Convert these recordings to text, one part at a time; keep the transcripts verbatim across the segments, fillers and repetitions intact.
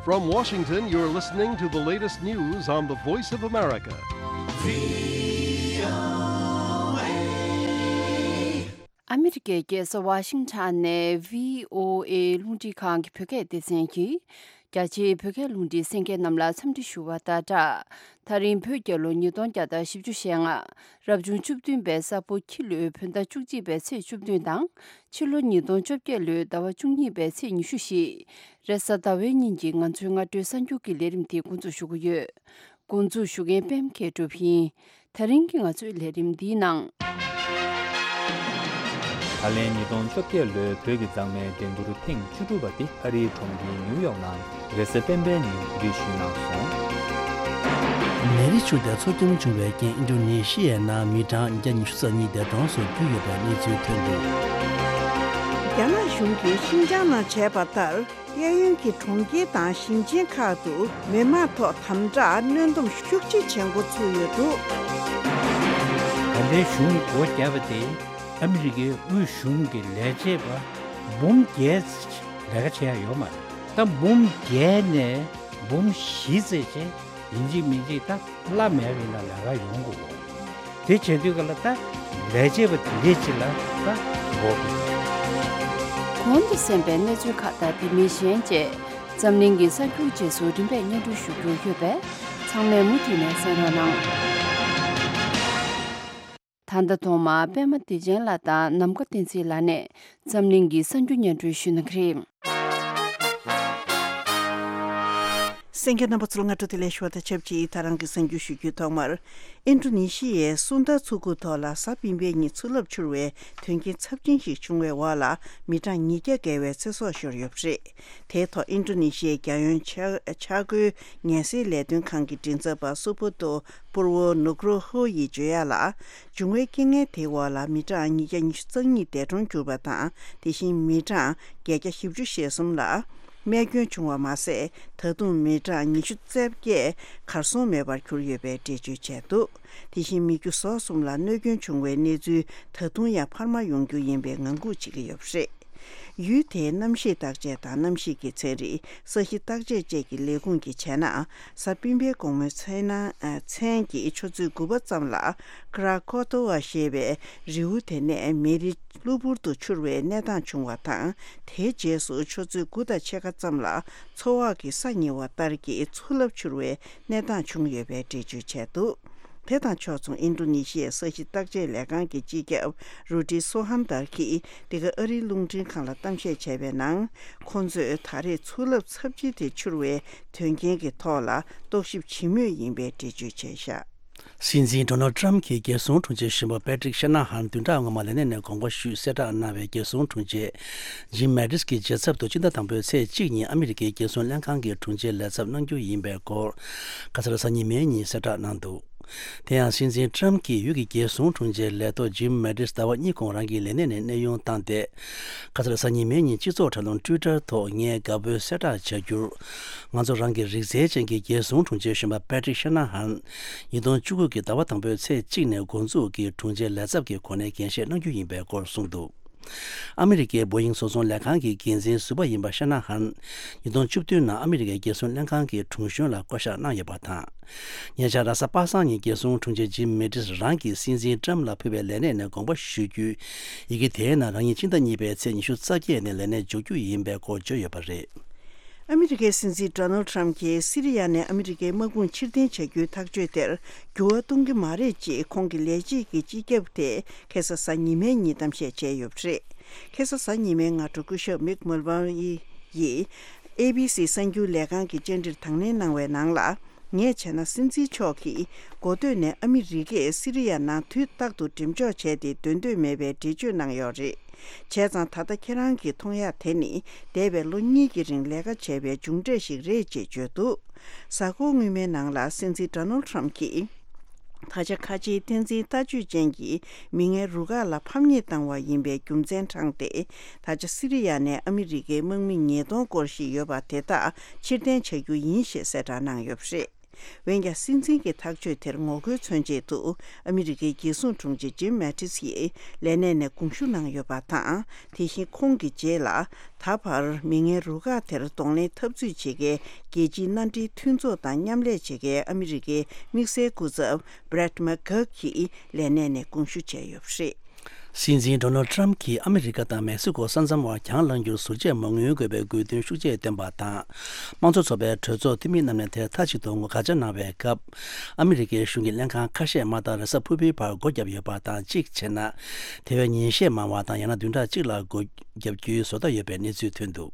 From Washington, you're listening to the latest news on the Voice of America. ཨ་མི་རི་ཀའི་རྒྱལ་ས་ཝ་ཤིང་ཊོན་ནས་བྷི་ཨོ་ཨེ་རླུང་འཕྲིན་ཁང་གི་བོད་སྐད་སྡེ་ཚན་གྱིས། རྒྱ་ཆེའི་བོད་སྐད་རླུང་འཕྲིན་གསན་མཁན་རྣམས་ལ་འཚམས་འདྲི་ཞུ་བ་དང་སྦྲགས། ད་རིང་བོད་རྒྱལ་ལོ་ཉིས་སྟོང་བརྒྱ་དང་བཞི་བཅུ་ཞེ་ལྔ། རབ་བྱུང་བཅུ་བདུན་པའི་ས་ཕོ་ཁྱི་ལོའི་བོད་ཟླ་བཅུ་གཅིག་པའི་ཚེས་བཅུ་བདུན་དང་། ཕྱི་ལོ་ཉིས་སྟོང་བཅོ་བརྒྱད་ལོའི་ཟླ་བ་བཅུ་གཉིས་པའི་ཚེས་ཉི་ཤུ་བཞི། རེས་གཟའ་ཟླ་བའི་ཉིན་གྱི་ང་ཚོའི་སྔ་དྲོའི་གསར་འགྱུར་གྱི་ལས་རིམ་དེ་འགོ་འཛུགས་ཞུ་གི་ཡོད། འགོ་འཛུགས་ཞུ་མཁན་པད་མ་མཁས་གྲུབ་ཡིན། ད་རིང་གི་ང་ཚོའི་ལས་རིམ་འདིའི་ནང་། ད་ལན་ཉིས་སྟོང་བཅོ་བརྒྱད་ལོའི་བོད་ཀྱི་མཛངས་མའི་འགྲན་བསྡུར་ཐེངས་བཅུ་དྲུག་པ་དེ་ཨ་རིའི་གྲོང་ཁྱེར་ནིའུ་ཡོག་ནང་རེས་གཟའ་སྤེན་པའི་ཉིན་འགྲུལ་བཞུད་གནང་སོང་། ནད་རིགས་ཤུགས་དེ་འཚོ་སྐྱོང་བྱུང་བའི་རྐྱེན་ཨིན་ཌོ་ནེ་ཤི་ཡའི་ནང་མི་གྲངས་ཉིས་བརྒྱ་ཉི་ཤུ་རྩ་གཉིས་འདས་གྲོངས་སུ་གྱུར་ཡོད་པའི་གནས་ཚུལ་ཐོན་འདུག། རྒྱ་ནག་གཞུང་གིས་ཤིན་ཅང་ནང་བྱས་པ་ལྟར། གཡས་གཡོན་གྱི་གྲོང་ཁྱེར་དང་ཞིང་ཆེན་ཁག་ཏུ་མི་མང་ཐོག་དམ་དྲག་གནོན་སྡོམ་ཤུགས་ཆེ་བྱེད་འགོ་ཚུགས་ཡོད་འདུག། ད་ལྟའི་གཞུང་སྒོ་བརྒྱབ་པ་དེ་ཨ་མི་རི་ཀའི་དབུས་གཞུང་གི་ལས་བྱེད་པ་འབུམ་བརྒྱད་ལས་ཀ་བྱེད་ཡ་ཡོད་མ་རེད། ད་འབུམ་བརྒྱད་ནས་འབུམ་བཞི་ཙམ་ཅིག་ཡིན་གཅིག་མིན་གཅིག་ད་གླ་མེད་པའི་ནང་ལས་ཀ་ཡོང་དགོས། དེ་བྱེད་དུས་ག་ལ་ད་ལས་བྱེད་པ་དེ་འདྲའི་ཅིག་ལ་ད་འགོག་དགོས། གོང་དུ་གསན་པའི་གནས་ཚུལ་ཁག་དང་དེ་མིན་གཞན་བཅས་འཛམ་གླིང་གི་གསར་འགྱུར་རྗེས་སུ་རིམ་པས་སྙན་སྒྲོན་ཞུ་རྒྱུ་ཡོད་པས་ཚང་མས་མུ་མཐུད་ནས་གསན་རོགས་གནང་། ད་ལྟ་ཐོག་མར་པད་མ་བདེ་ཆེན་ལགས་དང་ནམ་མཁའ་བསྟན་འཛིན་ལགས་ནས་འཛམ་གླིང་གི་གསར་འགྱུར་སྙན་སྒྲོན་ཞུ་གནང་གི་རེད། གསན་མཁན་རྣམ་པ་ཚོར་སྔ་དྲོ་བདེ་ལེགས་ཞུ་བ་དང་ཆབས་ཅིག་ད་རང་གི་གསར་འགྱུར་ཞུ་རྒྱུའི་ཐོག་མར། ཨིན་ཌོ་ནེ་ཤི་ཡའི་སུན་ད་མཚོ་ཁུག་ཐོག་ལ་གཟའ་སྤེན་པའི་ཉིན་མཚོ་རླབས་འཕྱུར་བའི་དོན་རྐྱེན་ཚབས་ཆེན་ཞིག་བྱུང་བའི་འོག་ལ་མི་གྲངས་ཉིས་བརྒྱ་བརྒལ་བའི་ཚེ་སྲོག་ཤོར་ཡོད་པ་རེད། དེའི་ཐོག་ཨིན་ཌོ་ནེ་ཤི་ཡའི་རྒྱལ་ཡོངས་ཆ་ཆག་སྒོའི་ངལ་སེལ་ལས་དོན་ཁང་གི་མགྲིན་ཚབ་པ་སུ་བྷོ་ཏོ་པུར་བོ་ནུག་རོ་ཧོ་ཡིས་བརྗོད་ཡ་ལ། འབྱུང་བའི་རྐྱེན་ངན་དེའི་འོག་ལ་མི་གྲངས་ཉིས་བརྒྱ་ཉི་ཤུ་རྩ་གཉིས་འདས་གྲོངས་གྱུར་པ་དང་། དེ་བཞིན་མི་གྲངས་བརྒྱད་བརྒྱ་བཞི་བཅུ་ཞེ་གསུམ་ལ་རྨས་སྐྱོན་བྱུང་བ་མ་ཟད། ད་དུང་མི་གྲངས་ཉི་ཤུ་རྩ་བརྒྱད་གར་སོང་མེད་པར་གྱུར་ཡོད་པའི་འགྲེལ་བརྗོད་བྱས་འདུག། དེ་བཞིན་མི་རྒྱུ་ཟོག་གསུམ་ལ་གནོད་སྐྱོན་བྱུང་བའི་གནས་ཚུལ་ད་དུང་ཡང་འཕར་མ་ཡོང་རྒྱུ་ཡིན་པའི་ངང་སྒུག་བྱེད་ཀྱི་ཡོད་པ་རེད། ཡུལ་དེའི་གནམ་གཤིས་བརྟག་དཔྱད་དང་གནམ་གཤིས་ཀྱི་ཚན་རིག་ས་གཤིས་བརྟག་དཔྱད་བཅས་ཀྱི་ལས་ཁུངས་ཀྱིས་བྱས་ན། གཟའ་སྤེན་པའི་དགོང་མོའི་མཚན་ན་མཚན་གྱི་ཆུ་ཚོད་དགུ་པ་ཙམ་ལ་ཀྲ་ཀོ་ཏོ་ཝ་ཞེས་པའི་རི་བོ་དེ་ནས་མེ་རི་གློ་བུར་དུ་འཕྱུར་བའི་གནས་སྟངས་བྱུང་བ་དང་། དེའི་རྗེས་སུ་ཆུ་ཚོད་དགུ་དང་ཕྱེད་ཀ་ཙམ་ལ་མཚོ་འོག་གི་ས་ཉིལ་བ་ལྟར་གྱི་མཚོ་རླབས་འཕྱུར་བའི་གནས་སྟངས་བྱུང་ཡོད་པའི་འགྲེལ་བརྗོད་བྱས་འདུག། དེ་དང་ཕྱོགས་མཚུངས་ཨིན་ཌོ་ནེ་ཤི་ཡའི་ས་གཤིས་བརྟག་དཔྱད་ལས་ཁང་གི་སྤྱི་ཁྱབ་རུ་ཏི་སོ་ཧན་དར་གྱིས་འདི་ག་ཨ་རིའི་རླུང་འཕྲིན་ཁང་ལ་གཏམ་བཤད་བྱས་པའི་ནང་། ཁོང་ཚོས་ད་རེས་མཚོ་རླབས་ཚབས་ཆེ་དེ་འཕྱུར་བའི་དོན་རྐྱེན་གྱི་ཐོག་ལ་རྟོག་ཞིབ་བྱེད་མུས་ཡིན་པའི་འགྲེལ་བརྗོད་བྱས་བཞག། སྲིད་འཛིན་ཌོ་ནལ་ཊམ་གྱི་རྒྱལ་སྲུང་དྲུང་ཆེ་གཞོན་པ་པེ་ཏྲིག་ཤ་ན་ཧན་བདུན་ཕྲག་སྔོན་མ་ལས་གནས་ནས་དགོངས་པ་ཞུས་གསལ་བསྒྲགས་གནང་བའི་རྒྱལ་སྲུང་དྲུང་ཆེ་ཇིམ་མེ་ཏིས་ཀྱི་རྗེས་ཚབ་ཏུ་སྤྱི་ཟླ་དང་པོའི་ཚེས་གཅིག་ཉིན་ཨ་མི་རི་ཀའི་རྒྱལ་སྲུང་ལྷན་ཁང་གི་དྲུང་ཆེའི་ལས་ཚབ་གནང་རྒྱུ་ཡིན་པའི་སྐོར་ཁ་སང་གཟའ་ཉི་མའི་ཉིན་གསལ་བསྒྲགས་གནང་འདུག། དེ་ཡང་སྲིད་འཛིན་ཊམ་གྱིས་ཡུལ་གྱི་རྒྱལ་སྲུང་དྲུང་ཆེའི་ལས་ཐོག་ཇིམ་མེ་ཏིས་ཟླ་བ་གཉིས་གོང་རང་གི་ལས་གནས་ནས་གནས་དབྱུང་བཏང་སྟེ། ཁ་སང་གཟའ་ཉི་མའི་ཉིན་སྤྱི་ཚོགས་དྲ་ལམ་ཊུའི་ཊར་ཐོག་ངས་དགའ་པོའི་གསལ་བསྒྲགས་བྱ་རྒྱུར། ང་ཚོ་རང་གི་རིག་རྩལ་ཅན་གྱི་རྒྱལ་སྲུང་དྲུང་ཆེ་གཞོན་པ་པེ་ཏྲིག་ཤ་ན་ཧན་ཉིས་སྟོང་བཅུ་དགུ་གི་ཟླ་བ་དང་པོའི་ཚེས་གཅིག་ནས་འགོ་འཛུགས་ཀྱིས་དྲུང་ཆེ་ལས་ཚབ་ཀྱི་གོ་གནས་འགན་བཞེས་གནང་རྒྱུ་ཡིན་པའི་སྐོར་གསུངས་འདུག། ཨ་མི་རི་ཀའི་བོ་ཡིང་བཟོ་ཚོང་ལས་ཁང་གི་འགན་འཛིན་ཟུར་པ་ཡིན་པ་ཤ་ན་ཧན། ཉིས་སྟོང་བཅུ་བདུན་ནང་ཨ་མི་རི་ཀའི་རྒྱལ་སྲུང་ལྷན་ཁང་གི་དྲུང་གཞོན་ལ་བསྐོ་གཞག་གནང་ཡོད་པ་དང་། ཉེ་ཆར་རེས་གཟའ་པ་སངས་ཉིན་རྒྱལ་སྲུང་དྲུང་ཆེ་ཇིམ་མེ་ཏིས་རང་གིས་སྲིད་འཛིན་ཊམ་ལ་ཕུལ་བའི་ལས་གནས་ནས་དགོངས་པ་ཞུ་རྒྱུའི་ཡི་གེ་དེའི་ནང་རང་ཉིད་སྤྱི་ཟླ་གཉིས་པའི་ཚེས་ཉི་ཤུ་རྩ་བརྒྱད་ནས་ལས་གནས་འཇོག་རྒྱུ་ཡིན་པའི་སྐོར་བརྗོད་ཡོད་པ་རེད། ཨ་མི་རི་ཀའི་སྲིད་འཛིན་ཌོ་ནལ་ཊམ་གྱིས་སི་རི་ཡ་ནས་ཨ་མི་རི་ཀའི་དམག་དཔུང་ཕྱིར་འཐེན་བྱ་རྒྱུའི་ཐག་གཅོད་དེར་འགྱུར་བ་གཏོང་གི་མ་རེད་ཅེས་ཁོང་གི་ལས་བྱེད་ཀྱི་སྤྱི་ཁྱབ་དེས་ཁ་སང་གཟའ་ཉི་མའི་ཉིན་གཏམ་བཤད་བྱས་ཡོད་པ་རེད། ཁ་སང་གཟའ་ཉི་མའི་སྔ་དྲོ་སྐུ་ཞབས་མིག་མུལ་ཝར་ཡིས་ཨེ་བི་སི་གསར་འགྱུར་ལས་ཁང་གི་བཅར་འདྲིར་དང་ལེན་གནང་བའི་ནང་ལ། ངས་བྱས་ན་སྲིད་འཛིན་མཆོག་གིས་འགོ་སྟོད་ནས་ཨ་མི་རི་ཀས་སི་རི་ཡ་ནང་དུས་རྟག་ཏུ་འགྲེམས་འཇོག་བྱས་ཏེ་སྡོད་འདོད་མེད་པའི་འགྲེལ་བརྗོད་གནང་ཡོད་རེད། བྱས་ཙང་ད་ལྟ་ཁྱེད་རང་གིས་མཐོང་ཡག་དེ་ནི་འདས་པའི་ལོ་གཉིས་ཀྱི་རིང་ལས་ཀ་བྱས་པའི་མཇུག་འབྲས་ཤིག་རེད་ཅེས་བརྗོད་འདུག། གཟའ་འཁོར་སྔོན་མའི་ནང་ལ་སྲིད་འཛིན་ཌོ་ནལ་ཊམ་གྱིས། ད་ཆ་ཁ་ཆེའི་བསྟན་འཛིན་ལྟ་སྤྱོད་ཅན་གྱི་མི་ངན་རུ་ཁག་ལ་ཕམ་ཉེས་བཏང་བ་ཡིན་པའི་རྒྱུ་མཚན་དྲངས་ཏེ། ད་ཆ་སི་རི་ཡ་ནས་ཨ་མི་རི་ཀའི་དམག་མི་ཉིས་སྟོང་སྐོར་ཞིག་ཡོད་པ་དེ་དག་ཕྱིར་འཐེན་བྱ་རྒྱུ་ཡིན་ཞེས་གསལ་བསྒྲགས་གནང་ཡོད་པ་རེད། འོན་ཀྱང་སྲིད་འཛིན་གྱི་ཐག་གཅོད་དེར་ངོ་རྒོལ་མཚོན་ཆེད་དུ་ཨ་མི་རི་ཀའི་རྒྱལ་སྲུང་དྲུང་ཆེ་ཇིམ་མེ་ཏིས་ཡིས་ལས་གནས་ནས་དགོངས་ཞུ་གནང་ཡོད་པ་དང་། དེ་བཞིན་ཁོང་གི་རྗེས་ལ་ད་བར་མི་ངན་རུ་ཁག་དེར་གདོང་ལེན་འཐབ་རྩོད་བྱེད་མཁན་རྒྱལ་སྤྱིའི་མནའ་འབྲེལ་མཐུན་ཚོགས་དང་མཉམ་ལས་བྱེད་མཁན་ཨ་མི་རི་ཀའི་དམིགས་བསལ་སྐུ་ཚབ་Brett McGurk གྱིས་ལས་གནས་ནས་དགོངས་ཞུ་བྱས་ཡོད་པ་རེད། སྲིད་འཛིན་ཌོ་ནལ་ཊམ་གྱིས་ཨ་མི་རི་ཀ་དང་མེག་སི་ཀོ་ས་མཚམས་བར་གྱང་ལངས་རྒྱུར་ཟུར་བཅད་མ་དངུལ་དགོས་པའི་དགོས་འདུན་ཤུགས་ཆེ་བཏོན་པ་དང་། དམངས་གཙོ་ཚོགས་པའི་གྲོས་ཚོགས་འཐུས་མི་རྣམས་ནས་དེར་མཐའ་གཅིག་ཏུ་ངོ་དགག་བྱ་གནང་བའི་སྐབས། ཨ་མི་རི་ཀའི་གཞུང་གི་ལྷན་ཁང་ཁ་ཤས་མ་རྩ་རེས་གཟའ་ཕུར་བུའི་བར་སྒོ་བརྒྱབ་ཡོད་པ་དང་། གཅིག་བྱས་ན། དེ་བས་ཉིན་ཤས་མང་བ་དང་ཡང་ན་བདུན་ཕྲག་གཅིག་ལ་སྒོ་བརྒྱབ་རྒྱུའི་བཟོ་ལྟ་ཡོད་པའི་གནས་ཚུལ་ཐོན་འདུག་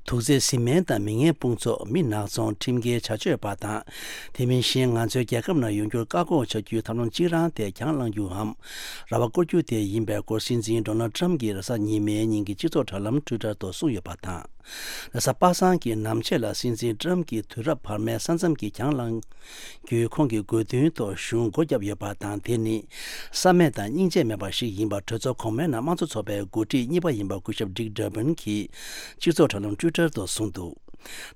དུག་རྫས་བཟི་སྨན་དང་མི་ངན་དཔུང་ཚོགས། མི་ནག་ཚོང་། ཁྲིམས་འགལ་བྱ་སྤྱོད་པ་དང་། དེ་མིན་གཞན་ང་ཚོའི་རྒྱལ་ཁབ་ནང་ཡོང་རྒྱུར་བཀག་འགོག་བྱ་རྒྱུའི་ཐབས་ལམ་གཅིག་རང་དེ་གྱང་ལངས་རྒྱུའམ། ར་བ་བསྐོར་རྒྱུ་དེ་ཡིན་པའི་སྐོར་སྲིད་འཛིན་ཌོ་ནལ་ཊམ་གྱིས་རེས་གཟའ་ཉི་མའི་ཉིན་གྱི་སྤྱི་ཚོགས་དྲ་ལམ་ཊུའི་ཊར་ཐོག་གསུངས་ཡོད་པ་དང་། རེས་གཟའ་པ་སངས་ཀྱི་ནམ་ཕྱེད་ལ་སྲིད་འཛིན་ཊམ་གྱིས་དུས་རབས་བར་མའི་ས་མཚམས་ཀྱི་གྱང་ལངས། རྒྱུའི་ཁོང་གི་དགོས་འདུན་ཐོག་གཞུང་སྒོ་བརྒྱབ་ཡོད་པ་དང་། དེ་ནི་བསམ་མེད་དང་སྙིང་རྗེ་མེད་པ་ཞིག་ཡིན་པ་གྲོས་ཚོགས་གོང་མའི་ནང་དམངས་གཙོ་ཚོགས་པའི་འགོ་ཁྲིད་གཉིས་པ་ཡིན་པ་སྐུ་ཞབས་ཌིག་ཌར་པན་གྱིས་སྤྱི་ཚོགས་དྲ་ལམ་ཊུའི་ཊར་དུ་གསུངས་འདུག་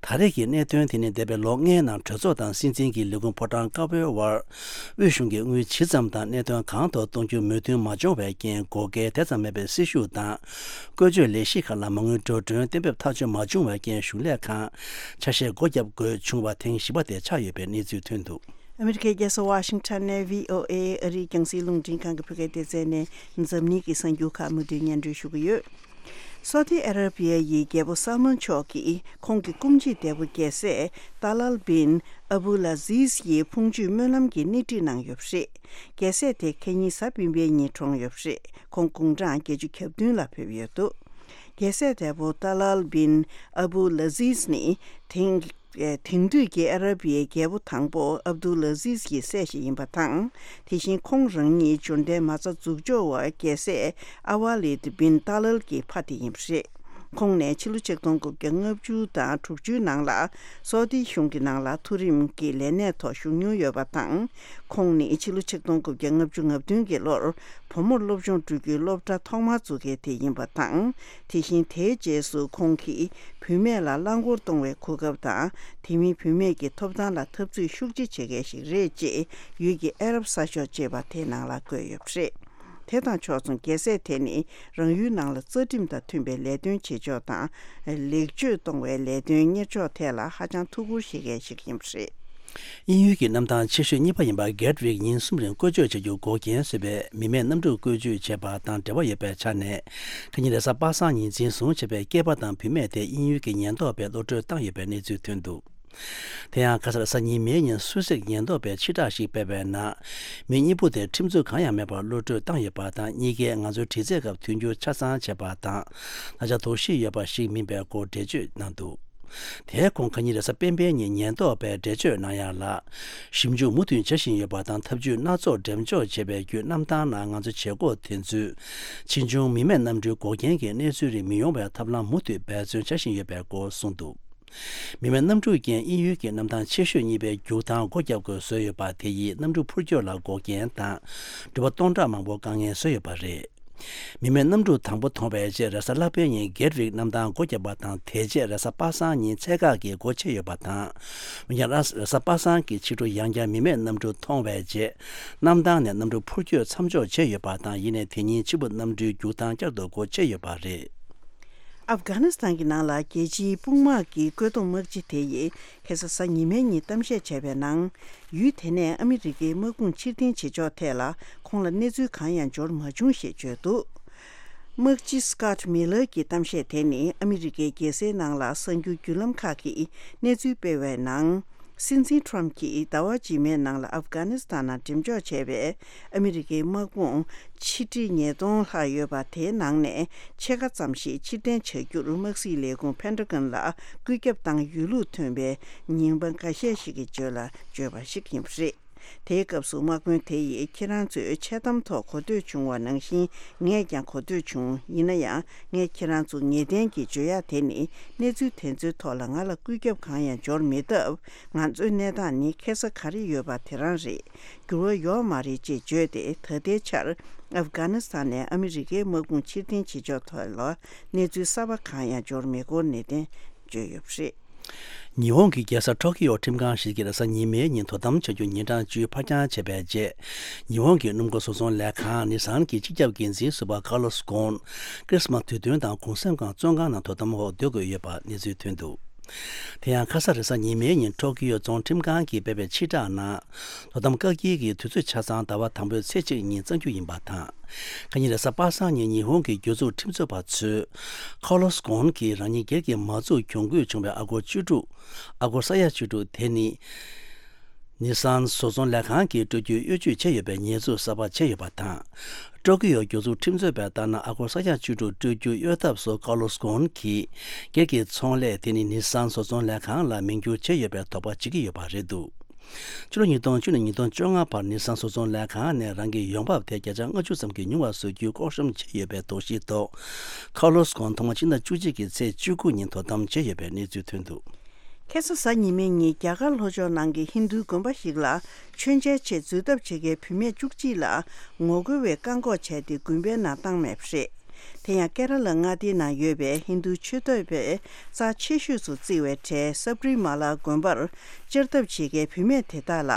ད་རེས་ཀྱི་གནད་དོན་དེ་ནི་འདས་པའི་ལོ་ལྔའི་ནང་གྲོས་ཚོགས་དང་སྲིད་འཛིན་གྱི་ལས་ཁུངས་ཕོ་བྲང་དཀར་པོའི་དབར་དབུས་གཞུང་གིས་དངུལ་ཇི་ཙམ་དང་གནད་དོན་གང་ཐོག་གཏོང་རྒྱུ་མོས་མཐུན་མ་བྱུང་བའི་རྐྱེན། བགོ་སྐལ་དེ་ཙམ་མེད་པའི་སྲི་ཞུ་དང་བཀོལ་སྤྱོད་ལས་གཞི་ཁག་ལ་མ་དངུལ་འགྲོ་གྲོན་གཏན་འབེབས་ཐག་གཅོད་མ་བྱུང་བའི་རྐྱེན། གཞུང་ལས་ཁང་ཆ་ཤས་སྒོ་བརྒྱབ་དགོས་བྱུང་བ་ཐེངས་བཞི་པ་དེ་ཆགས་ཡོད་པའི་གནས་ཚུལ་ཐོན་འདུག་ཨ་མི་རི་ཀའི་རྒྱལ་ས་ཝ་ཤིང་ཊོན་ནས་བྷི་ཨོ་ཨེ་ཨ་རིའི་རྒྱང་སྲིང་རླུང་འཕྲིན་ཁང་གི་བོད་སྐད་སྡེ་ཚན་ནས་འཛམ་གླིང་གི་གསར་འགྱུར་ཁག་མུ་མཐུད་སྙན་སྒྲོན་ཞུ་གི་ཡོད། སོ་ཏི་ཨ་ར་བི་ཡ་ཡི་རྒྱལ་པོ་སལ་མོན་མཆོག་གིས་ཁོང་གི་སྐུ་མཆེད་དེ་པོ་རྒྱལ་སྲས་ཏཱ་ལཱལ་བིན་ཨ་བུ་ལ་ཟིས་ཡི་ཕུང་མཆོད་སྨོན་ལམ་གྱི་སྣེ་ཁྲིད་གནང་ཡོད་པ་རེད། རྒྱལ་སྲས་དེ་ཁ་ཉིན་གཟའ་སྤེན་པའི་ཉིན་གྲོངས་ཡོད་པ་རེད། ཁོང་དགུང་གྲངས་བརྒྱད་ཅུ་གྱ་བདུན་ལ་ཕེབས་ཡོད་འདུག་རྒྱལ་སྲས་དེ་པོ་ཏཱ་ལཱལ་བིན་ཨ་བུ་ལ་ཟིས་ནི་དེང་། དེང་དུས་ཀྱི་ཨ་ར་བིའི་རྒྱལ་པོ་དང་པོ་ཨབ་དུལ་ཨ་ཟིས་ཀྱི་སྲས་ཤིག་ཡིན་པ་དང་། དེ་བཞིན་ཁོང་རང་ཉིད་འབྱོར་ལྡན་མ་རྩ་འཛུགས་འཇོག་པ་རྒྱལ་སྲས་ཨ་ཝ་ལིད་བིན་ཏཱ་ལཱལ་གྱི་ཕ་དེ་ཡིན་པ་རེད། ཁོང་ནས་ཕྱི་ལོ་ཆིག་སྟོང་དགུ་བརྒྱ་ལྔ་བཅུ་དང་དྲུག་ཅུའི་ནང་ལ་སོ་ཏི་གཞུང་གི་ནང་ལ་མཐོ་རིམ་གྱི་ལས་གནས་ཐོག་ཞུགས་མྱོང་ཡོད་པ་དང་། ཁོང་ནི་ཕྱི་ལོ་ཆིག་སྟོང་དགུ་བརྒྱ་ལྔ་བཅུ་ང་བདུན་གྱི་ལོར་བུ་མོར་སློབ་སྦྱོང་སྤྲོད་རྒྱུའི་སློབ་གྲྭ་ཐོག་མར་བཙུགས་མཁན་དེ་ཡིན་པ་དང་། དེ་བཞིན་དེའི་རྗེས་སུ་ཁོང་གིས་བུད་མེད་ལ་རླངས་འཁོར་གཏོང་བའི་གོ་སྐབས་དང་། དེ་མིན་བུད་མེད་ཀྱི་ཐོབ་ཐང་ལ་འཐབ་རྩོད་ཤུགས་ཆེ་བྱེད་མཁན་ཞིག་རེད་ཅེས་ཡུལ་གྱི་ཨ་རབ་གསར་ཤོག་ཅེས་པ་དེའི་ནང་ལ་བཀོད་ཡོད་པ་རེད། དེ་དང་ཕྱོགས་མཚུངས་རྒྱལ་སྲས་དེ་ནི་རང་ཡུལ་ནང་ལ་རྩ་ཁྲིམས་དང་མཐུན་པའི་ལས་དོན་བྱེད་ཕྱོགས་དང་། ལེགས་བཅོས་གཏོང་བའི་ལས་དོན་གཉེར་ཕྱོགས་ཐད་ལ་ཧ་ཅང་ཐུགས་ཁུར་བཞེས་མཁན་ཞིག་ཡིན་པ་རེད། དབྱིན་ཡུལ་གྱི་གནམ་ཐང་ཆེ་ཤོས་གཉིས་པ་ཡིན་པ་གྷེ་ཊི་ཝིག་ཉིན་གསུམ་རིང་བཀོལ་སྤྱོད་བྱ་རྒྱུ་འགོག་རྐྱེན་བཟོས་པའི་མི་མེད་གནམ་གྲུ་བཀོལ་སྤྱོད་བྱས་པ་དང་འབྲེལ་བ་ཡོད་པའི་ཆ་ནས། ཁ་ཉིན་རེས་གཟའ་པ་སངས་ཉིན་འཛིན་བཟུང་བྱས་པའི་སྐྱེས་པ་དང་བུད་མེད་དེ་དབྱིན་ཡུལ་གྱི་ཉེན་རྟོག་པས་གློད་གྲོལ་བཏང་ཡོད་པའི་གནས་ཚུལ་ཐོན་འདུག་དེ་ཡང་ཁ་སང་རེས་གཟའ་ཉི་མའི་ཉིན་སུད་སིར་ཉེན་རྟོག་པས་ཕྱིར་བསྒྲགས་ཤིག་སྤེལ་བའི་ནང་། མི་གཉིས་པོ་དེ་ཁྲིམས་རྩོད་གང་ཡང་མེད་པར་གློད་གྲོལ་བཏང་ཡོད་པ་དང་། གཉིས་ཀས་ང་ཚོའི་དྲི་རྩད་སྐབས་མཐུན་འགྱུར་ཆ་ཚང་བྱས་པ་དང་། ད་ཆ་དོགས་གཞི་ཡོད་པ་ཞིག་མིན་པའི་སྐོར་འགྲེལ་བརྗོད་གནང་འདུག་དེའི་གོང་ཁ་ཉིན་རེས་གཟའ་སྤེན་པའི་ཉིན་ཉེན་རྟོག་པས་འགྲེལ་བརྗོད་གནང་ཡག་ལ། ཞིབ་འཇུག་མུ་མཐུད་བྱ་བཞིན་ཡོད་པ་དང་། ཐབས་ཇུས་སྣ་ཚོགས་འགྲེམས་འཇོག་བྱས་པའི་བརྒྱུད་གནམ་ཐང་ནང་ང་ཚོ་བྱེད་སྒོ་དེ་ཚོའི་ཕྱིས་འབྱུང་མི་མེད་གནམ་གྲུའི་འགོག་རྐྱེན་གྱི་གནས་ཚུལ་རིགས་མི་ཡོང་བའི་ཐབས་ལམ་མུ་མཐུད་འབད་བརྩོན་བྱ་བཞིན་ཡོད་པའི་སྐོར་གསུངས་འདུག་མི་མེད་གནམ་གྲུ་རྐྱེན་དབྱིན་ཡུལ་གྱི་གནམ་ཐང་ཆེ་ཤོས་གཉིས་པའི་རྒྱུག་ཐང་སྒོ་བརྒྱབ་དགོས་བཟོས་ཡོད་པ་དེ་ཡིས་གནམ་གྲུ་འཕུར་སྐྱོད་ལ་འགོག་རྐྱེན་དང་། འགྲུལ་པ་སྟོང་ཕྲག་མང་པོ་དཀའ་ངལ་བཟོས་ཡོད་པ་རེད། མི་མེད་གནམ་གྲུ་དང་པོ་མཐོང་བའི་རྗེས་རེས་གཟའ་ལྷག་པའི་ཉིན་གྷེ་ཊི་ཝིག་གནམ་ཐང་སྒོ་བརྒྱབ་པ་དང་། དེ་རྗེས་རེས་གཟའ་པ་སངས་ཉིན་ཚད་བཀག་གི་སྒོ་ཕྱེ་ཡོད་པ་དང་། འོན་ཀྱང་རེས་གཟའ་པ་སངས་ཀྱི་ཕྱི་དྲོ་ཡང་བསྐྱར་མི་མེད་གནམ་གྲུ་མཐོང་བའི་རྗེས། གནམ་ཐང་ནས་གནམ་གྲུ་འཕུར་སྐྱོད་མཚམས་འཇོག་བྱས་ཡོད་པ་དང་། ཡིན་ནའི་དེ་ཉིན་ཕྱི་པོ་གནམ་གྲུའི་རྒྱུག་ཐང་བསྐྱར་དུ་སྒོ་ཕྱེ་ཡོད་པ་རེད། ཨབ་གྷ་ནི་སི་ཐན་གྱི་ནང་ལ་རྒྱལ་སྤྱིའི་དཔུང་དམག་གི་བཀོད་འདོམས་དམག་སྤྱི་དེ་ཡིས་ཁ་སང་གཟའ་ཉི་མའི་ཉིན་གཏམ་བཤད་བྱས་པའི་ནང་། ཡུལ་དེ་ནས་ཨ་མི་རི་ཀའི་དམག་དཔུང་ཕྱིར་འཐེན་བྱེད་ཕྱོགས་ཐད་ལ་ཁོང་ལ་གནས་ཚུལ་གང་ཡང་འབྱོར་མ་བྱུང་ཞེས་བརྗོད་འདུག་དམག་སྤྱི་Scott Miller གྱི་གཏམ་བཤད་དེ་ནི་ཨ་མི་རི་ཀའི་རྒྱལ་སའི་ནང་ལ་གསར་འགྱུར་བརྒྱུད་ལམ་ཁག་གིས་གནས་ཚུལ་སྤེལ་བའི་ནང་། སྲིད་འཛིན་ཊམ་གྱིས་ཟླ་བ་རྗེས་མའི་ནང་ལ་ཨབ་གྷ་ནི་སི་ཐན་ནང་འགྲེམས་འཇོག་བྱས་པའི་ཨ་མི་རི་ཀའི་དམག་དཔུང་ཆིག་ཁྲི་ཉིས་སྟོང་ལྷག་ཡོད་པ་དེའི་ནང་ནས་ཕྱེད་ཀ་ཙམ་ཞིག་ཕྱིར་འཐེན་བྱ་རྒྱུར་དམག་སྲིད་ལས་ཁུངས་Pentagon ལ་བཀོད་ཁྱབ་བཏང་ཡོད་ལུགས་ཐོན་པའི་ཉིན་མ་འགའ་ཤས་ཤིག་གི་རྗེས་ལ་བརྗོད་པ་ཞིག་ཡིན་པ་རེད། དེའི་སྐབས་སུ་དམག་དཔོན་དེ་ཡིས་ཁྱེད་རང་ཚོས་འཆལ་གཏམ་ཐོག་གོ་ཐོས་བྱུང་བ་ནང་བཞིན་ངས་ཀྱང་གོ་ཐོས་བྱུང་། ཡིན་ན་ཡང་ངས་ཁྱེད་རང་ཚོ་ངེས་གཏན་གྱིས་བརྗོད་ཡ་དེ་ནི་གནས་ཚུལ་དེ་ཚོའི་ཐོག་ལ་ང་ལ་བཀོད་ཁྱབ་གང་ཡང་འབྱོར་མེད་སྟབས། ང་ཚོའི་གནས་སྟངས་ནི་ཁེ་ས་ག་རེ་ཡོད་པ་དེ་རང་རེད། འགྱུར་བ་ཡོད་མ་རེད་ཅེས་བརྗོད་དེ། ད་ལྟའི་ཆར་ཨབ་གྷ་ནི་སི་ཐན་ནས་ཨ་མི་རི་ཀའི་དམག་དཔུང་ཕྱིར་འཐེན་བྱེད་ཕྱོགས་ཐོག་ལ་གནས་ཚུལ་གསར་པ་གང་ཡང་འབྱོར་མེད་སྐོར་ནན་ཏན་བརྗོད་ཡོད་པ་རེད། ཉི་ཧོང་གི་རྒྱལ་ས་ཊོ་ཀི་ཡོ་ཁྲིམས་ཁང་ཞིག་གིས་རེས་གཟའ་ཉི་མའི་ཉིན་དོ་དམ་བྱ་རྒྱུ་ཉིན་གྲངས་བཅུ་ཕར་འགྱངས་བྱས་པའི་རྗེས། ཉི་ཧོང་གི་སྣུམ་འཁོར་བཟོ་ཚོང་ལས་ཁང་ནི་སཱན་གྱི་སྤྱི་ཁྱབ་འགན་འཛིན་ཟུར་པ་ཀར་ལོ་སི་གྷོན། ཁྲིས་མཱ་སི་དུས་སྟོན་དང་གུང་སེང་སྒང་བཙོན་ཁང་ནང་དོ་དམ་འོག་སྡོད་དགོས་ཡོད་པ་གནས་ཚུལ་ཐོན་འདུག་དེ་ཡང་ཁ་ས་རེས་གཟའ་ཉི་མའི་ཉིན་ཊོ་ཀི་ཡོ་རྫོང་ཁྲིམས་ཁང་གིས་སྤེལ་བའི་ཕྱིར་བསྒྲགས་ནང་། དོ་དམ་བཀག་སྐྱིལ་གྱི་དུས་ཚོད་ཆ་ཚང་ཟླ་བ་དང་པོའི་ཚེས་གཅིག་ཉིན་གཙང་རྒྱུ་ཡིན་པ་དང་། ཁ་ཉིན་རེས་གཟའ་པ་སངས་ཉིན་ཉི་ཧོང་གི་གྱོད་འཛུགས་ཁྲིམས་རྩོད་པ་ཚོས། ཁོ་ལོ་སི་གོན་གྱིས་རང་ཉིད་སྒེར་གྱི་མ་འཛུགས་གྱོང་གུད་བྱུང་བའི་ཨ་སྒོར་བཅུ་དྲུག་ཨ་སྒོར་ས་ཡ་བཅུ་དྲུག་དེ་ནི། ནི་སཱན་བཟོ་ཚོང་ལས་ཁང་གིས་སྤྲོད་རྒྱུའི་གཡོ་ཇུས་བྱས་ཡོད་པའི་ཉེས་འཛུགས་གསར་པ་བྱས་ཡོད་པ་དང་། ཊོ་ཀི་ཡོ་གྱོད་འཛུགས་ཁྲིམས་རྩོད་པས་ལྟར་ན་ཨ་སྒོར་ས་ཡ་བཅུ་དྲུག་སྤྲོད་རྒྱུ་གཡོལ་ཐབས་སུ་ཀར་ལོ་སི་གོན་གྱིས་སྒེར་གྱི་ཚོང་ལས་དེ་ནི་ནི་སཱན་བཟོ་ཚོང་ལས་ཁང་ལ་མིང་བསྒྱུར་བྱས་ཡོད་པའི་དོགས་པ་བྱེད་ཀྱི་ཡོད་པ་རེད་འདུག་ཕྱི་ལོ་ཉིས་སྟོང་བཅུ་ནས་ཉིས་སྟོང་བཅོ་ལྔ་བར་ནི་སཱན་བཟོ་ཚོང་ལས་ཁང་ནས་རང་གི་ཡོང་འབབ་དེ་བརྒྱ་ཆ་ལྔ་བཅུ་ཙམ་གྱིས་ཉུང་བ་བཟོ་རྒྱུའི་ལྐོག་ཤམ་བྱས་ཡོད་པའི་དོགས་གཞིའི་ཐོག་ཁར་ལོ་སི་གོན་ཐོག་མ་ཕྱི་ཟླ་བཅུ་གཅིག་གི་ཚེས་བཅུ་དགུ་ཉིན་དོ་དམ་བྱས་ཡོད་པའི་གནས་ཚུལ་ཐོན་འདུག་ཁ་སང་གཟའ་ཉི་མའི་ཉིན་རྒྱ་གར་ལྷོ་ཕྱོགས་ནང་གི་ཧིན་རྡུའི་དགོན་པ་ཞིག་ལ་མཆོད་མཇལ་ཆེད་འཛུལ་ཐབས་བྱེད་མཁན་བུད་མེད་བཅུ་གཅིག་ལ་ངོ་རྒོལ་བས་བཀག་འགོག་བྱས་ཏེ་དགོན་པའི་ནང་བཏང་མེད་པ་རེད། དེ་ཡང་ཀེ་ར་ལ་མངའ་སྡེའི་ནང་ཡོད་པའི་ཧིན་རྡུ་ཆོས་དད་པའི་རྩ་ཆེ་ཤོས་སུ་བརྩི་བའི་གྲས་སབ་རི་མ་ལ་དགོན་པར་བཅར་ཐབས་བྱེད་མཁན་བུད་མེད་དེ་དག་ལ་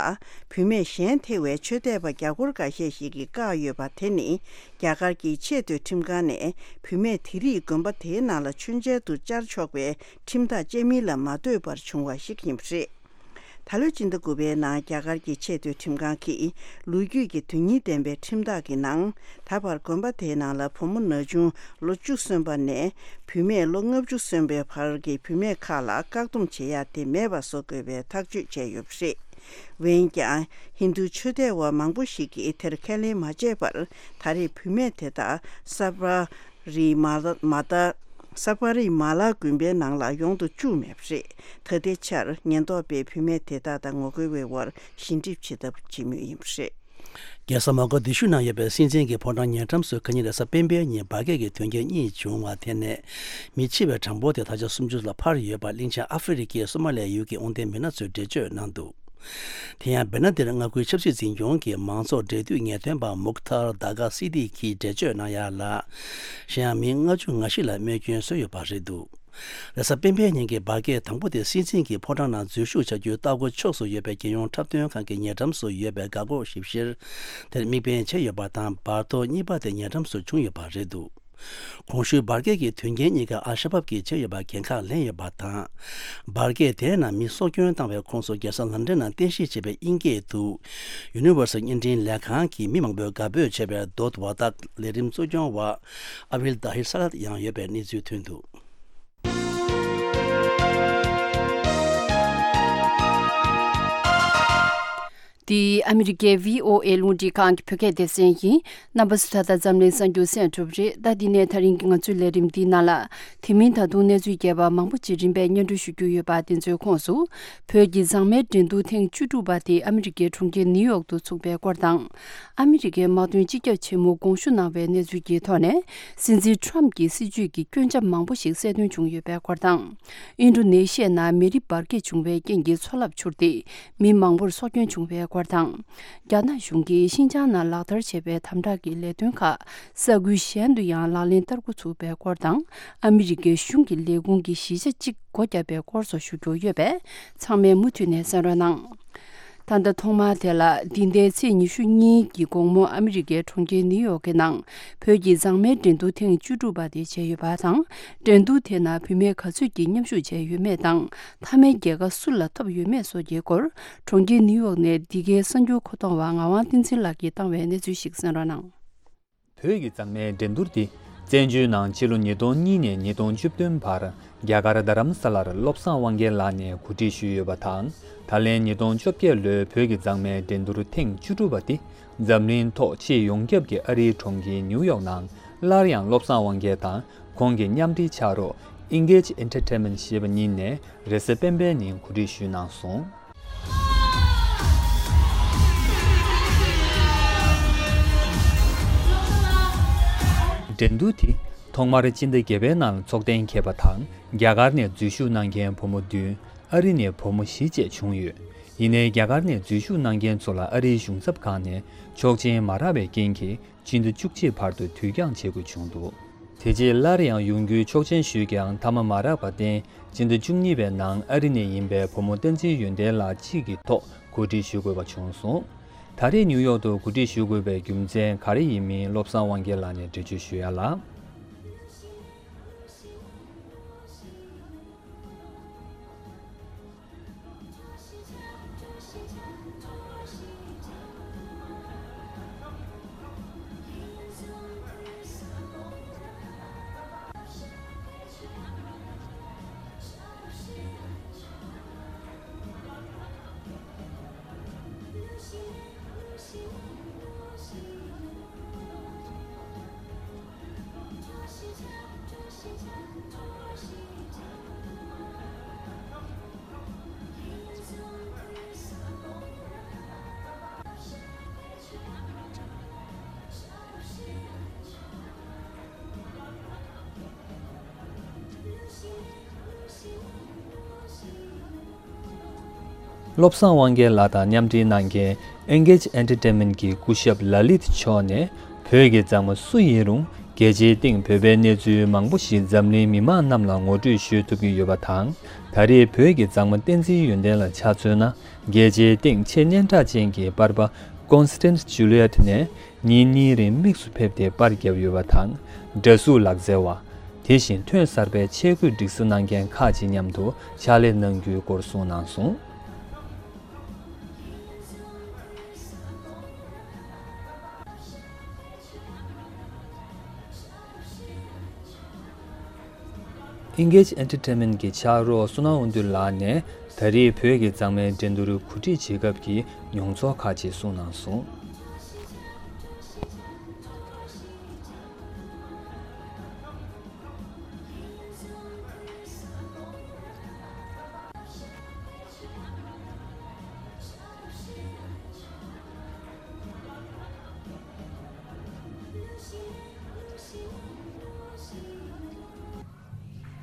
བུད་མེད་གཞན་ཐེ་བའི་ཆོས་དད་པ་རྒྱ་སྒོར་འགའ་ཤས་ཤིག་གིས་བཀག་ཡོད་པ་དེ་ནི་རྒྱ་གར་གྱི་ཆེས་མཐོའི་ཁྲིམས་ཁང་ནས་བུད་མེད་དེ་རིགས་དགོན་པ་དེའི་ནང་ལ་མཆོད་མཇལ་དུ་བཅར་ཆོག་པའི་ཁྲིམས་ཐག་བཅད་མིན་ལ་མ་ལྟོས་པར་བྱུང་བ་ཞིག་ཡིན་པ་རེད། ད་ལོའི་སྤྱི་ཟླ་དགུ་པའི་ནང་རྒྱ་གར་གྱི་ཆེས་མཐོའི་ཁྲིམས་ཁང་གིས་ལོ་རྒྱུས་ཀྱི་དོན་སྙིང་ལྡན་པའི་ཁྲིམས་ཐག་གི་ནང་ད་བར་དགོན་པ་དེའི་ནང་ལ་བུ་མོ་ན་ཆུང་ལོ་བཅུ་སོན་པ་ནས་བུད་མེད་ལོ་ལྔ་བཅུ་སོན་པའི་བར་གྱི་བུད་མེད་ཁག་ལ་བཀག་སྡོམ་བྱེད་ཡ་དེ་མེད་པ་བཟོ་དགོས་པའི་ཐག་གཅོད་བྱས་ཡོད་པ་རེད། འོན་ཀྱང་ཧིན་རྡུ་ཆོས་དད་པ་མང་པོ་ཞིག་གིས་དེར་ཁས་ལེན་མ་བྱས་པར་ད་རེས་བུད་མེད་དེ་དག་ས་པ་རི་མ་ལ་མ་ད་ས་པ་རི་མ་ལ་དགོན་པའི་ནང་ལ་ཡོང་དུ་བཅུག་མེད་པ་རེད། ད་ལྟའི་ཆར་ཉེན་རྟོག་པས་བུད་མེད་དེ་དག་དང་ངོ་རྒོལ་བའི་དབར་ཞི་འགྲིག་བྱེད་ཐབས་བྱེད་མུས་ཡིན་པ་རེད། རྒྱལ་ས་མོ་ག་དི་ཤུ་ནང་ཡོད་པའི་སྲིད་འཛིན་གྱི་ཕོ་བྲང་ཉེ་འགྲམ་སུ་ཁ་ཉིན་རེས་གཟའ་སྤེན་པའི་ཉིན་འབར་གས་ཀྱི་དོན་རྐྱེན་གཉིས་བྱུང་བ་དེ་ནས་མི་འཆི་བའི་གྲངས་འབོར་དེ་ད་ཆ་སུམ་ཅུ་ལ་འཕར་ཡོད་པ་གླིང་ཆེན་ཨ་ཧྥེ་རི་ཁའི་སོ་མ་ལི་ཡ་ཡུལ་གྱི་དབང་ལྡན་མི་སྣ་ཚོས་འགྲེལ་བརྗོད་གནང་འདུག་དེ་ཡང་བེ་ན་དེར་མངའ་ཁུལ་ཆབ་སྲིད་འཛིན་སྐྱོང་གི་མང་ཚོགས་འབྲེལ་མཐུད་ངེས་སྟོན་པ་མུག་ཐར་དཱ་ག་སི་ཏི་གིས་འགྲེལ་བརྗོད་གནང་ཡ་ལ། གཞན་ཡང་མི་ལྔ་བཅུ་ང་བཞི་ལ་རྨས་སྐྱོན་བཟོས་ཡོད་པ་རེད་འདུག་རེས་གཟའ་སྤེན་པའི་ཉིན་གྱི་འབར་གས་དང་པོ་དེ་སྲིད་འཛིན་གྱི་ཕོ་བྲང་ནང་འཛུལ་ཞུགས་བྱ་རྒྱུའི་ལྟ་སྒོ་ཕྱོགས་སུ་ཡོད་པའི་རྒྱལ་ཡོངས་འཁྲབ་སྟོན་ཁང་གི་ཉེ་འགྲམ་སུ་ཡོད་པའི་འགག་སྒོ་ཞིབ་བཤེར་དེར་དམིགས་འབེན་བྱས་ཡོད་པ་དང་། འབར་གཏོར་གཉིས་པ་དེ་ཉེ་འགྲམ་སུ་བྱུང་ཡོད་པ་རེད་འདུག་གོང་ཞུས་འབར་གས་ཀྱི་དོན་རྐྱེན་གཉིས་ཀ་ཨལ་ཤ་བབ་ཀྱིས་བྱས་ཡོད་པར་འགན་ཁག་ལེན་ཡོད་པ་དང་། འབར་གས་དེའི་ནང་མི་སྲོག་སྐྱོན་བཏང་བའི་ཁོངས་སུ་རྒྱལ་ས་ལན་ཀྲན་ནང་རྟེན་གཞི་བྱས་པའི་དབྱིན་སྐད་དུ་Universal བརྙན་འཕྲིན་ལས་ཁང་གི་མི་མང་པོས་དགའ་འབོད་བྱས་པའི་Dot Wadak ལས་རིམ་གཙོ་སྐྱོང་བ་ཨ་བིལ་དཱ་ཧིར་ས་ལད་ཡང་ཡོད་པའི་གནས་ཚུལ་ཐོན་འདུག་འདི་ཨ་མི་རི་ཀའི་བྷི་ཨོ་ཨེ་རླུང་འཕྲིན་ཁང་གི་བོད་སྐད་སྡེ་ཚན་ཡིན། རྣམ་པ་ཚོས་ད་ལྟ་འཛམ་གླིང་གསར་འགྱུར་གསན་གྲུབ་རེད། ད་འདི་ནས་ད་རིང་གི་ང་ཚོའི་ལས་རིམ་འདིའི་ནང་ལ། དེ་མིན་ད་དུང་གནས་ཚུལ་རྒྱས་པ་མང་པོ་ཅིག་རིམ་པས་སྙན་སྒྲོན་ཞུ་རྒྱུ་ཡོད་པ་དེ་ཚོའི་ཁོངས་སུ། བོད་ཀྱི་མཛངས་མའི་འགྲན་བསྡུར་ཐེངས་བཅུ་དྲུག་པ་དེ་ཨ་མི་རི་ཀའི་གྲོང་ཁྱེར་ནིའུ་ཡོག་ཏུ་ཚུགས་པའི་སྐོར་དང་། ཨ་མི་རི་ཀའི་དམག་དོན་སྤྱི་ཁྱབ་ཆེན་མོ་དགོངས་ཞུ་གནང་བའི་གནས་ཚུལ་གྱི་ཐོག་ནས། སྲིད་འཛིན་ཁྲོམ་གྱི་སྲིད་བྱུས་ཀྱི་སྐྱོན་ཆ་མང་པོ་ཞིག་གསལ་སྟོན་བྱུང་ཡོད་པའི་སྐོར་དང་། ཨིན་ཌོ་ནེ་ཤི་ཡའི་ནང་མེ་རི་འབར་གས་བྱུང་བའི་རྐྱེན་གྱིས་མཚོ་རླབས་འཕྱུར་ཏེ། མི་མང་པོར་སྲོག་སྐྱོན་བྱུང་བའི་སྐོར་དང་། རྒྱ་ནག་གཞུང་གིས་ཤིན་ཅང་ནང་ལག་བསྟར་བྱས་པའི་དམ་དྲག་གི་ལས་དོན་ཁག་ས་ཁུལ་གཞན་དུ་ཡང་ལག་ལེན་བསྟར་འགོ་ཚུགས་པའི་སྐོར་དང་། ཨ་མི་རི་ཀའི་གཞུང་གི་ལས་ཁུངས་ཀྱི་གཞིས་ཆགས་གཅིག་སྒོ་བརྒྱབ་པའི་སྐོར་སོགས་ཞུ་རྒྱུ་ཡོད་པས། ཚང་མས་མུ་མཐུད་ནས་གསན་རོགས་གནང་། ད་ལྟ་ཐོག་མར་དེ་ལ་འདི་ཟླའི་ཚེས་ཉི་ཤུ་གཉིས་ཀྱི་དགོང་མོ་ཨ་མི་རི་ཀའི་གྲོང་ཁྱེར་ནིའུ་ཡོག་གི་ནང་བོད་ཀྱི་མཛངས་མའི་འགྲན་བསྡུར་ཐེངས་བཅུ་དྲུག་པ་དེ་བྱས་ཡོད་པ་དང་། འགྲན་བསྡུར་དེ་ནང་བུད་མེད་ག་ཚོད་ཀྱིས་མཉམ་ཞུགས་བྱས་ཡོད་མེད་དང་། མཐའ་མའི་རྒྱལ་ཁ་སུ་ལ་ཐོབ་ཡོད་མེད་སོགས་ཀྱི་སྐོར། གྲོང་ཁྱེར་ནིའུ་ཡོག་ནས་འདི་གའི་གསར་འགྱུར་མཁོ་གཏོང་བ་ངག་དབང་བསྟན་འཛིན་ལགས་ཀྱིས་བཏང་བའི་གནས་ཚུལ་ཞིག་གསན་རོགས་གནང་། བོད་ཀྱི་མཛངས་མའི་འགྲན་བསྡུར་འདི་བཙན་བྱོལ་ནང་ཕྱི་ལོ་ཉིས་སྟོང་གཉིས་ནས་ཉིས་སྟོང་བཅུ་བདུན་བར་རྒྱ་གར་རྡ་རམ་ས་ལར་བློ་བཟང་དབང་རྒྱལ་ལགས་ནས་གོ་སྒྲིག་ཞུས་ཡོད་པ་དང་། ད་ལན་ཉིས་སྟོང་བཅོ་བརྒྱད་ལོའི་བོད་ཀྱི་མཛངས་མའི་འགྲན་བསྡུར་ཐེངས་བཅུ་དྲུག་པ་འདི་འཛམ་གླིང་ཐོག་ཆེས་ཡོངས་ཁྱབ་ཀྱི་ཨ་རིའི་གྲོང་ཁྱེར་ནིའུ་ཡོག་ནང་སླར་ཡང་བློ་བཟང་དབང་རྒྱལ་དང་ཁོང་གི་མཉམ་འབྲེལ་ཕྱག་རོགས་Engage Entertainment ཞེས་པ་གཉིས་ནས་རེས་གཟའ་སྤེན་པའི་ཉིན་གོ་སྒྲིག་ཞུས་གནང་སོང་། འགྲན་བསྡུར་དེ་ཐོག་མར་སྤྱི་ཟླ་བརྒྱད་པའི་ནང་ཚོགས་གཏན་འཁེལ་བ་དང་། རྒྱ་གར་ནས་འཛུལ་ཞུགས་གནང་མཁན་བུ་མོ་བདུན། ཨ་རི་ནས་བུ་མོ་བཞི་བཅས་བྱུང་ཡོད། ཡིན་ནའི་རྒྱ་གར་ནས་འཛུལ་ཞུགས་གནང་མཁན་ཚོ་ལ་ཨ་རིའི་གཞུང་ཚབ་ཁང་ནས་ཆོག་མཆན་མ་རག་པའི་རྐྱེན་གྱིས་ཕྱི་ཟླ་བཅུ་གཅིག་བར་དུ་དུས་འགྱངས་བྱེད་དགོས་བྱུང་འདུག་དེ་རྗེས་སླར་ཡང་ཡོང་རྒྱུའི་ཆོག་མཆན་ཞུས་ཀྱང་མཐའ་མ་མ་རག་པར་བརྟེན། སྤྱི་ཟླ་བཅུ་གཉིས་པའི་ནང་ཨ་རི་ནས་ཡིན་པའི་བུ་མོ་བསྟན་འཛིན་ཡོན་ཏན་ལགས་གཅིག་གི་ཐོག་གོ་སྒྲིག་ཞུ་དགོས་པ་བྱུང་སོང་། ད་རེས་ནིའུ་ཡོག་ཏུ་གོ་སྒྲིག་ཞུ་དགོས་པའི་རྒྱུ་མཚན་ག་རེ་ཡིན་མིན་བློ་བཟང་དབང་རྒྱལ་ལགས་ནས་འགྲེལ་བརྗོད་ཞུ་ཡ་ལ། བློ་བཟང་དབང་རྒྱལ་ལགས་དང་མཉམ་འབྲེལ་གནང་མཁན་Engage Entertainment གྱི་སྐུ་ཞབས་ལ་ལིད་མཆོག་ནས། བོད་ཀྱི་མཛངས་མ་སུ་ཡིན་རུང་རྒྱལ་སྤྱིའི་སྟེང་བོད་པའི་གནས་ཚུལ་མང་པོ་ཞིག་འཛམ་གླིང་མི་མང་རྣམས་ལ་ངོ་སྤྲོད་ཞུ་ཐུབ་ཀྱི་ཡོད་པ་དང་། ད་རེས་བོད་ཀྱི་མཛངས་མ་བསྟན་འཛིན་ཡོན་ཏན་ལ་ཆ་མཚོན་ན། རྒྱལ་སྤྱིའི་སྟེང་ཆེས་སྙན་གྲགས་ཅན་གྱི་པར་པ་Constance Juliet ནས་ཉིན་གཉིས་རིང་དམིགས་སུ་ཕེབས་ཏེ་པར་བརྒྱབ་ཡོད་པ་དང་། འདྲ་གཟུགས་ལག་རྩལ་བ། དེ་བཞིན་ཐོན་གསར་པའི་ཆས་གོས་སྒྲིག་བཟོ་གནང་མཁན་ཁག་ཅིག་མཉམ་དུ་ཕྱག་ལས་གནང་རྒྱུའི་སྐོར་གསུངས་གནང་སོང་། Engage Entertainment གྱི་ཕྱག་རོགས་བསོད་ནམས་དབང་འདུས་ལགས་ནས་ད་རེས་བོད་ཀྱི་མཛངས་མའི་འགྲན་བསྡུར་གོ་སྒྲིག་བྱེད་སྐབས་ཀྱི་མྱོང་ཚོར་ཁག་ཅིག་གསུངས་གནང་སོང་།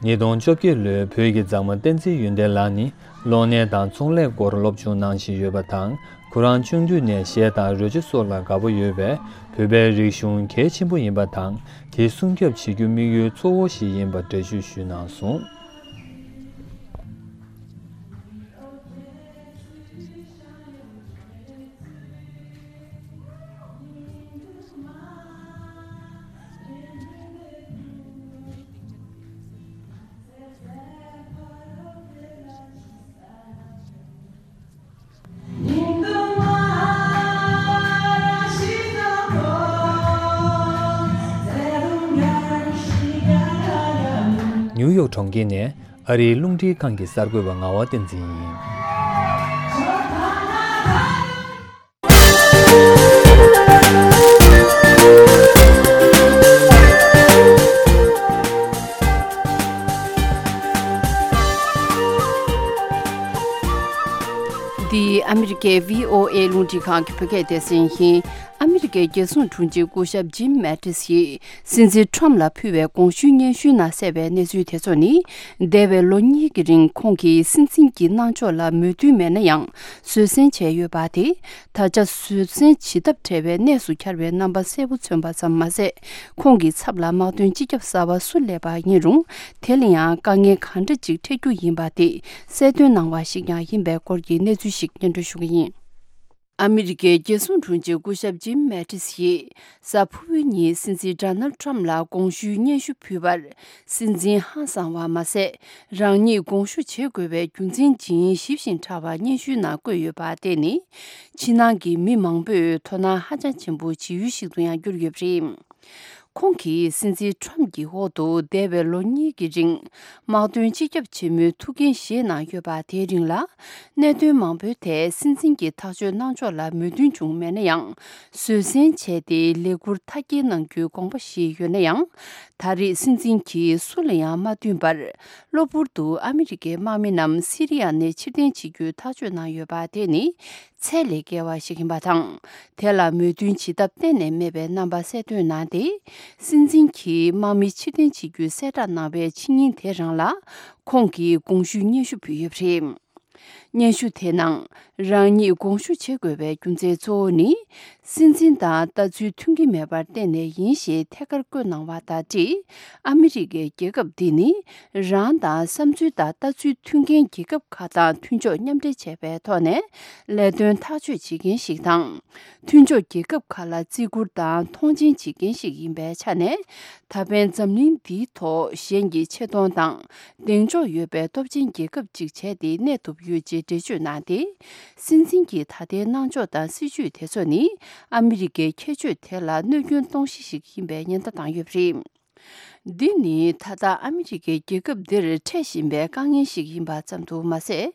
ཉིས་སྟོང་བཅོ་བརྒྱད་ལོའི་བོད་ཀྱི་མཛངས་མ་བསྟན་འཛིན་ཡོན་ཏན་ལགས་ནི་གློག་བརྙན་དང་ཚོང་ལས་སྐོར་སློབ་སྦྱོང་གནང་བཞིན་ཡོད་པ་དང་། ཁོ་རང་ཆུང་དུས་ནས་གཞས་དང་རོལ་ཆ་སོགས་ལ་དགའ་པོ་ཡོད་པས། བོད་པའི་རིག་གཞུང་གལ་ཆེན་པོ་ཡིན་པ་དང་། དེ་སྲུང་སྐྱོབ་བྱེད་རྒྱུ་དམིགས་ཡུལ་གཙོ་བོ་ཞིག་ཡིན་པ་འགྲེལ་བརྗོད་ཞུས་གནང་སོང་། ནིའུ་ཡོག་གྲོང་ཁྱེར་ནས་ཨ་རིའི་རླུང་འཕྲིན་ཁང་གི་གསར་འགོད་པ་ངག་དབང་བསྟན་འཛིན་ཡིན། འདི་ཨ་མི་རི་ཀའི་བྷི་ཨོ་ཨེ་རླུང་འཕྲིན་ཁང་གི་བོད་སྐད་སྡེ་ཚན་ཡིན། ཨ་མི་རི་ཀའི་རྒྱལ་སྲུང་དྲུང་ཆེ་སྐུ་ཞབས་ཇིམ་མེ་ཏིས་ཡིས། སྲིད་འཛིན་ཁྲོམ་ལ་ཕུལ་བའི་དགོངས་ཞུའི་སྙན་ཞུའི་ནང་གསལ་བའི་གནས་ཚུལ་དེ་ཚོ་ནི། འདས་པའི་ལོ་གཉིས་ཀྱི་རིང་ཁོང་གིས་སྲིད་འཛིན་གྱི་གནང་ཕྱོགས་ལ་མོས་མཐུན་མེད་ན་ཡང་བཟོད་བསྲན་བྱས་ཡོད་པ་དེ། ད་ཆ་བཟོད་བསྲན་བྱེད་ཐབས་བྲལ་བའི་གནས་སུ་གྱར་བའི་རྣམ་པ་གསལ་པོ་མཚོན་པ་ཙམ་མ་ཟད། ཁོང་གི་ཚབ་ལ་དམག་དོན་སྤྱི་ཁྱབ་གསར་པ་སུ་སླེབས་པ་ཡིན་རུང་། དེ་ལ་ཡང་དཀའ་ངལ་གང་འདྲ་ཅིག་འཕྲད་རྒྱུ་ཡིན་པ་དེ་གསལ་སྟོན་གནང་བ་ཞིག་ཀྱང་ཡིན་པའི་སྐོར་གྱི་གནས་ཚུལ་ཞིག་སྙན་སྒྲོན་ཞུ་གི་ཡིན། ཨ་མི་རི་ཀའི་རྒྱལ་སྲུང་དྲུང་ཆེ་སྐུ་ཞབས་ཇིམ་མེ་ཏིས་ཡིས། གཟའ་ཕུར་བུའི་ཉིན་སྲིད་འཛིན་ཌོ་ནལ་ཌི་ཊརམ་ཕི་ལ་དགོངས་ཞུའི་སྙན་ཞུ་ཕུལ་བར། སྲིད་འཛིན་ཧང་སངས་པ་མ་ཟད། རང་ཉིད་དགོངས་ཞུ་བྱེད་དགོས་པའི་རྒྱུ་མཚན་ཇི་ཡིན་ཞིབ་ཞིང་ཕྲ་བ་སྙན་ཞུའི་ནང་བཀོད་ཡོད་པ་བལྟས་ནས། ཕྱི་ནང་གི་མི་མང་པོས་དོ་སྣང་ཧ་ཅང་ཆེན་པོ་བྱེད་ཡུལ་ཞིག་ཏུ་ཡང་གྱུར་ཡོད་པ་རེད། ཁོང་གིས་སྲིད་འཛིན་ཊརམ་ཕི་གྱི་འོག་ཏུ་འདས་པའི་ལོ་གཉིས་ཀྱི་རིང་། དམག་དོན་སྤྱི་ཁྱབ་ཆེན་མོའི་ཐུགས་འགན་བཞེས་གནང་ཡོད་པ་དེའི་རིང་ལ། གནད་དོན་མང་པོའི་ཐད་སྲིད་འཛིན་གྱི་ཐག་གཅོད་གནང་ཕྱོགས་ལ་མོས་མཐུན་བྱུང་མེད་ན་ཡང་། བཟོད་བསྲན་བྱས་ཏེ་ལས་འཁུར་མཐའ་སྐྱེལ་གནང་རྒྱུའི་དགོངས་པ་བཞེས་ཡོད་ན་ཡང་། ད་རེས་སྲིད་འཛིན་གྱིས་སུ་ལ་ཡང་མ་བསྟུན་པར། གློ་བུར་དུ་ཨ་མི་རི་ཀའི་དམག་མི་རྣམས་སི་རི་ཡ་ནས་ཕྱིར་འཐེན་བྱེད་རྒྱུའི་ཐག་གཅོད་གནང་ཡོད་པ་དེ་ནི། ཚད་ལས་བརྒལ་བ་ཞིག་ཡིན་པ་དང་། དེ་ལ་མོས་མཐུན་བྱེད་ཐབས་གཏན་ནས་མེད་པའི་རྣམ་པ་གསལ་སྟོན་གནང་སྟེ། སྲིད་འཛིན་གྱིས་དམག་མི་ཕྱིར་འཐེན་བྱེད་རྒྱུའི་གསལ་བསྒྲགས་གནང་བའི་ཕྱི་ཉིན་དེ་རང་ལ། ཁོང་གིས་དགོངས་ཞུའི་སྙན་ཞུ་ཕུལ་ཡོད་པ་རེད། སྙན་ཞུ་དེའི་ནང་། རང་ཉིད་དགོངས་ཞུ་བྱེད་དགོས་པའི་རྒྱུ་མཚན་གཙོ་བོ་ནི། སྲིད་འཛིན་དང་ལྟ་ཚུལ་མཐུན་གྱི་མེད་པར་བརྟེན་ནས་ཡིན་ཞེས་ཐད་ཀར་བཀོད་གནང་བ་དང་འབྲེལ། ཨ་མི་རི་ཀའི་རྒྱལ་ཁབ་འདི་ནི་རང་དང་བསམ་ཚུལ་དང་ལྟ་ཚུལ་མཐུན་རྐྱེན་རྒྱལ་ཁབ་ཁག་དང་མཐུན་ཕྱོགས་མཉམ་འབྲེལ་བྱས་པའི་ཐོག་ནས་ལས་དོན་ཐག་གཅོད་བྱེད་མཁན་ཞིག་དང་། མཐུན་ཕྱོགས་རྒྱལ་ཁབ་ཁག་ལ་བརྩི་བཀུར་དང་མཐོང་ཆེན་བྱེད་མཁན་ཞིག་ཡིན་པའི་ཆ་ནས། ད་ཕན་འཛམ་གླིང་འདིའི་ཐོག་གཞན་གྱི་ཆེ་མཐོང་དང་གདེང་འཇོག་ཡོད་པའི་སྟོབས་ཆེན་རྒྱལ་ཁབ་ཅིག་བྱས་ཏེ་གནས་ཐུབ་ཡོད་ཅེས་འགྲེལ་བརྗོད་གནང་སྟེ། སྲིད་འཛིན་གྱི་ད་ལྟའི་གནང་ཕྱོགས་དང་སྲིད་བྱུས་དེ་ཚོ་ནི་ཨ་མི་རི་ཀའི་ཁྱད་ཆོས་དེ་ལ་གནོད་སྐྱོན་གཏོང་གཞི་ཞིག་ཡིན་པའི་ཉེན་བརྡ་བཏང་ཡོད་པ་རེད། འདི་ནི་ད་ལྟ་ཨ་མི་རི་ཀའི་རྒྱལ་ཁབ་འདིར་འཕྲད་བཞིན་པའི་དཀའ་ངལ་ཞིག་ཡིན་པ་ཙམ་དུ་མ་ཟད།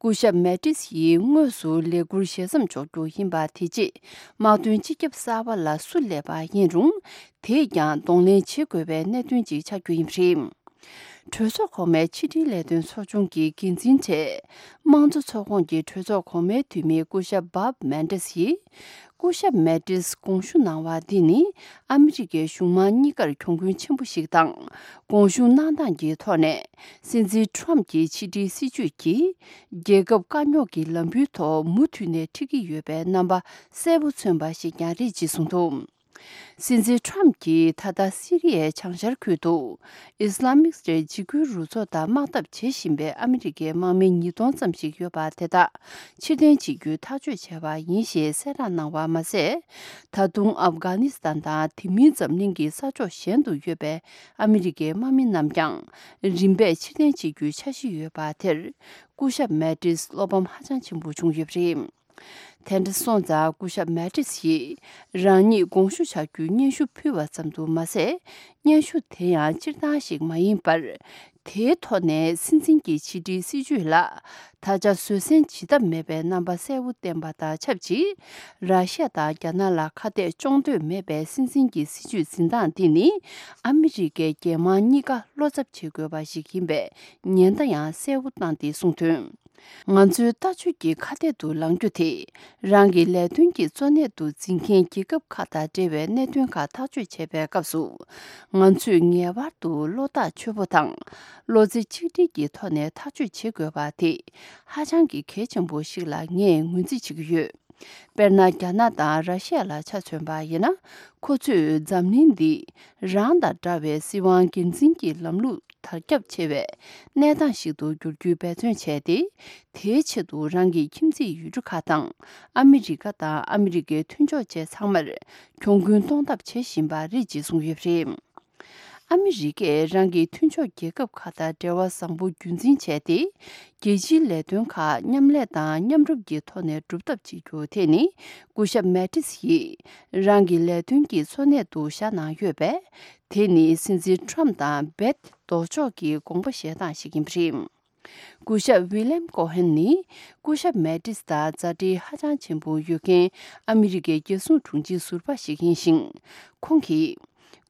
སྐུ་ཞབས་མེ་ཏིས་ཡིས་དངོས་སུ་ལས་འཁུར་ཞལ་འཛོམས་འཇོག་རྒྱུ་ཡིན་པ་དེ་རྗེས་དམག་དོན་སྤྱི་ཁྱབ་གསར་པ་ལ་སུ་སླེབས་པ་ཡིན་རུང་། དེས་ཀྱང་གདོང་ལེན་བྱེད་དགོས་པའི་གནད་དོན་ཅིག་ཆགས་རྒྱུ་ཡིན་པ་རེད། གྲོས་ཚོགས་གོང་མའི་ཕྱི་འབྲེལ་ལས་དོན་ཚོགས་ཆུང་གི་འགན་འཛིན་གྲས། དམངས་གཙོ་ཚོགས་ཁོངས་ཀྱི་གྲོས་ཚོགས་གོང་མའི་འཐུས་མི་སྐུ་ཞབས་བྷབ་མན་ཏེས་ཡིས། སྐུ་ཞབས་མེ་ཏིས་དགོངས་ཞུ་གནང་བ་འདི་ནི་ཨ་མི་རི་ཀའི་གཞུང་མང་གཉིས་ཀར་གྱོང་གུན་ཆེན་པོ་ཞིག་དང་། དགོངས་ཞུ་གནང་སྟངས་ཀྱི་ཐོག་ནས་སྲིད་འཛིན་ཁྲོམ་གྱི་ཕྱི་འབྲེལ་སྲིད་བྱུས་ཀྱིས་རྒྱལ་ཁབ་དཀའ་རྙོག་གི་ལམ་བུའི་ཐོག་མུ་མཐུད་ནས་ཁྲིད་ཀྱི་ཡོད་པའི་རྣམ་པ་གསལ་པོ་མཚོན་པ་ཞིག་ཀྱང་རེད་ཅེས་གསུངས་འདུག། སྲིད་འཛིན་ཁྲོམ་གྱིས་ད་ལྟ་སི་རི་ཡའི་བྱང་ཤར་ཁུལ་དུ་ཨིས་ལ་མིག་སྟེ་འཇིགས་སྐུལ་རུ་ཚོགས་དང་དམག་འཐབ་བྱེད་བཞིན་པའི་ཨ་མི་རི་ཀའི་དམག་མི་ཉིས་སྟོང་ཙམ་ཞིག་ཡོད་པ་དེ་དག་ཕྱིར་འཐེན་བྱེད་རྒྱུའི་ཐག་གཅོད་བྱས་པ་ཡིན་ཞེས་གསལ་བསྒྲགས་གནང་བ་མ་ཟད། ད་དུང་ཨབ་གྷ་ནི་སི་ཐན་དང་དེ་མིན་འཛམ་གླིང་གི་ས་ཕྱོགས་གཞན་དུ་ཡོད་པའི་ཨ་མི་རི་ཀའི་དམག་མི་རྣམས་ཀྱང་རིམ་པས་ཕྱིར་འཐེན་བྱེད་རྒྱུའི་འཆར་གཞི་ཡོད་པ་དེར་སྐུ་ཞབས་མེ་ཏིས་བློ་ཕམ་ཧ་ཅང་ཆེན་པོ་བྱུང་ཡོད་པ་རེད། དེ་འདྲ་སོང་ཙང་སྐུ་ཞབས་མེ་ཏིས་ཡིས་རང་ཉིད་དགོངས་ཞུ་བྱ་རྒྱུའི་སྙན་ཞུ་ཕུལ་བ་ཙམ་དུ་མ་ཟད། སྙན་ཞུ་དེ་ཡང་སྤྱིར་བཏང་ཞིག་མ་ཡིན་པར། དེའི་ཐོག་ནས་སྲིད་འཛིན་གྱི་ཕྱི་འབྲེལ་སྲིད་བྱུས་ལ་ད་ཆ་བཟོད་བསྲན་བྱེད་ཐབས་མེད་པའི་རྣམ་པ་གསལ་པོ་བསྟན་པ་དང་ཆབས་ཅིག་ར་ཤི་ཡ་དང་རྒྱ་ནག་ལ་ཁ་གཏད་གཅོག་འདོད་མེད་པའི་སྲིད་འཛིན་གྱི་སྲིད་བྱུས་འཛིན་སྟངས་འདི་ནི་ཨ་མི་རི་ཀའི་རྒྱལ་དམངས་གཉིས་ཀ་བློ་འཚབ་བྱེད་དགོས་པ་ཞིག་ཡིན་པའི་ཉེན་བརྡ་ཡང་གསལ་པོ་བཏང་སྟེ་གསུངས་དོན། ང་ཚོའི་ལྟ་སྤྱོད་ཀྱི་ཁ་གཏད་དུ་ལངས་རྒྱུ་དེ། རང་གི་ལས་དོན་གྱི་གཙོ་གནད་དུ་འཛིན་མཁན་རྒྱལ་ཁབ་ཁག་དང་འབྲེལ་བའི་གནད་དོན་ཁག་ཐག་གཅོད་བྱེད་པའི་སྐབས་སུ། ང་ཚོས་ངེས་པར་དུ་བློ་ཐག་ཆོད་པོ་དང་། བློ་རྩེ་གཅིག་སྒྲིལ་གྱི་ཐོག་ནས་ཐག་གཅོད་བྱེད་དགོས་པ་དེ་ཧ་ཅང་གི་གལ་ཆེན་པོ་ཞིག་ལ་ངས་ངོས་འཛིན་བྱེད་ཀྱི་ཡོད། དཔེར་ན། རྒྱ་ནག་དང་ར་ཤི་ཡ་ལ་ཆ་མཚོན་པ་ཡིན་ན། ཁོ་ཚོས་འཛམ་གླིང་འདི་རང་དང་འདྲ་བའི་སྲིད་དབང་སྒེར་འཛིན་གྱི་ལམ་ལུགས་དར་ཁྱབ་ཆེ་བའི་གནས་སྟངས་ཤིག་ཏུ་འགྱུར་རྒྱུའི་འབད་བརྩོན་བྱས་ཏེ། དེའི་ཆེད་དུ་རང་གི་ཁྱིམ་མཚེས་ཡུལ་གྲུ་ཁག་དང་ཨ་མི་རི་ཀ་དང་ཨ་མི་རི་ཀའི་མཐུན་ཕྱོགས་བཅས་ཚང་མར་གྱོང་གུན་གཏོང་ཐབས་བྱེད་བཞིན་པ་རེད་ཅེས་གསུངས་ཡོད་པ་རེད། ཨ་མི་རི་ཀས་རང་གི་མཐུན་ཕྱོགས་རྒྱལ་ཁབ་ཁག་དང་འབྲེལ་བ་བཟང་པོ་རྒྱུན་འཛིན་བྱས་ཏེ། རྒྱལ་སྤྱིའི་ལས་དོན་ཁག་མཉམ་ལས་དང་མཉམ་རུབ་ཀྱི་ཐོག་ནས་སྒྲུབ་ཐབས་བྱེད་རྒྱུ་དེ་ནི་སྐུ་ཞབས་མེ་ཏིས་ཡིས་རང་གི་ལས་དོན་གྱི་གཙོ་གནད་དུ་བཞག་གནང་ཡོད་པས། དེ་ནི་སྲིད་འཛིན་ཁྲོམ་དང་རྦད་ལྡོག་ཕྱོགས་ཀྱི་དགོངས་པ་བཞེས་སྟངས་ཤིག་ཡིན་པ་རེད། སྐུ་ཞབས་ཝི་ལེམ་ཀོ་ཧན་ནི་སྐུ་ཞབས་མེ་ཏིས་དང་མཛའ་འབྲེལ་ཧ་ཅང་ཆེན་པོ་ཡོད་མཁན་ཨ་མི་རི་ཀའི་རྒྱལ་སྲུང་དྲུང་ཆེ་ཟུར་པ་ཞིག་ཡིན་ཞིང་། ཁོང་གིས།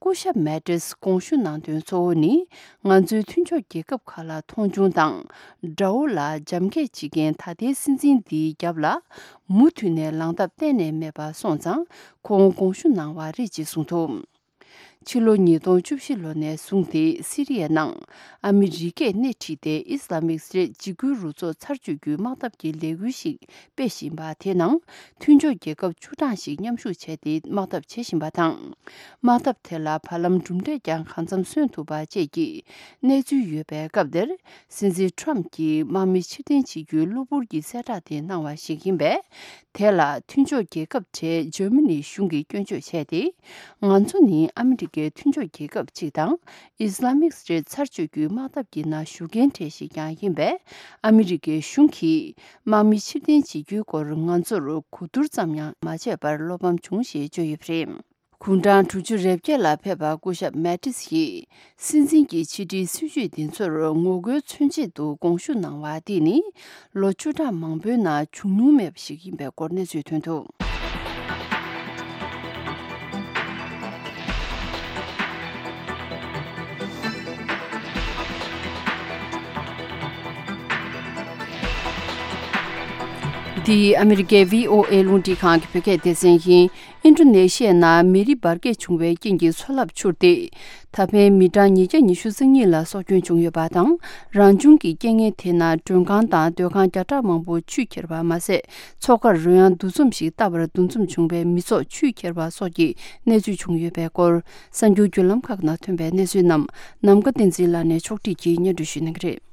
སྐུ་ཞབས་མེ་ཏིས་དགོངས་ཞུ་གནང་དོན་གཙོ་བོ་ནི། ང་ཚོའི་མཐུན་ཕྱོགས་རྒྱལ་ཁབ་ཁག་ལ་མཐོང་ཆུང་དང་། དགྲ་བོ་ལ་འཇམ་འཁྱེར་བྱེད་མཁན་ད་ལྟའི་སྲིད་འཛིན་འདིའི་རྒྱབ་ལ་མུ་མཐུད་ནས་ལངས་ཐབས་གཏན་ནས་མེད་པ་སོང་ཙང་ཁོང་དགོངས་ཞུ་གནང་བ་རེད་ཅེས་གསུངས་འདུག། ཕྱི་ལོ་ཉིས་སྟོང་བཅུ་བཞི་ལོ་ནས་བཟུང་སྟེ་སི་རི་ཡའི་ནང་ཨ་མི་རི་ཀས་སྣེ་ཁྲིད་དེ་ཨིས་ལ་མིག་སི་ཊེཊ་འཇིགས་སྐུལ་རུ་ཚོགས་ཚར་གཅོད་རྒྱུའི་དམག་འཐབ་ཀྱི་ལས་འགུལ་ཞིག་སྤེལ་བཞིན་པ་དེའི་ནང་མཐུན་ཕྱོགས་རྒྱལ་ཁབ་བཅུ་གྲངས་ཤིག་མཉམ་ཞུགས་བྱས་ཏེ་དམག་འཐབ་བྱེད་བཞིན་པ་དང་། དམག་འཐབ་དེ་ལ་བར་ལམ་གྲུབ་འབྲས་ཀྱང་གང་འཚམ་སོན་ཐུབ་པ་བཅས་ཀྱི་གནས་ཚུལ་ཡོད་པའི་སྐབས་དེར། སྲིད་འཛིན་ཁྲོམ་གྱིས་དམག་མི་ཕྱིར་འཐེན་བྱེད་རྒྱུའི་གློ་བུར་གྱི་གསལ་བསྒྲགས་དེ་གནང་བ་ཞིག་ཡིན་པས། དེ་ལ་མཐུན་ཕྱོགས་རྒྱལ་ཁབ་གྲས་འཇར་མ་ནིའི་གཞུང་གིས་སྐྱོན་བརྗོད་བྱས་ཏེ། ང་ཚོ་ནི་ཨ་མི་རི་ཀའི་མཐུན་ཕྱོགས་རྒྱལ་ཁབ་ཅིག་དང་། ཨིས་ལ་མིག་སི་ཊེཊ་ཚར་གཅོད་རྒྱུའི་དམག་འཐབ་ཀྱི་ནང་ཞུགས་མཁན་གྲས་ཤིག་ཀྱང་ཡིན་པས། ཨ་མི་རི་ཀའི་གཞུང་གིས་དམག་མི་ཕྱིར་འཐེན་བྱེད་རྒྱུའི་སྐོར་ང་ཚོར་གོ་བསྡུར་ཙམ་ཡང་མ་བྱས་པར་བློ་ཕམ་བྱུང་ཞེས་བརྗོད་ཡོད་པ་རེད། དགུང་གྲངས་དྲུག་ཅུ་རེ་བརྒྱད་ལ་ཕེབས་པ་སྐུ་ཞབས་མེ་ཏིས་ཡིས་སྲིད་འཛིན་གྱི་ཕྱི་འབྲེལ་སྲིད་བྱུས་འདི་ཚོར་ངོ་རྒོལ་མཚོན་ཆེད་དུ་དགོངས་ཞུ་གནང་བ་འདི་ནི་ལོ་བཅུ་ཕྲག་མང་པོའི་ནང་བྱུང་མྱོང་མེད་པ་ཞིག་ཡིན་པའི་སྐོར་གནས་ཚུལ་ཐོན་འདུག། འདི་ཨ་མི་རི་ཀའི་བྷི་ཨོ་ཨེ་རླུང་འཕྲིན་ཁང་གི་བོད་སྐད་སྡེ་ཚན་ཡིན། ཨིན་ཌོ་ནེ་ཤི་ཡའི་ནང་མེ་རི་འབར་གས་བྱུང་བའི་རྐྱེན་གྱིས་མཚོ་རླབས་འཕྱུར་ཏེ། ད་ཕན་མི་གྲངས་ཉིས་བརྒྱ་ཉི་ཤུ་རྩ་གཉིས་ལ་སྲོག་སྐྱོན་བྱུང་ཡོད་པ་དང་། རང་བྱུང་གི་རྐྱེན་ངན་དེའི་ནང་མགྲོན་ཁང་དང་སྡོད་ཁང་བརྒྱ་ཕྲག་མང་པོ་ཆུས་ཁྱེར་བ་མ་ཟད། མཚོ་ཁར་རོལ་དབྱངས་འདུ་འཛོམས་ཤིག་བཏབ་པར་འདུ་འཛོམས་བྱུང་བའི་མི་ཚོགས་ཆུས་ཁྱེར་བ་སོགས་ཀྱི་གནས་ཚུལ་བྱུང་ཡོད་པའི་སྐོར། གསར་འགྱུར་བརྒྱུད་ལམ་ཁག་ནང་ཐོན་པའི་གནས་ཚུལ་རྣམས་ནམ་མཁའ་བསྟན་འཛིན་ལགས་ནས་ཕྱོགས་སྒྲིག་གིས་སྙན་སྒྲོན་ཞུ་གནང་གི་རེད།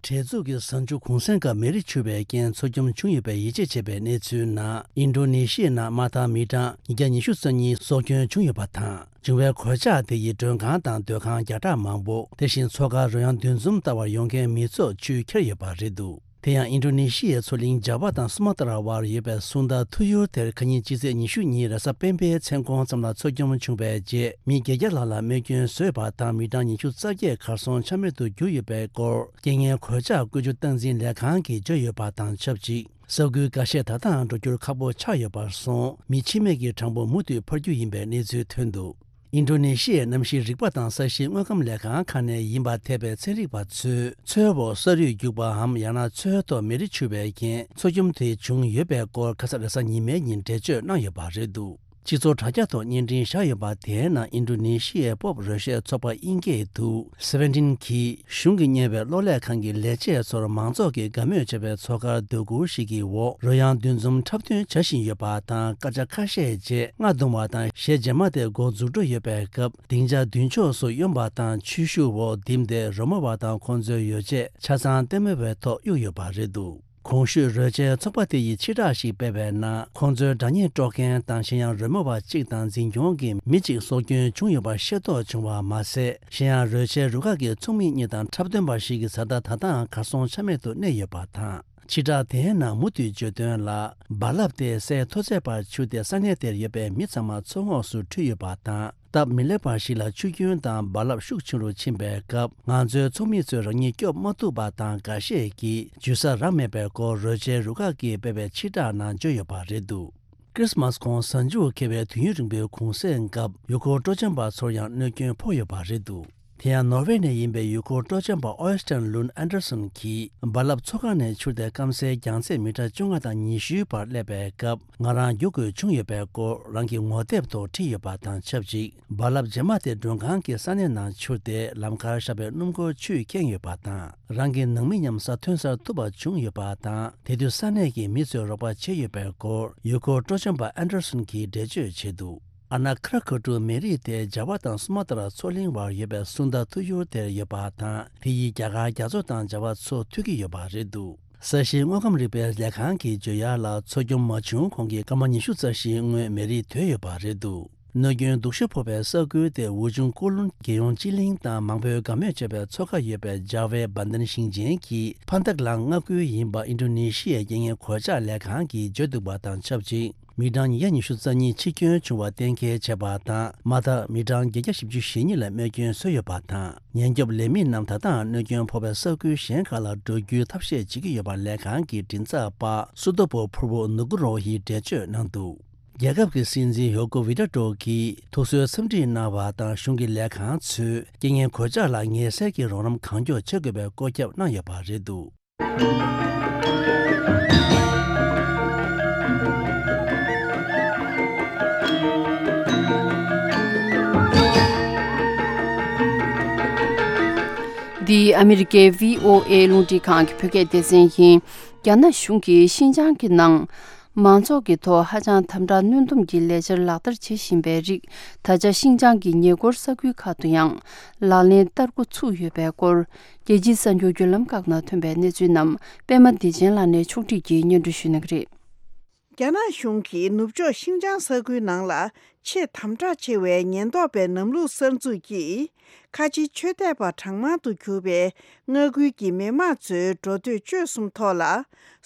བྲེལ་འཚུབ་ཀྱི་གཟའ་མཇུག་གུང་སེང་སྐབས་མེ་རི་འཕྱུར་བའི་རྐྱེན་འཚོ་སྐྱོན་བྱུང་ཡོད་པའི་ཡིད་ཆེས་བྱས་པའི་གནས་ཚུལ་ནང་། ཨིན་ཌོ་ནེ་ཤི་ཡའི་ནང་མ་མཐའ་མི་གྲངས་ཉིས་བརྒྱ་ཉི་ཤུ་རྩ་གཉིས་སྲོག་སྐྱོན་བྱུང་ཡོད་པ་དང་། བྱུང་བའི་གོད་ཆག་དེ་ཡིས་མགྲོན་ཁང་དང་སྡོད་ཁང་བརྒྱ་ཕྲག་མང་པོ། དེ་བཞིན་མཚོ་ཁར་རོལ་དབྱངས་འདུ་འཛོམས་ལྟ་བར་ཡོང་མཁན་མི་ཚོགས་ཆུས་ཁྱེར་ཡོད་པ་རེད་འདུག་དེ་ཡང་ཨིན་ཌོ་ནེ་ཤི་ཡའི་མཚོ་གླིང་ཇཱ་བ་དང་སུ་མ་ཏྲ་བར་ཡོད་པའི་སུང་ད་ཐུ་ཡུར་དེར་ཁ་ཉིན་སྤྱི་ཚེས་ཉི་ཤུ་ཉིན་རེས་གཟའ་སྤེན་པའི་མཚན་གུང་ཙམ་ལ་མཚོ་སྐྱོན་བྱུང་བའི་རྗེས་མི་བརྒྱད་བརྒྱ་ལྷག་ལ་རྨས་སྐྱོན་བཟོས་པ་དང་མི་གྲངས་ཉི་ཤུ་རྩ་བརྒྱད་གར་སོང་ཆ་མེད་དུ་གྱུར་ཡོད་པའི་སྐོར་རྐྱེན་ངན་གོད་ཆག་བཀོད་ཇུས་སྟངས་འཛིན་ལས་ཁང་གིས་བརྗོད་ཡོད་པ་དང་ཆབས་ཅིག་ས་ཁུལ་འགའ་ཤས་ད་ལྟའང་འགྲོ་རྒྱུར་ཁག་པོ་ཆགས་ཡོད་པར་སོང་། མི་འཆི་རྨས་ཀྱི་གྲངས་འབོར་མུ་མཐུད་འཕར་རྒྱུ་ཡིན་པའི་གནས་ཚུལ་ཐོན་འདུག་ཨིན་ཌོ་ནེ་ཤི་ཡའི་གནམ་གཤིས་རིག་པ་དང་ས་གཤིས་དངོས་ཁམས་ལས་ཁང་ཁག་ནས་ཡིན་པ་འཐད་པའི་ཚན་རིག་པ་ཚོས་མཚོའི་འོག་ས་རུད་རྒྱུག་པའམ་ཡང་ན་མཚོའི་ཐོག་མེ་རི་འཕྱུར་བའི་རྐྱེན་མཚོ་སྐྱོན་དེ་བྱུང་ཡོད་པའི་སྐོར་ཁ་ས་རེས་གཟའ་ཉི་མའི་ཉིན་འགྲེལ་བརྗོད་གནང་ཡོད་པ་རེད་འདུག་སྤྱི་ཚོགས་དྲ་རྒྱ་ཐོག་བརྙན་འཕྲིན་བཞག་ཡོད་པ་དེའི་ནང་ཨིན་ཌོ་ནེ་ཤི་ཡའི་སྤོབས་རོལ་གཞས་ཚོགས་པ་དབྱིན་སྐད་དུ་Seventeen གིས་གཞུང་གིས་གཉེར་བའི་གློག་ཀླད་ཁང་གི་ལས་བྱེད་ཚོར་མང་ཚོགས་ཀྱིས་དགའ་མོས་བྱེད་པའི་མཚོ་ཁར་སྡོད་གུར་ཞིག་གི་འོག་རོལ་དབྱངས་འདུ་འཛོམས་འཁྲབ་སྟོན་བྱ་བཞིན་ཡོད་པ་དང་། སྐར་ཆ་ཁ་ཤས་རྗེས་རྔ་བརྡུང་བ་དང་གཞས་མཇལ་མ་དེ་འགོ་འཛུགས་འགྲོ་ཡོད་པའི་སྐབས། སྡིངས་ཆ་མདུན་ཕྱོགས་སུ་གཡོན་པ་དང་ཆོས་ཞུ་འོག་བསྡིབས་ཏེ་རོལ་མོ་བ་དང་ཁོང་ཚོའི་ཡོ་བྱད་ཆ་ཚང་ལྟད་མོ་བའི་ཐོག་གཡུགས་ཡོད་པ་རེད་འདུག་གོང་ཞུས་རོལ་ཆའི་ཚོགས་པ་དེ་ཡིས་ཕྱིར་བསྒྲགས་ཤིག་སྤེལ་བའི་ནང་། ཁོང་ཚོའི་སྒྲ་སྙན་དཀྲོག་མཁན་དང་གཞན་ཡང་རོལ་མོ་བ་གཅིག་དང་འཛིན་སྐྱོང་གི་མི་གཅིག་སྲོག་སྐྱོན་བྱུང་ཡོད་པ་ཤེས་རྟོགས་བྱུང་བ་མ་ཟད། གཞན་ཡང་རོལ་ཆའི་རུ་ཁག་གི་ཚོགས་མི་གཉིས་དང་འཁྲབ་སྟོན་པ་ཞིག་གི་བཟའ་ཟླ་ད་ལྟའང་གར་སོང་ཆ་མེད་དུ་གནས་ཡོད་པ་དང་། ཕྱིར་བསྒྲགས་དེའི་ནང་མུ་མཐུད་བརྗོད་དོན་ལ། རྦ་རླབས་དེ་སའི་མཐོ་ཚད་བར་འཕྱུར་ཏེ་ས་གནས་དེར་ཡོད་པའི་མི་ཚང་མ་མཚོ་ངོགས་སུ་འཁྲུད་ཡོད་པ་དང་། སྟབས་མི་ལེགས་པ་ཞིག་ལ་ཆུ་རྒྱུན་དང་རྦ་རླབས་ཤུགས་ཆེ་རུ་ཕྱིན་པའི་སྐབས། ང་ཚོའི་ཚོགས་མི་ཚོས་རང་ཉིད་སྐྱོབ་མ་ཐུབ་པ་དང་། འགའ་ཤས་ཀྱིས་འཇུ་ས་རག་མེད་པའི་སྐོར་རོལ་ཆའི་རུ་ཁག་གིས་སྤེལ་བའི་ཕྱིར་བསྒྲགས་ནང་བརྗོད་ཡོད་པ་རེད་འདུག་ཀྲིས་མཱས་ཁོང་གཟའ་མཇུག་འཁེལ་བའི་དུས་ཡུན་རིང་པོའི་གུང་སེང་སྐབས། ཡུལ་སྐོར་སྤྲོ་འཆམ་པ་ཚོར་ཡང་གནོད་སྐྱོན་ཕོག་ཡོད་པ་རེད་འདུག་དེ་ཡང་ནོར་ཝེ་ནས་ཡིན་པའི་ཡུལ་སྐོར་སྤྲོ་འཆམ་པ་ཨོ་ཡ་སྟན་ལུན་ཨན་ཌར་སན་གྱིས། རྦ་རླབས་མཚོ་ཁ་ནས་འཕྱུར་ཏེ་སྐམ་སའི་རྒྱང་ཚད་མི་ཊར་བཅོ་ལྔ་དང་ཉི་ཤུའི་བར་སླེབས་པའི་སྐབས། ང་རང་རྒྱུག་དགོས་བྱུང་ཡོད་པའི་སྐོར་རང་གི་ངོ་དེབ་ཐོག་བྲིས་ཡོད་པ་དང་ཆབས་ཅིག་རྦ་རླབས་རྗེས་མ་དེ་མགྲོན་ཁང་གི་ས་གནས་ནང་འཕྱུར་ཏེ། ལམ་ཁར་བཞག་པའི་སྣུམ་འཁོར་ཆུས་ཁེངས་ཡོད་པ་དང་། རང་གི་ནང་མི་མཉམ་ས་ཐོན་སར་ཐུག་པ་བྱུང་ཡོད་པ་དང་། དེ་དུས་ས་གནས་ཀྱི་མི་ཚོས་རོགས་པ་བྱས་ཡོད་པའི་སྐོར་ཡུལ་སྐོར་སྤྲོ་འཆམ་པ་ཨན་ཌར་སན་གྱིས་འགྲེལ་བརྗོད་བྱས་འདུག་ཨ་ན་ཁྲ་ཁ་ཀྲུ་མེ་རི་དེ་ཇཱ་བ་དང་སུ་མ་ཏྲ་མཚོ་གླིང་བར་ཡོད་པའི་སུན་ད་ཐུ་ཡུར་དེར་ཡོད་པ་དང་། དེ་ཡིས་རྒྱ་གར་རྒྱ་མཚོ་དང་ཇཱ་བ་མཚོ་མཐུད་ཀྱི་ཡོད་པ་རེད་འདུག་ས་གཤིས་དངོས་ཁམས་རིག་པའི་ལས་ཁང་གིས་བརྗོད་ཡག་ལ། མཚོ་སྐྱོན་མ་བྱུང་གོང་གི་སྐར་མ་ཉི་ཤུ་རྩ་བཞིའི་སྔོན་མེ་རི་དོད་ཡོད་པ་རེད་འདུག་གནོད་སྐྱོན་སྡུག་ཤོས་ཕོག་པའི་ས་ཁུལ་དེ་ཝུ་ཆུང་ཀུ་ལུན་རྒྱལ་ཡོངས་སྤྱི་གླིང་དང་། མང་པོས་དགའ་མོས་བྱེད་པའི་མཚོ་ཁ་ཡོད་པའི་ཇཱ་ཝེ་བན་དན་ཞིང་ཆེན་གྱི་ཕ་མཐའ་གླང་མངའ་ཁུལ་ཡིན་པ་ཨིན་ཌོ་ནེ་ཤི་ཡའི་རྐྱེན་ངན་གོད་ཆག་ལས་ཁང་གིས་བརྗོད་འདུག་པ་དང་ཆབས་ཅིག་མི་གྲངས་ཉིས་བརྒྱ་ཉི་ཤུ་རྩ་གཉིས་འཆི་སྐྱོན་བྱུང་བ་གཏན་འཁེལ་བྱས་པ་དང་། མ་མཐའ་མི་གྲངས་བརྒྱད་བརྒྱ་བཞི་བཅུ་ཞེ་གཉིས་ལ་རྨས་སྐྱོན་བཟོས་ཡོད་པ་དང་། ཉེན་སྐྱོབ་ལས་མི་རྣམས་ད་ལྟའང་གནོད་སྐྱོན་ཕོག་པའི་ས་ཁུལ་གཞན་ཁག་ལ་འགྲོ་རྒྱུའི་ཐབས་ཤེས་བྱེད་ཀྱི་ཡོད་པ་ལས་ཁང་གི་མགྲིན་ཚབ་པ་སུ་ཏོ་པོ་ཕུར་བོ་ནུ་གུ་རོ་ཧིས་འགྲེལ་བརྗོད་གནང་འདུག་རྒྱལ་ཁབ་ཀྱི་སྲིད་འཛིན་ཡོ་ཀོ་ཝི་ཌོ་ཌོ་གིས་ཐུགས་གསོའི་འཚམས་འདྲི་གནང་བ་དང་། གཞུང་གི་ལས་ཁང་ཚོས་རྐྱེན་ངན་གོད་ཆག་ལ་ངལ་སེལ་གྱི་རོགས་རམ་གང་མགྱོགས་བྱེད་དགོས་པའི་བཀོད་ཁྱབ་གནང་ཡོད་པ་རེད་འདུག་འདི་ཨ་མི་རི་ཀའི་བྷི་ཨོ་ཨེ་རླུང་འཕྲིན་ཁང་གི་བོད་སྐད་སྡེ་ཚན་ཡིན། རྒྱ་ནག་གཞུང་གིས་ཤིན་ཅང་གི་ནང་མང་ཚོགས་ཀྱི་ཐོག་ཧ་ཅང་དམ་དྲག་གནོན་སྡོམ་གྱི་ལས་འཆར་ལག་བསྟར་བྱེད་བཞིན་པའི་རིགས། ད་ཆ་ཤིན་ཅང་གི་ཉེ་འཁོར་ས་ཁུལ་ཁག་ཏུ་ཡང་ལག་ལེན་བསྟར་འགོ་ཚུགས་ཡོད་པའི་སྐོར། རྒྱལ་སྤྱིའི་གསར་འགྱུར་བརྒྱུད་ལམ་ཁག་ནང་ཐོན་པའི་གནས་ཚུལ་རྣམས་པད་མ་བདེ་ཆེན་ལགས་ནས་ཕྱོགས་སྒྲིག་གིས་སྙན་སྒྲོན་ཞུ་གནང་གི་རེད། རྒྱ་ནག་གཞུང་གིས་ནུབ་ཕྱོགས་ཤིན་ཅང་ས་ཁུལ་ནང་ལ་ཆེས་དམ་དྲག་ཆེ་བའི་ཉེན་རྟོག་པའི་ལམ་ལུགས་གསར་འཛུགས་ཀྱིས། ཁ་ཆེའི་ཆོས་དད་པ་གྲངས་མང་དུ་གྱུར་པའི་མངའ་ཁུལ་གྱི་མི་དམངས་ཚོའི་འགྲོ་སྡོད་སྤྱོད་གསུམ་ཐོག་ལ་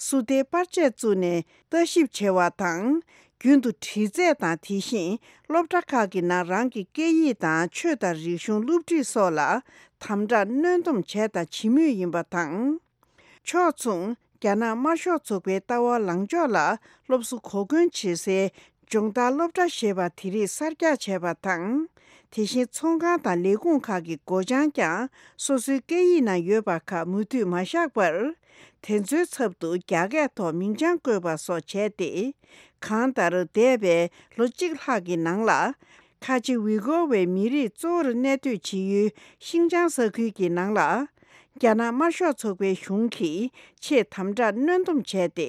སུ་ཏའི་པར་ཆས་བཙུགས་ནས་ལྟ་ཞིབ་བྱས་པ་དང་། རྒྱུན་དུ་དྲི་རྩད་དང་། དེ་བཞིན་སློབ་གྲྭ་ཁག་གི་ནང་རང་གི་སྐད་ཡིག་དང་ཆོས་དང་རིག་གཞུང་སློབ་ཁྲིད་སོགས་ལ་དམ་དྲག་གནོན་སྡོམ་བྱས་དང་བྱེད་མུས་ཡིན་པ་དང་། ཕྱོགས་མཚུངས། རྒྱ་ནག་དམར་ཤོག་ཚོགས་པའི་ལྟ་བ་ལངས་ཕྱོགས་ལ་སློབ་གསོ་གོ་སྐོན་བྱེད་སའི་སྦྱོང་བརྡར་སློབ་གྲྭ་ཞེས་པ་དེ་རིགས་གསར་རྒྱག་བྱས་པ་དང་། དེ་བཞིན་ཚོང་ཁང་དང་ལས་ཁུངས་ཁག་གི་སྒོ་བྱང་ཀྱང་སོ་སོའི་སྐད་ཡིག་ནང་ཡོད་པ་ཁག་མུ་མཐུད་མ་བཞག་པར། དེ་ཚོའི་ཚབ་ཏུ་རྒྱ་སྐད་ཐོག་མིང་བྱང་བཀོད་པ་སོགས་བྱས་ཏེ། གང་ལྟར་འདས་པའི་ལོ་གཅིག་ལྷག་གི་ནང་ལ། ཁ་ཆེ་ཝི་གོ་བའི་མི་རིགས་གཙོ་བོར་གནས་སྡོད་བྱེད་ཡུལ་ཤིང་ཅང་ས་ཁུལ་གྱི་ནང་ལ། རྒྱ་ནག་དམར་ཤོག་ཚོགས་པའི་གཞུང་གིས་ཆེས་དམ་དྲག་གནོན་སྡོམ་བྱས་ཏེ།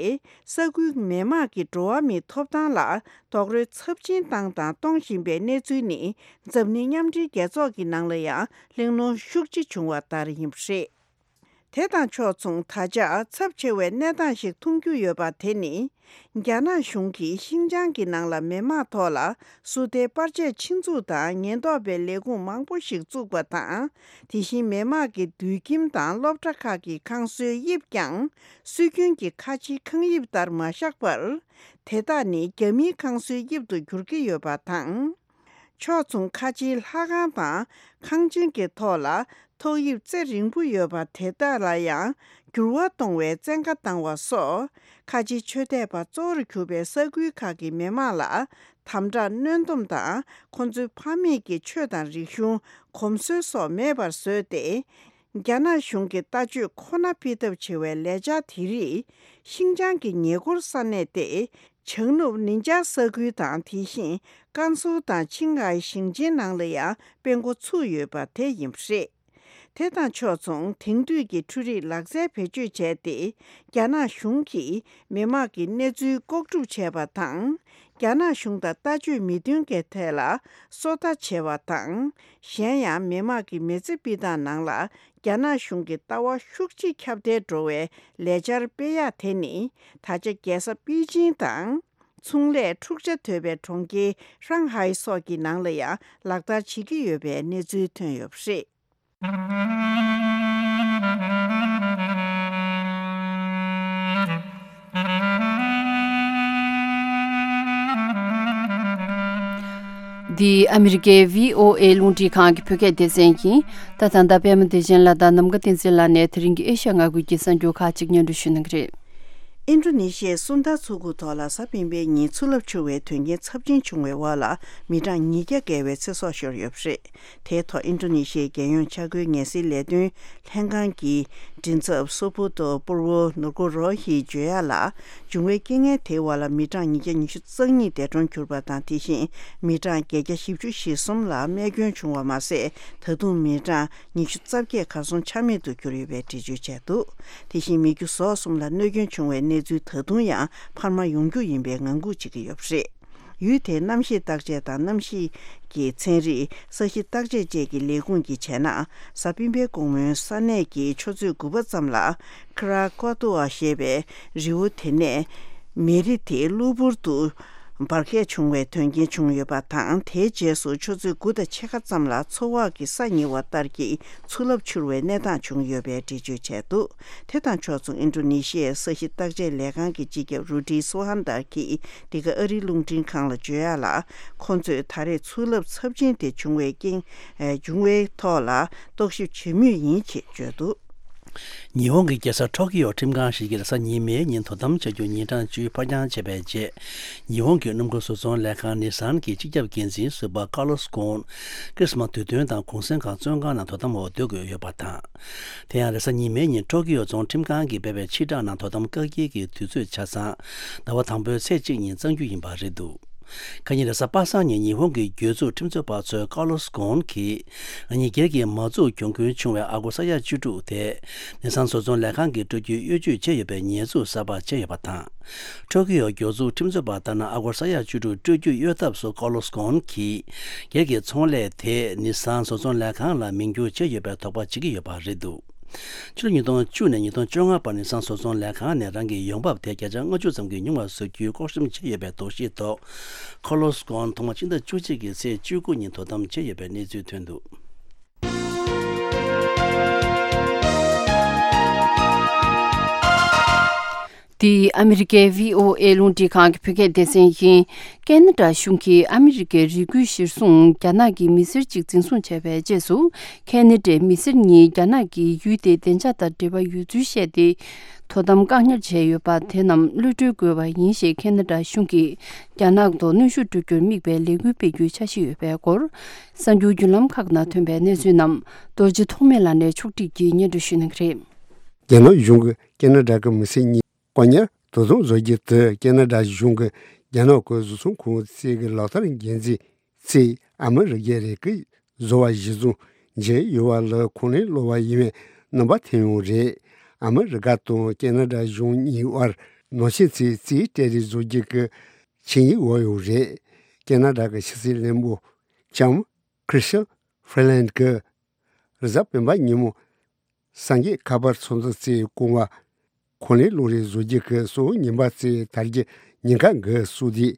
ས་ཁུལ་མི་དམངས་ཀྱི་འགྲོ་བ་མིའི་ཐོབ་ཐང་ལ་རྡོག་རོལ་ཚབས་ཆེན་བཏང་དང་གཏོང་བཞིན་པའི་གནས་ཚུལ་ནི། འཛམ་གླིང་མཉམ་འབྲེལ་རྒྱལ་ཚོགས་ཀྱི་ནང་ལ་ཡང་གླེང་སློང་ཤུགས་ཆེ་བྱུང་བ་ལྟར་ཡིན་པ་རེད། དེ་དང་ཕྱོགས་མཚུངས། ད་ཆ་ཚབས་ཆེ་བའི་གནས་སྟངས་ཤིག་མཐོང་རྒྱུ་ཡོད་པ་དེ་ནི། རྒྱ་ནག་གཞུང་གིས་ཤིན་ཅང་གི་ནང་ལ་མི་དམངས་ཐོག་ལ་སུ་ཏའི་པར་ཆས་ཆེད་འཛུགས་དང་ཉེན་རྟོག་པའི་ལས་ཁུངས་མང་པོ་ཞིག་བཙུགས་པ་དང་། དེ་བཞིན་མི་དམངས་ཀྱི་དུད་ཁྱིམ་དང་སློབ་གྲྭ་ཁག་གི་ཁང་བཟོའི་དབྱིབས་ཀྱང་སྲོལ་རྒྱུན་གྱི་ཁ་ཆེའི་ཁང་དབྱིབས་ལྟར་མ་བཞག་པར། དེ་དག་ནི་རྒྱ་མིའི་ཁང་བཟོའི་དབྱིབས་དུ་འགྱུར་གྱི་ཡོད་པ་དང་། ཕྱོགས་མཚུངས། ཁ་ཆེའི་ལྷ་ཁང་དང་ཁང་ཆེན་གྱི་ཐོག་ལ་ཐོག་དབྱིབས་རྩེ་རིང་པོ་ཡོད་པ་དེ་དག་ལ་ཡང་འགྱུར་བ་གཏོང་བའི་བཙན་བཀའ་བཏང་བ་སོགས། ཁ་ཆེའི་ཆོས་དད་པ་གཙོ་བོར་གྱུར་པའི་ས་ཁུལ་ཁག་གི་མི་དམངས་ལ་དམ་དྲག་གནོན་སྡོམ་དང་། ཁོ་ཚོའི་ཕ་མེས་ཀྱི་ཆོས་དང་རིག་གཞུང་། གོམས་སྲོལ་སོགས་མེད་པར་བཟོས་ཏེ། རྒྱ་ནག་གཞུང་གི་ལྟ་སྤྱོད་ཁོ་ན་སྤེལ་ཐབས་བྱེད་པའི་ལས་འཆར་དེ་རིགས་ཤིན་ཅང་གི་ཉེ་འཁོར་ས་གནས་ཏེ། བྱང་ནུབ་ནིན་ཅཱ་ས་ཁུལ་དང་། དེ་བཞིན་ཀན་སུའུ་དང་ཆིང་ཧའེ་ཞིང་ཆེན་ནང་ལ་ཡང་སྤེལ་འགོ་ཚུགས་ཡོད་པ་དེ་ཡིན་པ་རེད། དེ་དང་ཕྱོགས་མཚུངས། དེང་དུས་ཀྱི་འཕྲུལ་རིག་ལག་རྩལ་བེད་སྤྱོད་བྱས་ཏེ། རྒྱ་ནག་གཞུང་གིས་མི་དམངས་ཀྱི་གནས་ཚུལ་ལྐོག་སྒྲུབ་བྱས་པ་དང་། རྒྱ་ནག་གཞུང་དང་ལྟ་སྤྱོད་མི་མཐུན་གྱི་ཐད་ལ་སོ་ལྟ་བྱས་པ་དང་། གཞན་ཡང་མི་དམངས་ཀྱི་མི་ཚེ་སྤྱི་དང་ནང་ལ་རྒྱ་ནག་གཞུང་གི་ལྟ་བ་ཤུགས་ཆེ་ཁྱབ་གདལ་འགྲོ་བའི་ལས་འཆར་སྤེལ་ཡག་དེ་ནི། ད་ཆ་རྒྱལ་ས་པེ་ཅིང་དང་། ཚོང་ལས་འཁྲུག་ཆ་དོད་པའི་གྲོང་ཁྱེར་ཧྲང་ཧའེ་སོགས་ཀྱི་ནང་ལ་ཡང་ལག་བསྟར་བྱེད་ཀྱི་ཡོད་པའི་གནས་ཚུལ་ཐོན་ཡོད་པ་རེད། འདི་ཨ་མི་རི་ཀའི་བྷི་ཨོ་ཨེ་རླུང་འཕྲིན་ཁང་གི་བོད་སྐད་སྡེ་ཚན་ཡིན། ད་ད་ལྟ་པད་མ་བདེ་ཆེན་ལགས་དང་ནམ་མཁའ་བསྟན་འཛིན་ལགས་ནས་དེ་རིང་གི་ཨེ་ཤ་ཡ་མངའ་ཁུལ་གྱི་གསར་འགྱུར་ཁག་ཅིག་སྙན་སྒྲོན་ཞུ་གནང་གི་རེད། ཨིན་ཌོ་ནེ་ཤི་ཡའི་སུན་ད་མཚོ་ཁུག་ཐོག་ལ་གཟའ་སྤེན་པའི་ཉིན་མཚོ་རླབས་འཕྱུར་བའི་དོན་རྐྱེན་ཚབས་ཆེན་བྱུང་བའི་འོག་ལ་མི་གྲངས་ཉིས་བརྒྱ་བརྒལ་བའི་ཚེ་སྲོག་ཤོར་ཡོད་པ་རེད། དེའི་ཐོག་ཨིན་ཌོ་ནེ་ཤི་ཡའི་རྒྱལ་ཡོངས་འཆར་འགོད་ངལ་སེལ་ལས་དོན་ལྷན་ཁང་གི་མགྲིན་ཚབ་སོ་པུ་ཏོ་པུར་བོ་ནུར་ཀོ་རོ་ཧིས་བརྗོད་ཡག་ལ། བྱུང་བའི་རྐྱེན་ངན་དེའི་འོག་ལ་མི་གྲངས་ཉིས་བརྒྱ་ཉི་ཤུ་རྩ་གཉིས་འདས་གྲོངས་གྱུར་པ་དང་། དེ་བཞིན་མི་གྲངས་བརྒྱད་བརྒྱ་བཞི་བཅུ་ཞེ་གསུམ་ལ་རྨས་སྐྱོན་བྱུང་བ་མ་ཟད། ད་དུང་མི་གྲངས་ཉི་ཤུ་རྩ་བརྒྱད་གར་སོང་ཆ་མེད་དུ་གྱུར་ཡོད་པའི་འགྲེལ་བརྗོད་བྱས་འདུག་དེ་བཞིན་མི་རྒྱུ་ཟོག་གསུམ་ལ་གནོད་སྐྱོན་བྱུང་བའི་གནས་ཚུལ་ད་དུང་ཡང་འཕར་མ་ཡོང་རྒྱུ་ཡིན་པའི་ངང་སྒུག་བྱེད་ཀྱི་ཡོད་པ་རེད། ཡུལ་དེའི་གནམ་གཤིས་བརྟག་དཔྱད་དང་གནམ་གཤིས་ཀྱི་ཚན་རིག་ས་གཤིས་བརྟག་དཔྱད་བཅས་ཀྱི་ལས་ཁུངས་ཀྱིས་བྱས་ན། གཟའ་སྤེན་པའི་དགོང་མོའི་ས་གནས་ཀྱི་ཆུ་ཚོད་དགུ་པ་ཙམ་ལ་ཁ་ར་ཀོ་ཏུ་ཨ་ཞེས་པའི་རི་བོ་དེ་ནས་མེ་རི་དེ་གློ་བུར་དུ་འབར་གས་བྱུང་བའི་དོན་རྐྱེན་བྱུང་ཡོད་པ་དང་། དེའི་རྗེས་སུ་ཆུ་ཚོད་དགུ་དང་ཕྱེད་ཀ་ཙམ་ལ་མཚོ་འོག་གི་ས་ཉིལ་བ་ལྟར་གྱི་མཚོ་རླབས་འཕྱུར་བའི་གནས་སྟངས་བྱུང་ཡོད་པའི་འགྲེལ་བརྗོད་བྱས་འདུག་དེ་དང་ཕྱོགས་མཚུངས། ཨིན་ཌོ་ནེ་ཤི་ཡའི་ས་གཤིས་བརྟག་དཔྱད་ལས་ཁང་གི་སྤྱི་ཁྱབ་རུ་ཌི་སུ་ཧན་དར་གྱིས་འདི་ག་ཨ་རིའི་རླུང་འཕྲིན་ཁང་ལ་བརྗོད་ཡག་ལ། ཁོ་ཚོས་ད་རེས་མཚོ་རླབས་ཚབས་ཆེན་དེ་བྱུང་བའི་རྐྱེན། ཨེ། བྱུང་བའི་ཐོག་ལ་རྟོག་ཞིབ་བྱེད་མུས་ཡིན་ཞེས་བརྗོད་འདུག་ཉི་ཧོང་གི་རྒྱལ་ས་ཊོ་ཀི་ཡོ་ཁྲིམས་ཁང་ཞིག་གིས་རེས་གཟའ་ཉི་མའི་ཉིན་དོ་དམ་བྱ་རྒྱུ་ཉིན་གྲངས་བཅུ་ཕར་འགྱངས་བྱས་པའི་རྗེས། ཉི་ཧོང་གི་སྣུམ་འཁོར་བཟོ་ཚོང་ལས་ཁང་ནི་སཱན་གྱི་སྤྱི་ཁྱབ་འགན་འཛིན་ཟུར་པ་ཀ་ལོ་སི་ཀོན། ཀྲིས་མ་དུས་སྟོན་དང་གུང་སེང་སྒང་བཙོན་ཁང་ནང་དོ་དམ་འོག་སྡོད་དགོས་ཡོད་པ་དང་། དེ་ཡང་རེས་གཟའ་ཉི་མའི་ཉིན་ཊོ་ཀི་ཡོ་རྫོང་ཁྲིམས་ཁང་གིས་སྤེལ་བའི་ཕྱིར་བསྒྲགས་ནང་དོ་དམ་བཀག་སྐྱིལ་གྱི་དུས་ཚོད་ཆ་ཚང་ཟླ་བ་དང་པོའི་ཚེས་གཅིག་ཉིན་གཙང་རྒྱུ་ཡིན་པ་རེད་འདུག་ཁ་ཉིན་རེས་གཟའ་པ་སངས་ཉིན་ཉི་ཧོང་གི་སྒེར་བཙུགས་ཁྲིམས་རྩོད་པ་ཚོས་ཀ་ལོ་སི་ཀོན་གྱིས། ང་གཉིས་སྒེར་གྱི་མ་འཛུགས་གྱོང་གུན་བྱུང་བའི་ཨ་སྒོར་ས་ཡ་བཅུ་དྲུག་དེ། ནི་སང་བཟོ་ཚོང་ལས་ཁང་གི་སྤྲོད་རྒྱུའི་གཡོ་ཇུས་བྱས་ཡོད་པའི་ཉེས་འཛུགས་གསར་པ་བྱས་ཡོད་པ་དང་། ཊོ་ཀི་ཡོ་སྒེར་བཙུགས་ཁྲིམས་རྩོད་པ་ལྟར་ན། ཨ་སྒོར་ས་ཡ་བཅུ་དྲུག་སྤྲོད་རྒྱུ་གཡོལ་ཐབས་སུ་ཀ་ལོ་སི་ཀོན་གྱིས། སྒེར་གྱི་ཚོང་ལས་དེ་ནི་སང་བཟོ་ཚོང་ལས་ཁང་ལ་མིང་བསྒྱུར་བྱས་ཡོད་པའི་དོགས་པ་བྱེད་ཀྱི་ཡོད་པ་རེད་འདུག་ཕྱི་ལོ་ཉིས་སྟོང་བཅུ་ནས་ཉིས་སྟོང་བཅོ་ལྔ་བར་ནི་སང་བཟོ་ཚོང་ལས་ཁང་ནས་རང་གི་ཡོང་འབབ་དེ་བརྒྱ་ཆ་ལྔ་བཅུ་ཙམ་གྱིས་ཉུང་བ་བཟོ་རྒྱུའི་ལྐོག་ཤམ་བྱས་ཡོད་པའི་དོགས་གཞིའི་ཐོག་ཁོ་ལོ་སི་ཀོན་ཐོག་མ་སྤྱི་ཟླ་བཅུ་གཅིག་གི་ཚེས་བཅུ་དགུ་ཉིན་དོ་དམ་བྱས་ཡོད་པའི་གནས་ཚུལ་ཐོན་འདུག་འདི་ཨ་མི་རི་ཀའི་བྷི་ཨོ་ཨེ་རླུང་འཕྲིན་ཁང་གི་བོད་སྐད་སྡེ་ཚན་ཡིན། ཁེ་ན་ཌ་གཞུང་གིས་ཨ་མི་རི་ཀའི་རི་ཁུལ་གཞིར་བཟུང་རྒྱ་ནག་གི་མི་སེར་གཅིག་འཛིན་བཟུང་བྱས་པའི་རྗེས་སུ། ཁེ་ན་ཌའི་མི་སེར་གཉིས་རྒྱ་ནག་གི་ཡུལ་དེའི་བདེ་འཇགས་དང་འབྲེལ་བ་ཡོད་ཚུལ་བཤད་དེ། དོ་དམ་བཀག་ཉར་བྱས་ཡོད་པ་དེ་རྣམས་གློད་གྲོལ་དགོས་པ་ཡིན་ཞེས་ཁེ་ན་ཌ་གཞུང་གིས་རྒྱ་ནག་ཐོག་གནོན་ཤུགས་སྤྲོད་རྒྱུར་དམིགས་པའི་ལས་འགུལ་སྤེལ་རྒྱུའི་འཆར་གཞི་ཡོད་པའི་སྐོར། གསར་འགྱུར་བརྒྱུད་ལམ་ཁག་ནང་ཐོན་པའི་གནས་ཚུལ་རྣམས་རྡོ་རྗེ་ཐོགས་མེད་ལགས་ནས་ཕྱོགས་སྒྲིག་གིས་སྙན་སྒྲོན་ཞུ་གནང་གི་རེད། རྒྱ་ནག་གཞུང་གིས་ཁེ་ན་ཌ་གི་མི་སེར་གཉིས་བཀག་ཉར་དོ་དམ་བཟོ་རྒྱུ་དེ་ཁེ་ན་ཌ་གཞུང་གིས་རྒྱ་ནག་གི་བཟོ་ཚོང་ཁང་གཅིག་གི་ལག་བསྟར་འགན་འཛིན་ཚོས་ཨ་མི་རི་ཀའི་རི་ཁུལ་བཟོ་བ་གཞི་བཟུང་བྱས་ཡོད་པ་ལ་ཁུངས་ལེན་སློང་བ་ཡིན་པའི་རྣམ་པ་ཐོན་ཡོད་རེད། ཨ་མི་རི་ཀ་དང་ཁེ་ན་ཌ་གཞུང་གཉིས་དབར་ནང་ཆེན་ཚོས་རྩིས་སྤྲད་རེས་བཟོ་རྒྱུ་གི་ཆིངས་ཡིག་འོག་ཡོད་རེད། ཁེ་ན་ཌ་གི་ཕྱི་སྲིད་བློན་པོ་ལྕམ་ཁྲི་སི་ཊ་ཧྥི་ལན་གྱིས་རེས་གཟའ་སྤེན་པ་ཉིན་མོ་གསར་འགོད་ཁ་པར་ཚོགས་འདུ་གཙོས་བསྐོང་བ། ཁུངས་ལེན་སློང་རེས་བཟོ་རྒྱུ་གི་གསལ་བོ་ཉིན་པ་གཙོས་དར་རྒྱས་ཉིན་ཁ་འགའ་བསུ་དུས།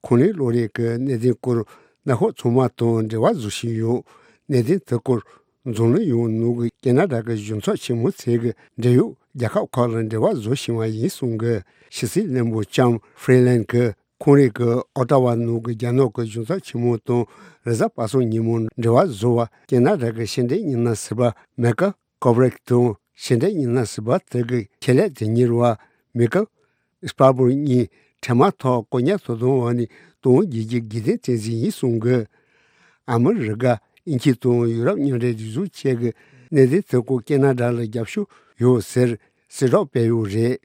ཁུངས་ལེན་སློང་རེས་ཀྱི་གནད་དོན་སྐོར་གནད་འཁོད་ཚང་མ་དང་འབྲེལ་བ་བཟོ་བཞིན་ཡོད། གནད་དོན་དེ་སྐོར་འཛམ་གླིང་ཡོངས་ནང་གི་ཁེ་ན་ཌ་གི་གཞུང་ཚབ་ཆེན་མོ་ཚོས་ཀྱི་འབྲེལ་ཡོད་རྒྱལ་ཁབ་ཁག་ལ་འབྲེལ་བ་བཟོ་བཞིན་པ་ཡིན་གསུངས་ཀྱི། ཕྱི་སྲིད་བློན་པོ་ལྕམ་ཧྥི་ལན་གྱིས་ཁོང་རང་གི་ཨོ་ཏཱ་ཝ་ནང་གི་རྒྱ་ནག་གི་གཞུང་ཚབ་ཆེན་མོ་དང་རེས་གཟའ་པ་སངས་ཉིན་མོ་འབྲེལ་བ་བཟོ་བར་ཁེ་ན་ཌ་གི་ཕྱི་འབྲེལ་ཉི་ན་ཟུར་པ་མེ་ཀལ་ཀོབ་རིག་དང་ཕྱི་འབྲེལ་ཉི་ན་ཟུར་པ་དེ་གི་ཁྱད་ལས་དོན་གཉེར་བ་མེ་ཀལ་སྤར་བོར་གཉིས་འཕྲལ་མ་ཐོག་བཀག་ཉར་དོ་དམ་འོག་ནས་གཏོང་རྒྱུ་གི་དགོས་འདུན་བསྟན་གཟིགས་ཡིན་གསུངས་ཀྱི། ཨ་མི་རི་ཀ། དབྱིན་ཇི་དང་ཡུ་རོབ་མཉམ་འབྲེལ་སྒྲིག་འཛུགས་བཅས་ཀྱི་གནད་དོན་དེ་སྐོར་ཁེ་ན་ཌ་ལ་རྒྱབ་སྐྱོར་ཡོད་ཟེར་གསལ་བསྒྲགས་སྤེལ་ཡོད་རེད།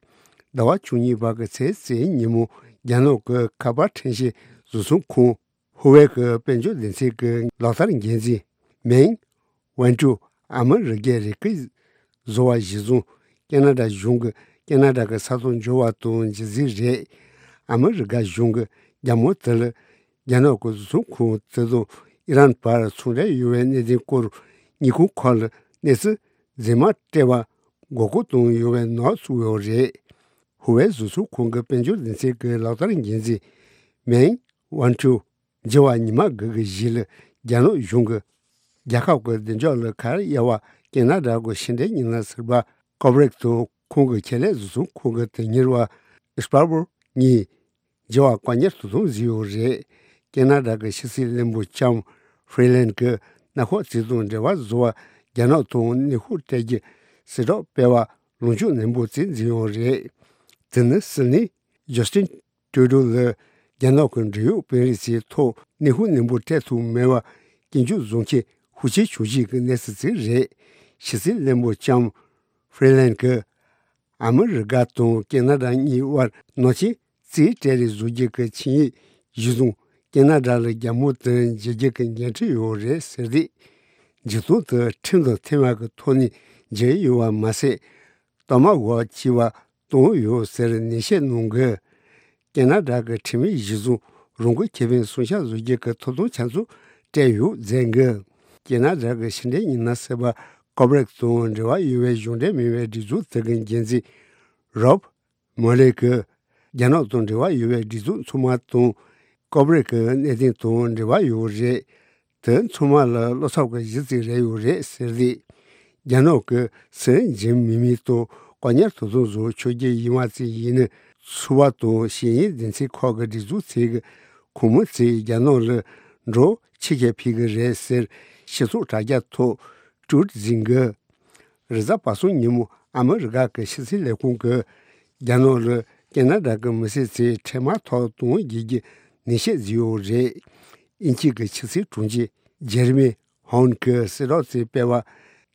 ཟླ་བ་བཅུ་གཉིས་པ་གི་ཚེས་བཅུ་ཉིན་མོ་རྒྱ་ནག་གི་ཁ་པར་ཁྲོམ་གཞུང་བཟོ་ཚོང་ཁང་ཧུ་ཝེ་གི་དཔལ་འབྱོར་སྡེ་ཚན་གྱི་ལག་བསྟར་འགན་འཛིན་མེང་ཝན་ཀྲུའུ་ཨ་མི་རི་ཀའི་རི་ཁུལ་བཟོ་བ་གཞི་བཟུང་ཁེ་ན་ཌ་གཞུང་གིས་ཁེ་ན་ཌ་གི་ས་ཐོག་འབྱོར་བ་དང་རྗེས་འཛིན་རེད། ཨ་མི་རི་ཀ་གཞུང་གིས་རྒྱ་མོ་དེ་ལ་རྒྱ་ནག་གི་བཟོ་ཚོང་ཁང་དེ་དང་ཨི་རན་བར་ཚོང་འབྲེལ་ཡོད་པའི་གནད་དོན་སྐོར་དངུལ་ཁང་ཁག་ལ་གནས་ཚུལ་རྫུན་མ་སྤྲད་པར་མགོ་སྐོར་བཏང་ཡོད་པའི་ནག་བཙུགས་ཡོད་རེད། ཧུ་ཝེ་བཟོ་ཚོང་ཁང་གི་དཔལ་འབྱོར་སྡེ་ཚན་གྱི་ལག་བསྟར་འགན་འཛིན་མེང་ཝན་ཀྲུའུ་འབྱོར་བ་ཉི་མ་དགུ་གི་རྗེས་ལ་རྒྱ་ནག་གཞུང་གིས་རྒྱལ་ཁབ་ཀྱི་བདེ་འཇགས་ལ་ཁ་གཡར་བ་ཁེ་ན་ཌ་གི་ཕྱི་འབྲེལ་ཉི་ན་ཟུར་པ་ཀོབ་རིག་དང་ཁོང་གི་ཁྱད་ལས་བཟོ་ཚོང་ཁང་གི་དོན་གཉེར་བ་སྤར་བོར་གཉིས་འབྱོར་བ་བཀག་ཉར་དོ་དམ་བཟོས་ཡོད་རེད། ཁེ་ན་ཌ་གི་ཕྱི་སྲིད་བློན་པོ་ལྕམ་ཧྥི་ལན་གྱིས་གནད་འཁེལ་གཅིག་དང་འབྲེལ་བ་བཟོ་བར་རྒྱ་ནག་དང་གནོན་ཤུགས་སྤྲད་རྒྱུ་གསལ་བསྒྲགས་སྤེལ་བ་ལངས་ཕྱོགས་ནན་པོ་བྱས་འཛིན་ཡོད་རེད། དེ་ནི་སྲིད་བློན་ཇོ་སྟིན་ཀྲུ་ཌོ་ལ་རྒྱ་ནག་གི་འབྲེལ་ཡོད་དཔོན་རིགས་ཚོའི་ཐོག་གནོན་ཤུགས་ནན་པོ་སྤྲད་ཐུབ་མེད་པར་སྐྱོན་བརྗོད་བཟོ་མཁན་ཤུགས་ཆེ་བྱུང་རྗེས་ཀྱི་གནས་ཚུལ་ཞིག་རེད། ཕྱི་སྲིད་བློན་པོ་ལྕམ་ཧྥི་ལན་གྱིས་ཨ་མི་རི་ཀ་དང་ཁེ་ན་ཌ་གཉིས་དབར་ནང་ཆེན་རྩིས་སྤྲད་རེས་བཟོ་རྒྱུ་གི་ཆིངས་ཡིག་གཞིར་བཟུང་ཁེ་ན་ཌ་ལ་རྒྱ་མོ་དེ་འཇལ་རྒྱུ་གི་འགན་འཁྲི་ཡོད་རེད་ཟེར་ཏེ། འཇིགས་སྣང་དེ་ཁྲིམས་དང་མཐུན་པ་གི་ཐོག་ནས་འཇལ་ཡོད་པ་མ་ཟད། གཏའ་མ་འགོག་བྱས་པ་བཏང་ཡོད་ཟེར་ནན་བཤད་གནང་གི། ཁེ་ན་ཌ་གི་ཁྲིམས་ཡིག་གཞིར་བཟུང་རང་འགུལ་ཁེ་ཕན་སྲུང་སྐྱོབ་བཟོ་རྒྱུ་གི་ཐོབ་ཐང་ཆ་ཚང་སྤྲད་ཡོད་མཛད་གི། ཁེ་ན་ཌ་གི་ཕྱི་འབྲེལ་ཉི་ན་ཟུར་པ་ཀོབ་རིག་དང་འབྲེལ་བ་ཡོད་པའི་གཞུང་འབྲེལ་མིན་པའི་སྒྲིག་འཛུགས་དེ་གི་འགན་འཛིན་རོབ་མོ་ལེ་གིས་རྒྱ་ནག་དང་འབྲེལ་བ་ཡོད་པའི་སྒྲིག་འཛུགས་ཚང་མ་དང་ཀོབ་རིག་གི་གནད་དོན་དང་འབྲེལ་བ་ཡོད་རེད། དེ་ཚང་མ་ལ་བློ་འཚབ་ཀྱི་གཞི་རྩ་རེ་ཡོད་རེད་ཟེར་ཏེ། རྒྱ་ནག་གི་སྲིད་འཛིན་མི་མི་ཐོག་བཀག་ཉར་དོ་དམ་བཟོ་ཆོག་རྒྱུ་ཡིན་པ་ཙམ་ཡིན་ན། ཚོགས་པ་དང་ཤེས་ཡོན་སྡེ་ཚན་ཁག་གི་སྒྲིག་འཛུགས་ཚོས་ཀྱི་ཁོང་མི་ཚོས་རྒྱ་ནག་ལ་འགྲོ་ཕྱི་ཁྱེར་ཕེབས་ཀྱི་རེད་ཟེར་སྤྱི་ཚོགས་དྲ་རྒྱ་ཐོག་ཊུ་ཝིཊ་བཟོས་འགི། རེས་གཟའ་པ་སངས་ཉིན་མོ་ཨ་མི་རི་ཀ་གི་ཕྱི་སྲིད་ལས་ཁུངས་ཀྱིས་རྒྱ་ནག་ལ་ཁེ་ན་ཌ་གི་མི་སེར་ཚོས་འཕྲལ་མ་ཐོག་གཏོང་རྒྱུ་གི་ནན་བཤད་བཟོས་ཡོད་རེད། དབྱིན་ཇི་གི་ཕྱི་སྲིད་དྲུང་ཆེ་ཇེ་རི་མི་ཧོན་གྱིས་གསལ་བསྒྲགས་ཚོས་སྤེལ་བ།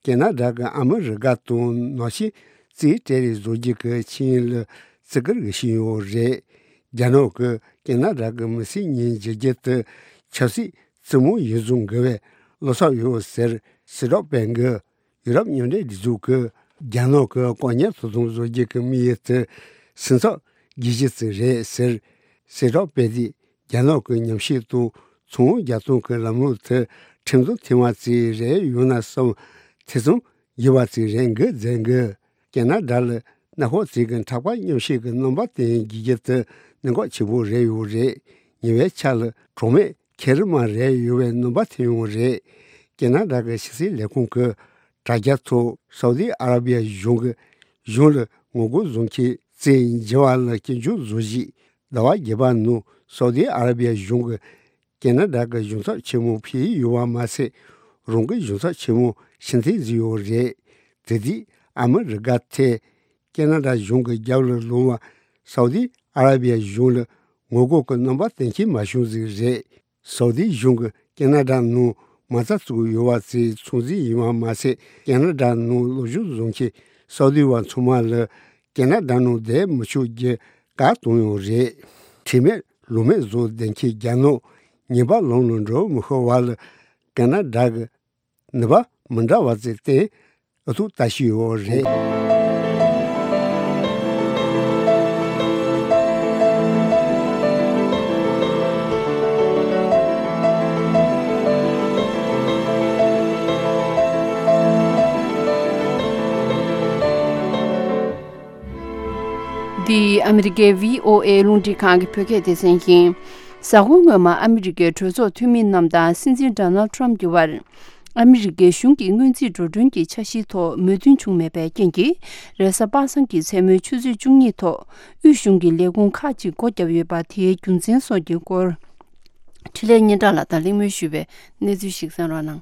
ཁེ་ན་ཌ་གིས་ཨ་མི་རི་ཀ་དང་ནང་ཆེན་རྩིས་སྤྲད་རེས་བཟོ་རྒྱུ་གི་ཆིངས་ཡིག་ལ་བརྩི་བཀུར་ཞུས་ཡོད་རེད། རྒྱ་ནག་གིས་ཁེ་ན་ཌ་གི་མི་སེར་གཉིས་འཇལ་རྒྱུ་དེ་ཆབ་སྲིད་རྩེད་མོ་ཡིན་བཟོ་འགི་བའི་བློ་འཚབ་ཡོད་ཟེར་གསལ་བསྒྲགས་སྤེལ་འགི། ཡུ་རོབ་མཉམ་འབྲེལ་སྒྲིག་འཛུགས་ཀྱིས་རྒྱ་ནག་གི་བཀག་ཉར་དོ་དམ་བཟོ་རྒྱུ་གི་དམིགས་ཡུལ་དེ་སེམས་འཚབ་རྒྱག་རྒྱུ་ཙམ་རེད་ཟེར་གསལ་བསྒྲགས་སྤེལ་ཏེ། རྒྱ་ནག་གི་ཉམས་ཞིབ་དང་ཚོང་རྒྱག་སྟངས་ཀྱི་ལམ་ལུགས་དེ་ཁྲིམས་དང་མཐུན་པ་ཙམ་རེ་ཡོད་ན་བསམ་ཐེ་ཚོམ་ཡོད་པ་ཙམ་རེད་འགི་མཛད་འགི། ཁེ་ན་ཌ་ལ་གནའ་ཤོག་ཅིག་གི་མཁྲེགས་པ་མཉམ་བཤད་ཀྱི་རྣམ་པ་བསྟན་རྒྱུ་དེ་གནད་འགག་ཆེན་པོ་རེད་ཡོད་རེད། ཉེ་བའི་ཆར་ལ་གྲོགས་མེད་མཁལ་རིལ་མ་རེད་ཡོད་པའི་རྣམ་པ་ཐོན་ཡོད་རེད། ཁེ་ན་ཌ་གི་ཕྱི་སྲིད་ལས་ཁུངས་ཀྱི་དྲ་རྒྱ་ཐོག་སའུ་དི་ཨ་ར་བི་ཡ་གཞུང་གི་གཞུང་ལ་ངོ་རྒོལ་བཟོ་མཁན་ བཙན་བྱིན་པ་ལ་སྐྱོན་བརྗོད་བཟོ་གཞིས་ཟླ་བ་བརྒྱད་པ་ནང་སའུ་ཏི་ཨ་ར་བི་ཡ་གཞུང་གིས་ཀེ་ན་ཌ་གི་གཞུང་ཚབ་ཆེན་མོ་ཕུད་ཡོད་པ་མ་ཟད། རང་གི་གཞུང་ཚབ་ཆེན་མོ་ཕྱིར་འཐེན་བཟོས་ཡོད་རེད། དེ་དུས་ཨ་མི་རི་ཀ་ཐད་ཀེ་ན་ཌ་གཞུང་གི་རྒྱབ་ལ་ལངས་པ་སའུ་ཏི་ཨ་ར་བི་ཡ་གཞུང་ལ་ངོ་རྒོལ་གྱི་རྣམ་པ་གཏན་འཁེལ་མ་བྱུང་ཟིག་རེད། སའུ་ཏི་གཞུང་གིས་ཀེ་ན་ཌ་ནང་མ་རྩ་བཙུགས་ཡོད་པ་དེ་ཚོད་འཛིན་ཡིན་པ་མ་ཟད། ཀེ་ན་ཌ་ནང་སློབ་སྦྱོང་བཟོ་མཁན་སའུ་ཏི་བ་ཚང་མ་ལ་ཀེ་ན་ཌ་ནང་བསྡད་མི་ཆོག་རྒྱུ་བཀག་བཏང་ཡོད་རེད། ཁྲེལ་མེད་ལོ་མེད་བཟོ་བསྡད་མཁན་རྒྱ་ནག་ཉེས་པ་ལམ་ལ་འགྲོ་མི་ཤེས་པ་ལ་ཀེ་ན་ཌ་གི་ནུས་པ་མི་འདྲ་བ་ཙམ་བསྟན་ཨུ་ཐུག་ལྟ་བཞིན་ཡོད་རེད། འདི་ཨ་མི་རི་ཀའི་བྷི་ཨོ་ཨེ་རླུང་འཕྲིན་ཁང་གི་བོད་སྐད་སྡེ་ཚན་ཡིན། གཟའ་འཁོར་སྔོན་མ་ཨ་མི་རི་ཀའི་གྲོས་ཚོགས་འཐུས་མི་རྣམས་དང་སྲིད་འཛིན་ཌོ་ནལ་ཌི་ཊརམ་གྱི་བར། ཨ་མི་རི་ཀའི་གཞུང་གི་སྔོན་རྩིས་འགྲོ་གྲོན་གྱི་འཆར་གཞིའི་ཐོག་མོས་མཐུན་བྱུང་མེད་པའི་རྐྱེན་གྱིས། རེས་གཟའ་པ་སངས་ཀྱི་མཚན་མོའི་ཆུ་ཚོད་བཅུ་གཉིས་ཐོག་དབུས་གཞུང་གི་ལས་ཁུངས་ཁག་ཅིག་སྒོ་བརྒྱབ་ཡོད་པ་དེའི་རྒྱུ་མཚན་སོགས་ཀྱི་སྐོར། འཕྲིན་ལས་སྙན་གྲགས་ལགས་དང་གླེང་མོལ་ཞུས་པའི་གནས་ཚུལ་ཞིག་གསན་རོགས་གནང་།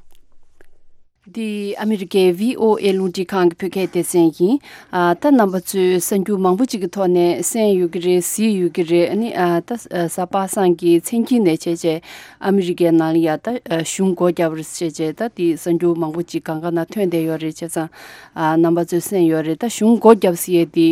འདི་ཨ་མི་རི་ཀའི་བྷི་ཨོ་ཨེ་རླུང་འཕྲིན་ཁང་གི་བོད་སྐད་སྡེ་ཚན་ཡིན། ཨ། ད་རྣམ་པ་ཚོས་གསར་འགྱུར་མང་པོ་ཅིག་གི་ཐོག་ནས་གསན་ཡོད་ཀྱི་རེད། གཟིགས་ཡོད་ཀྱི་རེད། ཨ་ནི། ཨ། ད་གཟའ་པ་སངས་ཀྱི་མཚན་དཀྱིལ་ནས་བྱས་བྱས་ཨ་མི་རི་ཀའི་ནང་ལ་ཡ་ད་གཞུང་སྒོ་བརྒྱབ་རེད་བྱས་བྱས་ད་དེ་གསར་འགྱུར་མང་པོ་ཅིག་གང་ག་ན་ཐོན་བསྡད་ཡོད་རེད། བྱས་ཙང་། ཨ། རྣམ་པ་ཚོས་གསན་ཡོད་རེད། ད་གཞུང་སྒོ་བརྒྱབ་ཟེར་ཡས་དེ་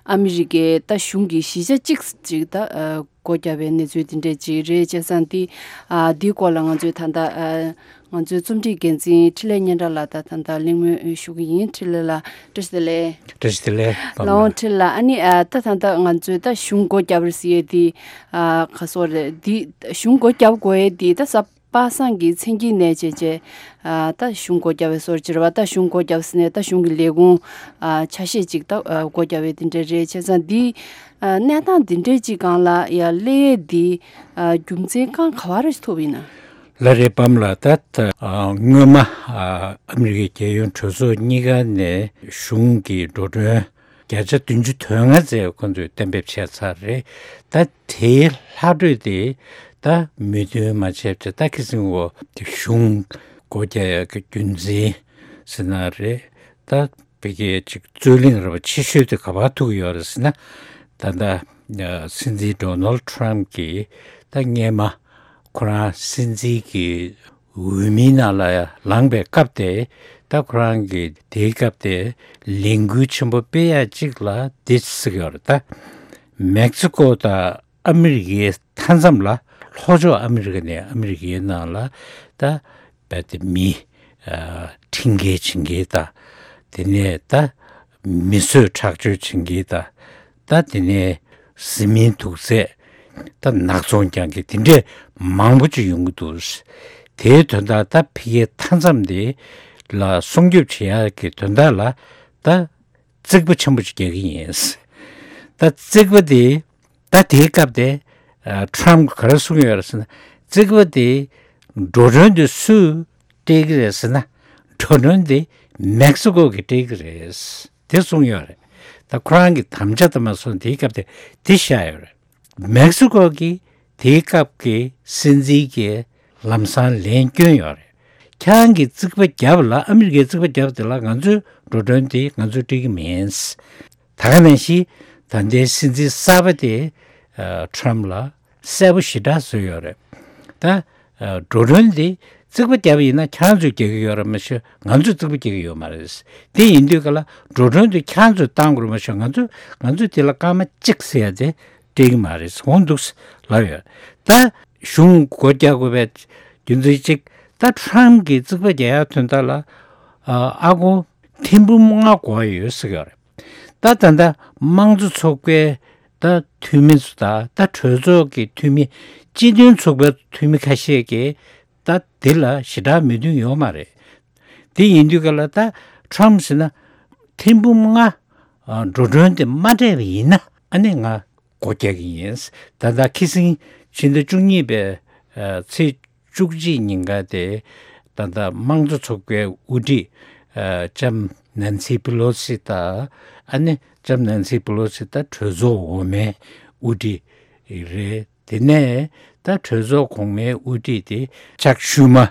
ཨ་མི་རི་ཀའི་ད་གཞུང་གི་གཞིས་ཆགས་གཅིག་ཅིག་ད། ཨ། སྒོ་བརྒྱབ་པའི་གནས་ཚུལ་དེ་འདྲས་ཅིག་རེད། བྱས་ཙང་འདི། ཨ། འདིའི་སྐོར་ལ་ང་ཚོས་ད་ལྟ། ཨ། ང་ཚོའི་རྩོམ་སྒྲིག་འགན་འཛིན་འཕྲིན་ལས་སྙན་གྲགས་ལགས་དང་ད་ལྟ་གླེང་མོལ་ཞུ་གི་ཡིན། འཕྲིན་ལས་ལགས་བཀྲ་ཤིས་བདེ་ལེགས། བཀྲ་ཤིས་བདེ་ལེགས། ལགས་འོང་འཕྲིན་ལགས། ཨ་ནི། ཨ། ད་ད་ལྟ་ང་ཚོས་ད་གཞུང་སྒོ་བརྒྱབ་རེད་ཟེར་ཡས་འདི། ཨ། ག་སོགས་རེད། འདི་གཞུང་སྒོ་བརྒྱབ་དགོས་ཡས་འདི་ད་གཟའ་པ་སངས་ཀྱི་མཚན་དཀྱིལ་ནས་བྱས་བྱས། ཨ། ད་གཞུང་སྒོ་བརྒྱབ་པའི་སོར་ཅིག་རེད་པ། ད་གཞུང་སྒོ་བརྒྱབ་ཟེར་ནས་ད་གཞུང་གི་ལས་ཁུངས། ཨ། ཆ་ཤས་ཅིག་ད། ཨ། སྒོ་བརྒྱབ་པའི་དེ་འདྲ་རེད། བྱས་ཙང་འདི། ཨ། གནས་སྟངས་འདི་འདྲའི་ཅིག་སྒང་ལ་ཡ་སླེབས་ཡས་འདི། ཨ། རྒྱུ་མཚན་གང་ག་བ་རེ་ཐུག་ཡིན་ན། ལགས་རེད་པ་ལགས། ད་ད། ཨ། སྔོན་མ། ཨ། ཨ་མི་རི་ཀའི་རྒྱལ་ཡོངས་གྲོས་ཚོགས་གཉིས་ཀ་ནས་གཞུང་གི་འགྲོ་གྲོན་བརྒྱ་ཆ་བདུན་ཅུ་དོན་ལྔ་ཙམ་ཁོང་ཚོས་གཏན་འབེབས་བྱས་ཚར་རེད། ད་དེའི་ལྷག་འཕྲོས་དེ་ད་མོས་མཐུན་མ་བྱས་པ་དེ་ད་ཁི་སིང་འོ་དེ་གཞུང་སྒོ་རྒྱག་ཡག་གི་རྒྱུ་མཚན་ཟེར་ན་རེད། ད་བོད་སྐད་ཅིག་རྩོད་གླེང་ར་བ་ཆེ་ཤོས་དེ་ག་པར་ཐུག་ཡོད་རེད་ཟེར་ན། ད་ལྟ་སྲིད་འཛིན་ཌོ་ནལ་ཌི་ཊརམ་གྱིས་ད་སྔས་མ་ཁོ་རང་སྲིད་འཛིན་གྱི་འོས་མིའི་ནང་ལ་ལངས་པའི་སྐབས་དེ། ད་ཁོ་རང་གིས་དེའི་སྐབས་དེ་ལས་འགུལ་ཆེན་པོ་སྤེལ་ཡག་ཅིག་ལ་འདི་ཟེར་གྱི་ཡོད་རེད། ད་མེག་སི་ཀོ་དང་ཨ་མི་རི་ཀའི་མཐའ་མཚམས་ལ་ལྷོ་ཕྱོགས་ཨ་མི་རི་ཀ་ནས་ཨ་མི་རི་ཀའི་ནང་ལ་ད་རྦད་དེ་མི། ཨ། ཁྲིམས་འགལ་བྱེད་མཁན་དང་། དེ་ནས་ད་མི་གསོད་ཁྲག་སྦྱོར་བྱེད་མཁན་དང་། ད་དེ་ནས་བཟི་སྨན་དུག་རྫས་ད་ནག་ཚོང་རྒྱག་མཁན་དེ་འདྲས་མང་པོ་ཅིག་ཡོང་གི་འདུག། དེའི་དོན་དག་ད་ཕ་གིའི་མཐའ་མཚམས་དེ་ལ་སྲུང་སྐྱོབ་བྱེད་ཡག་གི་དོན་དག་ལ་ད་རྩིག་པ་ཆེན་པོ་ཅིག་རྒྱག་གི་ཡིན། ད་རྩིག་པ་དེ། ད་དེའི་སྐབས་དེ། ཨ། ཊརམ་གྱིས་ག་རེ་གསུངས་ཡོད་རེད་ཟེར་ན། རྩིག་པ་དེ་འགྲོ་གྲོན་དེ་སུས་སྤྲད་ཀྱི་རེད་ཟེར་ན། འགྲོ་གྲོན་དེ་མེག་སི་ཀོ་གིས་སྤྲད་ཀྱི་རེད། དེ་གསུངས་ཡོད་རེད། ད་ཁོ་རང་གི་དམ་བཅའ་དེ་མ་སོང་དེའི་སྐབས་དེ་དེ་བཞག་ཡོད་རེད། མེག་སི་ཀོ་གིས་དེའི་སྐབས་ཀྱི་སྲིད་འཛིན་གྱི་ལམ་སང་ལན་བསྐྱོན་ཡོད་རེད། ཁྱེད་རང་གིས་རྩིག་པ་བརྒྱབ་ལ་ཨ་མི་རི་ཀའི་རྩིག་པ་བརྒྱབ་དེ་ལ་ང་ཚོས་འགྲོ་གྲོན་དེ་ང་ཚོས་སྤྲད་ཀྱི་མིན། ད་ག་ནང་བཞིན་ད་ལྟའི་སྲིད་འཛིན་གསར་པ་དེ། ཨ། ཊརམ་ལ་གསལ་པོ་ཞེ་དྲག་བཟོས་ཡོད་རེད། ད། ཨ། འགྲོ་གྲོན་དེ་རྩིག་པ་བརྒྱབ་པ་ཡིན་ན་ཁྱེད་རང་ཚོས་རྒྱག་གི་ཡོད་རེད་མ་གཞི་ང་ཚོས་རྩིག་པ་རྒྱག་གི་ཡོད་མ་རེད། དེ་ཡིན་དུས་ག་ལ་འགྲོ་གྲོན་དེ་ཁྱེད་རང་ཚོས་བཏང་དགོས་རེད་མ་གཞི་ང་ཚོས་ང་ཚོས་དེ་ལ་སྐར་མ་གཅིག་ཟེར་ཡ་དེ་སྤྲད་ཀྱི་མ་རེད། འོང་འདུག་ལབ་ཡོད། ད་གཞུང་སྒོ་རྒྱག་དགོས་པའི་རྒྱུ་མཚན་གཅིག། ད་ཊརམ་གྱིས་རྩིག་པ་རྒྱག་ཡ་དོན་དག་ལ། ཨ། ཨ་ཁུ་ཐེར་འབུམ་ལྔ་དགོས་ཡོད་ཟེར་གྱི་ཡོད་རེད། ད་ད་ལྟ་དམངས་གཙོ་ཚོགས་པའི་ད་འཐུས་མི་ཚོ་དང་ད་གྲོས་ཚོགས་ཀྱི་འཐུས་མི། སྤྱི་མཐུན་ཚོགས་པའི་འཐུས་མི་ཁ་ཤས་ཀྱིས་ད་འདི་ལ་ཞེ་དྲག་མོས་མཐུན་ཡོད་མ་རེད། དེ་ཡིན་དུས་ག་ལ་ད་ཊརམ་ཟེར་ན་ཐེར་འབུམ་ལྔ། ཨ། འགྲོ་གྲོན་དེ་མ་སྤྲད་པ་ཡིན་ན་ཨ་ནི་ང་སྒོ་རྒྱག་གི་ཡིན། ད་ལྟ་ཁི་སིང་ཕྱི་ཟླ་བཅུ་གཉིས་པའི། ཨ། ཚེས་བཅུ་གཅིག་ཉིན་ཀ་དེ་ད་ལྟ་དམངས་གཙོ་ཚོགས་པའི་དབུ་ཁྲིད། ཨ། ལྕམ་ནན་སི་པི་ལོ་སི་དང་ཨ་ནི་ ལྕམ་ནན་སི་པེ་ལོ་སི་ད་གྲོས་ཚོགས་འོག་མའི་དབུ་ཁྲིད་རེད། དེ་ནས་ད་གྲོས་ཚོགས་གོང་མའི་དབུ་ཁྲིད་དེ་ཅག་ཤུ་མ།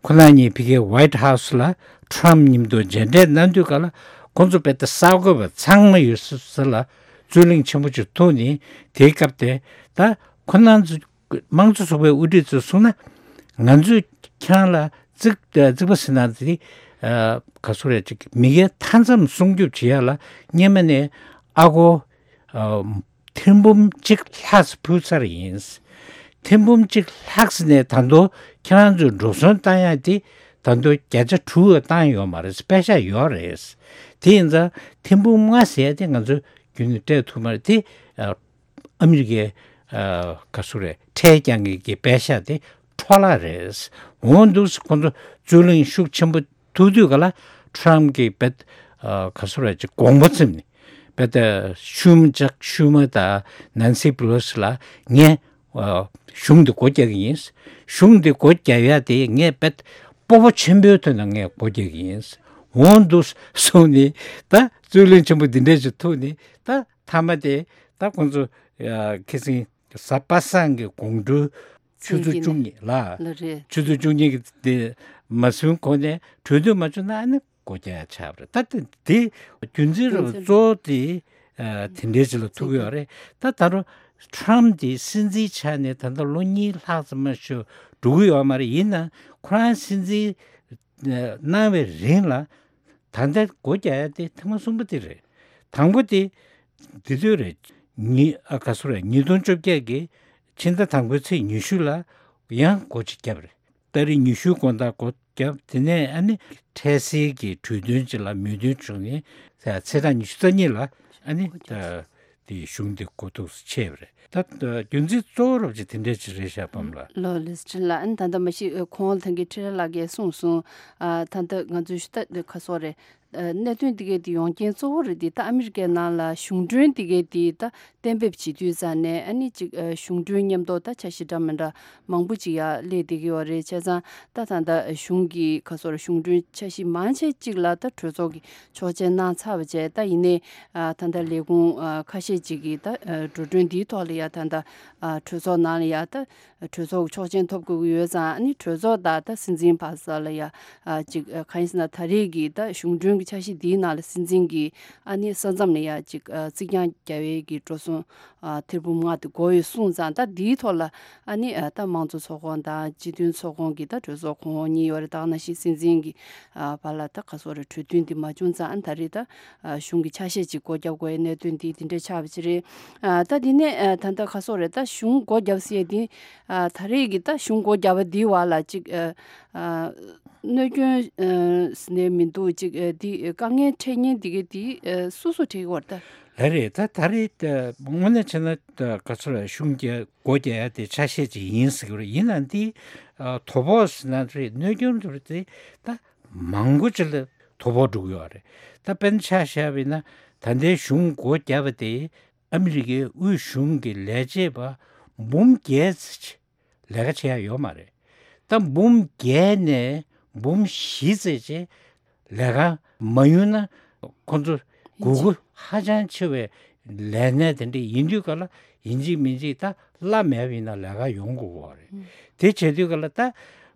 ཁོ་རང་གཉིས་ཕ་གིའི་ཝའིཊ་ཧའུ་སི་ལ་ཊམ་མཉམ་དུ་མཇལ་འཕྲད་གནང་དུས་ག་ལ་ཁོང་ཚོ་དཔེ་ད་གསར་འགོད་པ་ཚང་མ་ཡོད་ས་ལ་རྩོད་གླེང་ཆེན་པོ་ཅིག་ཐུག་ནས། དེའི་སྐབས་དེ་ད་ཁོ་རང་ཚོ་དམངས་གཙོ་ཚོགས་པའི་དབུ་ཁྲིད་ཚོས་གསུངས་ན། ང་ཚོས་ཁྱེད་རང་ལ་རྩིག་རྩིག་པ་ཟེར་ན་དེ་ག་ཚོད་རེད། ཅིག་མི་སྒེར་མཐའ་མཚམས་སྲུང་སྐྱོབ་བྱེད་ཡ་ལ་སྔོན་མ་ནས་ཨ་སྒོར་ཨ་ཐེར་འབུམ་གཅིག་ལྷག་ཙམ་ཕུལ་ཚར་ཡིན། ཐེར་འབུམ་གཅིག་ལྷག་ཙམ་ནས་ད་དུང་ཁྱེད་རང་ཚོས་འགྲོ་སོང་བཏང་ཡ་དེ་ད་དུང་བརྒྱ་ཆ་དྲུག་བཏང་ཡོད་མ་རེད། པེ་ཤག་ཡོད་རེད། དེ་ཡིན་ཙང་ཐེར་འབུམ་ལྔ་ཟེར་ཡ་དེ་ང་ཚོས་རྒྱུན་ནས་སྤྲད་ཐུབ་མ་རེད། དེ་ཨ་ཨ་མི་རི་ཀའི་ཨ་ག་ཚོད་རེད། ཁྲལ་རྒྱག་མཁན་གྱི་པེ་ཤག་དེ་འཕྲོ་བརླག་རེད། འོ་འདུག་སེ་ཁོང་ཚོ་རྩོད་གླེང་ཤུགས་ཆེན་པོ་ཐུག་དུས་ག་ལ་ཊམ་གྱིས་དཔེ་ཨ་ག་ཚོད་རེད། ཅིག་དགོངས་པ་ཚིམ་ནས་དཔེ་ད་ཤུ་མ་ཅག་ཤུ་མ་དང་ནན་སི་པེ་ལོ་སི་ལ་ངས་ཨ་གཞུང་འདི་སྒོ་རྒྱག་གི་ཡིན། གཞུང་འདི་སྒོ་རྒྱག་ཡ་དེ་ངས་དཔེ་སྤོབས་པ་ཆེན་པོའི་ཐོག་ནས་ངས་སྒོ་རྒྱག་གི་ཡིན། འོ་འདུག་སེ་གསུངས་ནས་ད་རྩོད་གླེང་ཆེན་པོ་འདི་འདྲས་ཅིག་ཐུག་ནས་ད་མཐའ་མ་དེ་ད་ཁོང་ཚོ་ཨ་ཁ་སང་གཟའ་པ་སངས་ཀྱི་དགོང་དྲོ་ཆུ་ཚོད་བཅུ་གཉིས་ལ། ལ་རེད། ཆུ་ཚོད་བཅུ་གཉིས་ཀྱི་དེ་མ་སོན་གོང་ནས་གྲོས་མཐུན་མ་བྱུང་ན་ཨ་ནི་སྒོ་རྒྱག་ཡ་ཆགས་པ་རེད། ད་དེ་དེ་རྒྱུ་མཚན་རེད་པ། རྒྱུ་མཚན་གཙོ་བོ་དེ་ཨ་དེ་འདྲའི་ཅིག་ལ་ཐུག་གི་ཡོད་རེད། ད་ད་རུང་ཊམ་དེ་སྲིད་འཛིན་ཆགས་ནས་ད་ལྟ་ལོ་གཉིས་ལྷག་ཙམ་མ་ཞིག་འགྲོ་གི་ཡོད་མ་རེད། ཡིན་ནའང་ཁོ་རང་སྲིད་འཛིན་གནང་བའི་རིང་ལ་ད་ལྟ་སྒོ་རྒྱག་ཡ་དེ་ཐེངས་མ་གསུམ་པ་དེ་རེད། དང་པོ་དེ་དེ་དུས་རེད། ཉི་ཨ་ག་ཚོད་རེད། ཉིས་སྟོང་བཅོ་བརྒྱད་ཀྱི་ཕྱི་ཟླ་དང་པོའི་ཚེས་ཉི་ཤུ་ལ་ཡང་སྒོ་གཅིག་བརྒྱབ་རེད། ཏ་རིག་ཉི་ཤུའི་དགོང་དག་སྒོ་བརྒྱབ། དེ་ནས་ཨ་ནི་འཕྲལ་སེལ་གྱི་གྲོས་མཐུན་ཅིག་ལ་མོས་མཐུན་བྱུང་ནས་ཚེས་གྲངས་ཉི་ཤུ་རྩ་གཉིས་ལ་ཨ་ནི་ད་དེ་གཞུང་དེ་གོ་ཐོག་ཏུ་ཆད་པ་རེད། ད་རྒྱུ་མཚན་གཙོ་བོ་རབ་ཅིག་དེ་འདྲས་ཅིག་རེད་ཤག་པམ་ལགས། ལོ་ལིས་ཁྲིན་ལགས། ཨ་ནི་ད་ལྟ་མ་གཞི་ཁོང་ཐང་གི་ཁྲི་རལ་ལགས་ཀྱིས་གསུངས་སོང་། ཨ་ད་ལྟ་ང་ཚོའི་ཞུ་ད་ཁ་སོ་རེད། གནད་དོན་འདི་གའི་དེ་ཡོང་རྐྱེན་གཙོ་བོ་རེད་དེ། ད་ཨ་མི་རི་ཀའི་ནང་ལ་གཞུང་གྲོན་འདི་གའི་དེ་ད་གཏན་འབེབས་བྱེད་དུས་ཙང་ནས་ཨ་ནི་ཅིག་གཞུང་གྲོན་མཉམ་དུ་ད་འཆར་གཞི་འདྲ་མི་འདྲ་མང་པོ་ཅིག་ཡར་སླེབས་བསྡད་ཀྱི་ཡོད་རེད། བྱས་ཙང་ད་ད་ལྟ་གཞུང་གི་ཁ་སོར་གཞུང་གྲོན་འཆར་གཞི་མང་ཆེ་ཅིག་ལ་ད་གྲོས་ཚོགས་ཀྱི་ཆོག་མཆན་གནང་ཚར་བ་བྱས། ད་ཡིན་ནའི་ད་ལྟ་ལས་ཁུངས་ཁ་ཤས་ཅིག་གིས་ད་འགྲོ་གྲོན་འདིའི་ཐོག་ལ་ཡ་ད་ད་གྲོས་ཚོགས་ནང་ལ་ཡ་ད། གྲོས་ཚོགས་ཆོག་མཆན་ཐོབ་དགོས་ཀྱི་ཡོད་ཙང་། ཨ་ནི་གྲོས་ཚོགས་དང་ད་སྲིད་འཛིན་བར་ས་ལ་ཡ་ཨ་ཅིག་ཨ་གང་ཡིན་ཟེར་ན། ད་རེས་ཀྱི་ད་གཞུང་གྲོན་གྱི་འཆར་གཞི་འདིའི་ནང་ལ་སྲིད་འཛིན་གྱིས་ཨ་ནི་ས་མཚམས་ལ་ཡ་ཅིག་ཨ་རྩིག་གྱང་རྒྱག་ཡས་ཀྱི་འགྲོ་སོང་ཨ་ཐེར་འབུམ་ལྔ་དེ་དགོས་ཡོད་གསུངས་ཙང་། ད་འདིའི་ཐོག་ལ་ཨ་ནི་ཨ་ད་དམངས་གཙོ་ཚོགས་ཁོངས་དང་སྤྱི་མཐུན་ཚོགས་ཁོངས་ཀྱི་ད་གྲོས་ཚོགས་ཁོངས་གཉིས་ཡོད་རེད། ད་ག་ནང་བཞིན་སྲིད་འཛིན་གྱི་ཨ་བར་ལ་ད་ག་སོ་རེ་གྲོས་མཐུན་འདི་མ་བྱུང་ཙང་། ཨ་ད་རེས་ད་ཨ་གཞུང་གི་ཆ་ཤས་ཅིག་སྒོ་བརྒྱབ་དགོས་ཡའི་གནད་དོན་འདི་འདི་འདྲ་ཆགས་པ་ཅིག་རེད། ཨ་ད་འདི་ནས་ཨ་ད་ལྟ་ཁ་སོ་རེད། ད་གཞུང་སྒོ་བརྒྱབ་ཟེར་ཡས་འདི་ཨ་ད་རེས་ཀྱི་ད་གཞུང་སྒོ་བརྒྱབ་པ་འདིའི་བར་ལ་ཅིག་ཨ་ཨ་གནོད་སྐྱོན་ཨ་ཟེར་ནས་མི་འདུག་ཅིག་ཨ་འདི་དཀའ་ངལ་འཕྲད་མཁན་འདི་གའི་འདི་ཨ་སུ་སུ་འཕྲད་ཀྱི་ཡོད་རེད་ད། ལགས་རེད། ད་ད་རེས་ད་དངོས་གནས་བྱས་ན་ད་ག་ཚོད་རེད། གཞུང་རྒྱ་སྒོ་རྒྱག་ཡ་དེ་ཆ་ཤས་ཅིག་ཡིན་ཟེར་གྱི་རེད། ཡིན་ནའང་འདི་ཨ་དོ་ཕོག་ཟེར་ན་རེད། གནོད་སྐྱོན་དེ་རེད། དེ་ད་མང་པོ་ཅིག་ལ་དོ་ཕོག་འགྲོ་གི་ཡོད་རེད། ད་དཔེར་ན་ཆ་བཞག་པ་ཡིན་ན། ད་ལྟའི་གཞུང་སྒོ་བརྒྱབ་པ་དེ་ཨ་མི་རི་ཀའི་དབུས་གཞུང་གི་ལས་བྱེད་པ་འབུམ་བརྒྱད་ཙམ་ཅིག་ལས་ཀ་བྱེད་ཡ་ཡོད་མ་རེད། ད་འབུམ་བརྒྱད་ནས་འབུམ་བཞི་ཙམ་ཅིག་ལས་ཀ་མ་ཡོང་ན། ཁོང་ཚོ་དགོས་མཁོ་ཧ་ཅང་ཆེ་བའི་ལས་གནས་དེ་འདྲ་ཡིན་དུས་ག་ལ་ཡིན་གཅིག་མིན་གཅིག་ད་གླ་མེད་པ་ཡིན་ན་ལས་ཀ་ཡོང་དགོས་པ་རེད། དེ་བྱེད་དུས་ག་ལ་ད་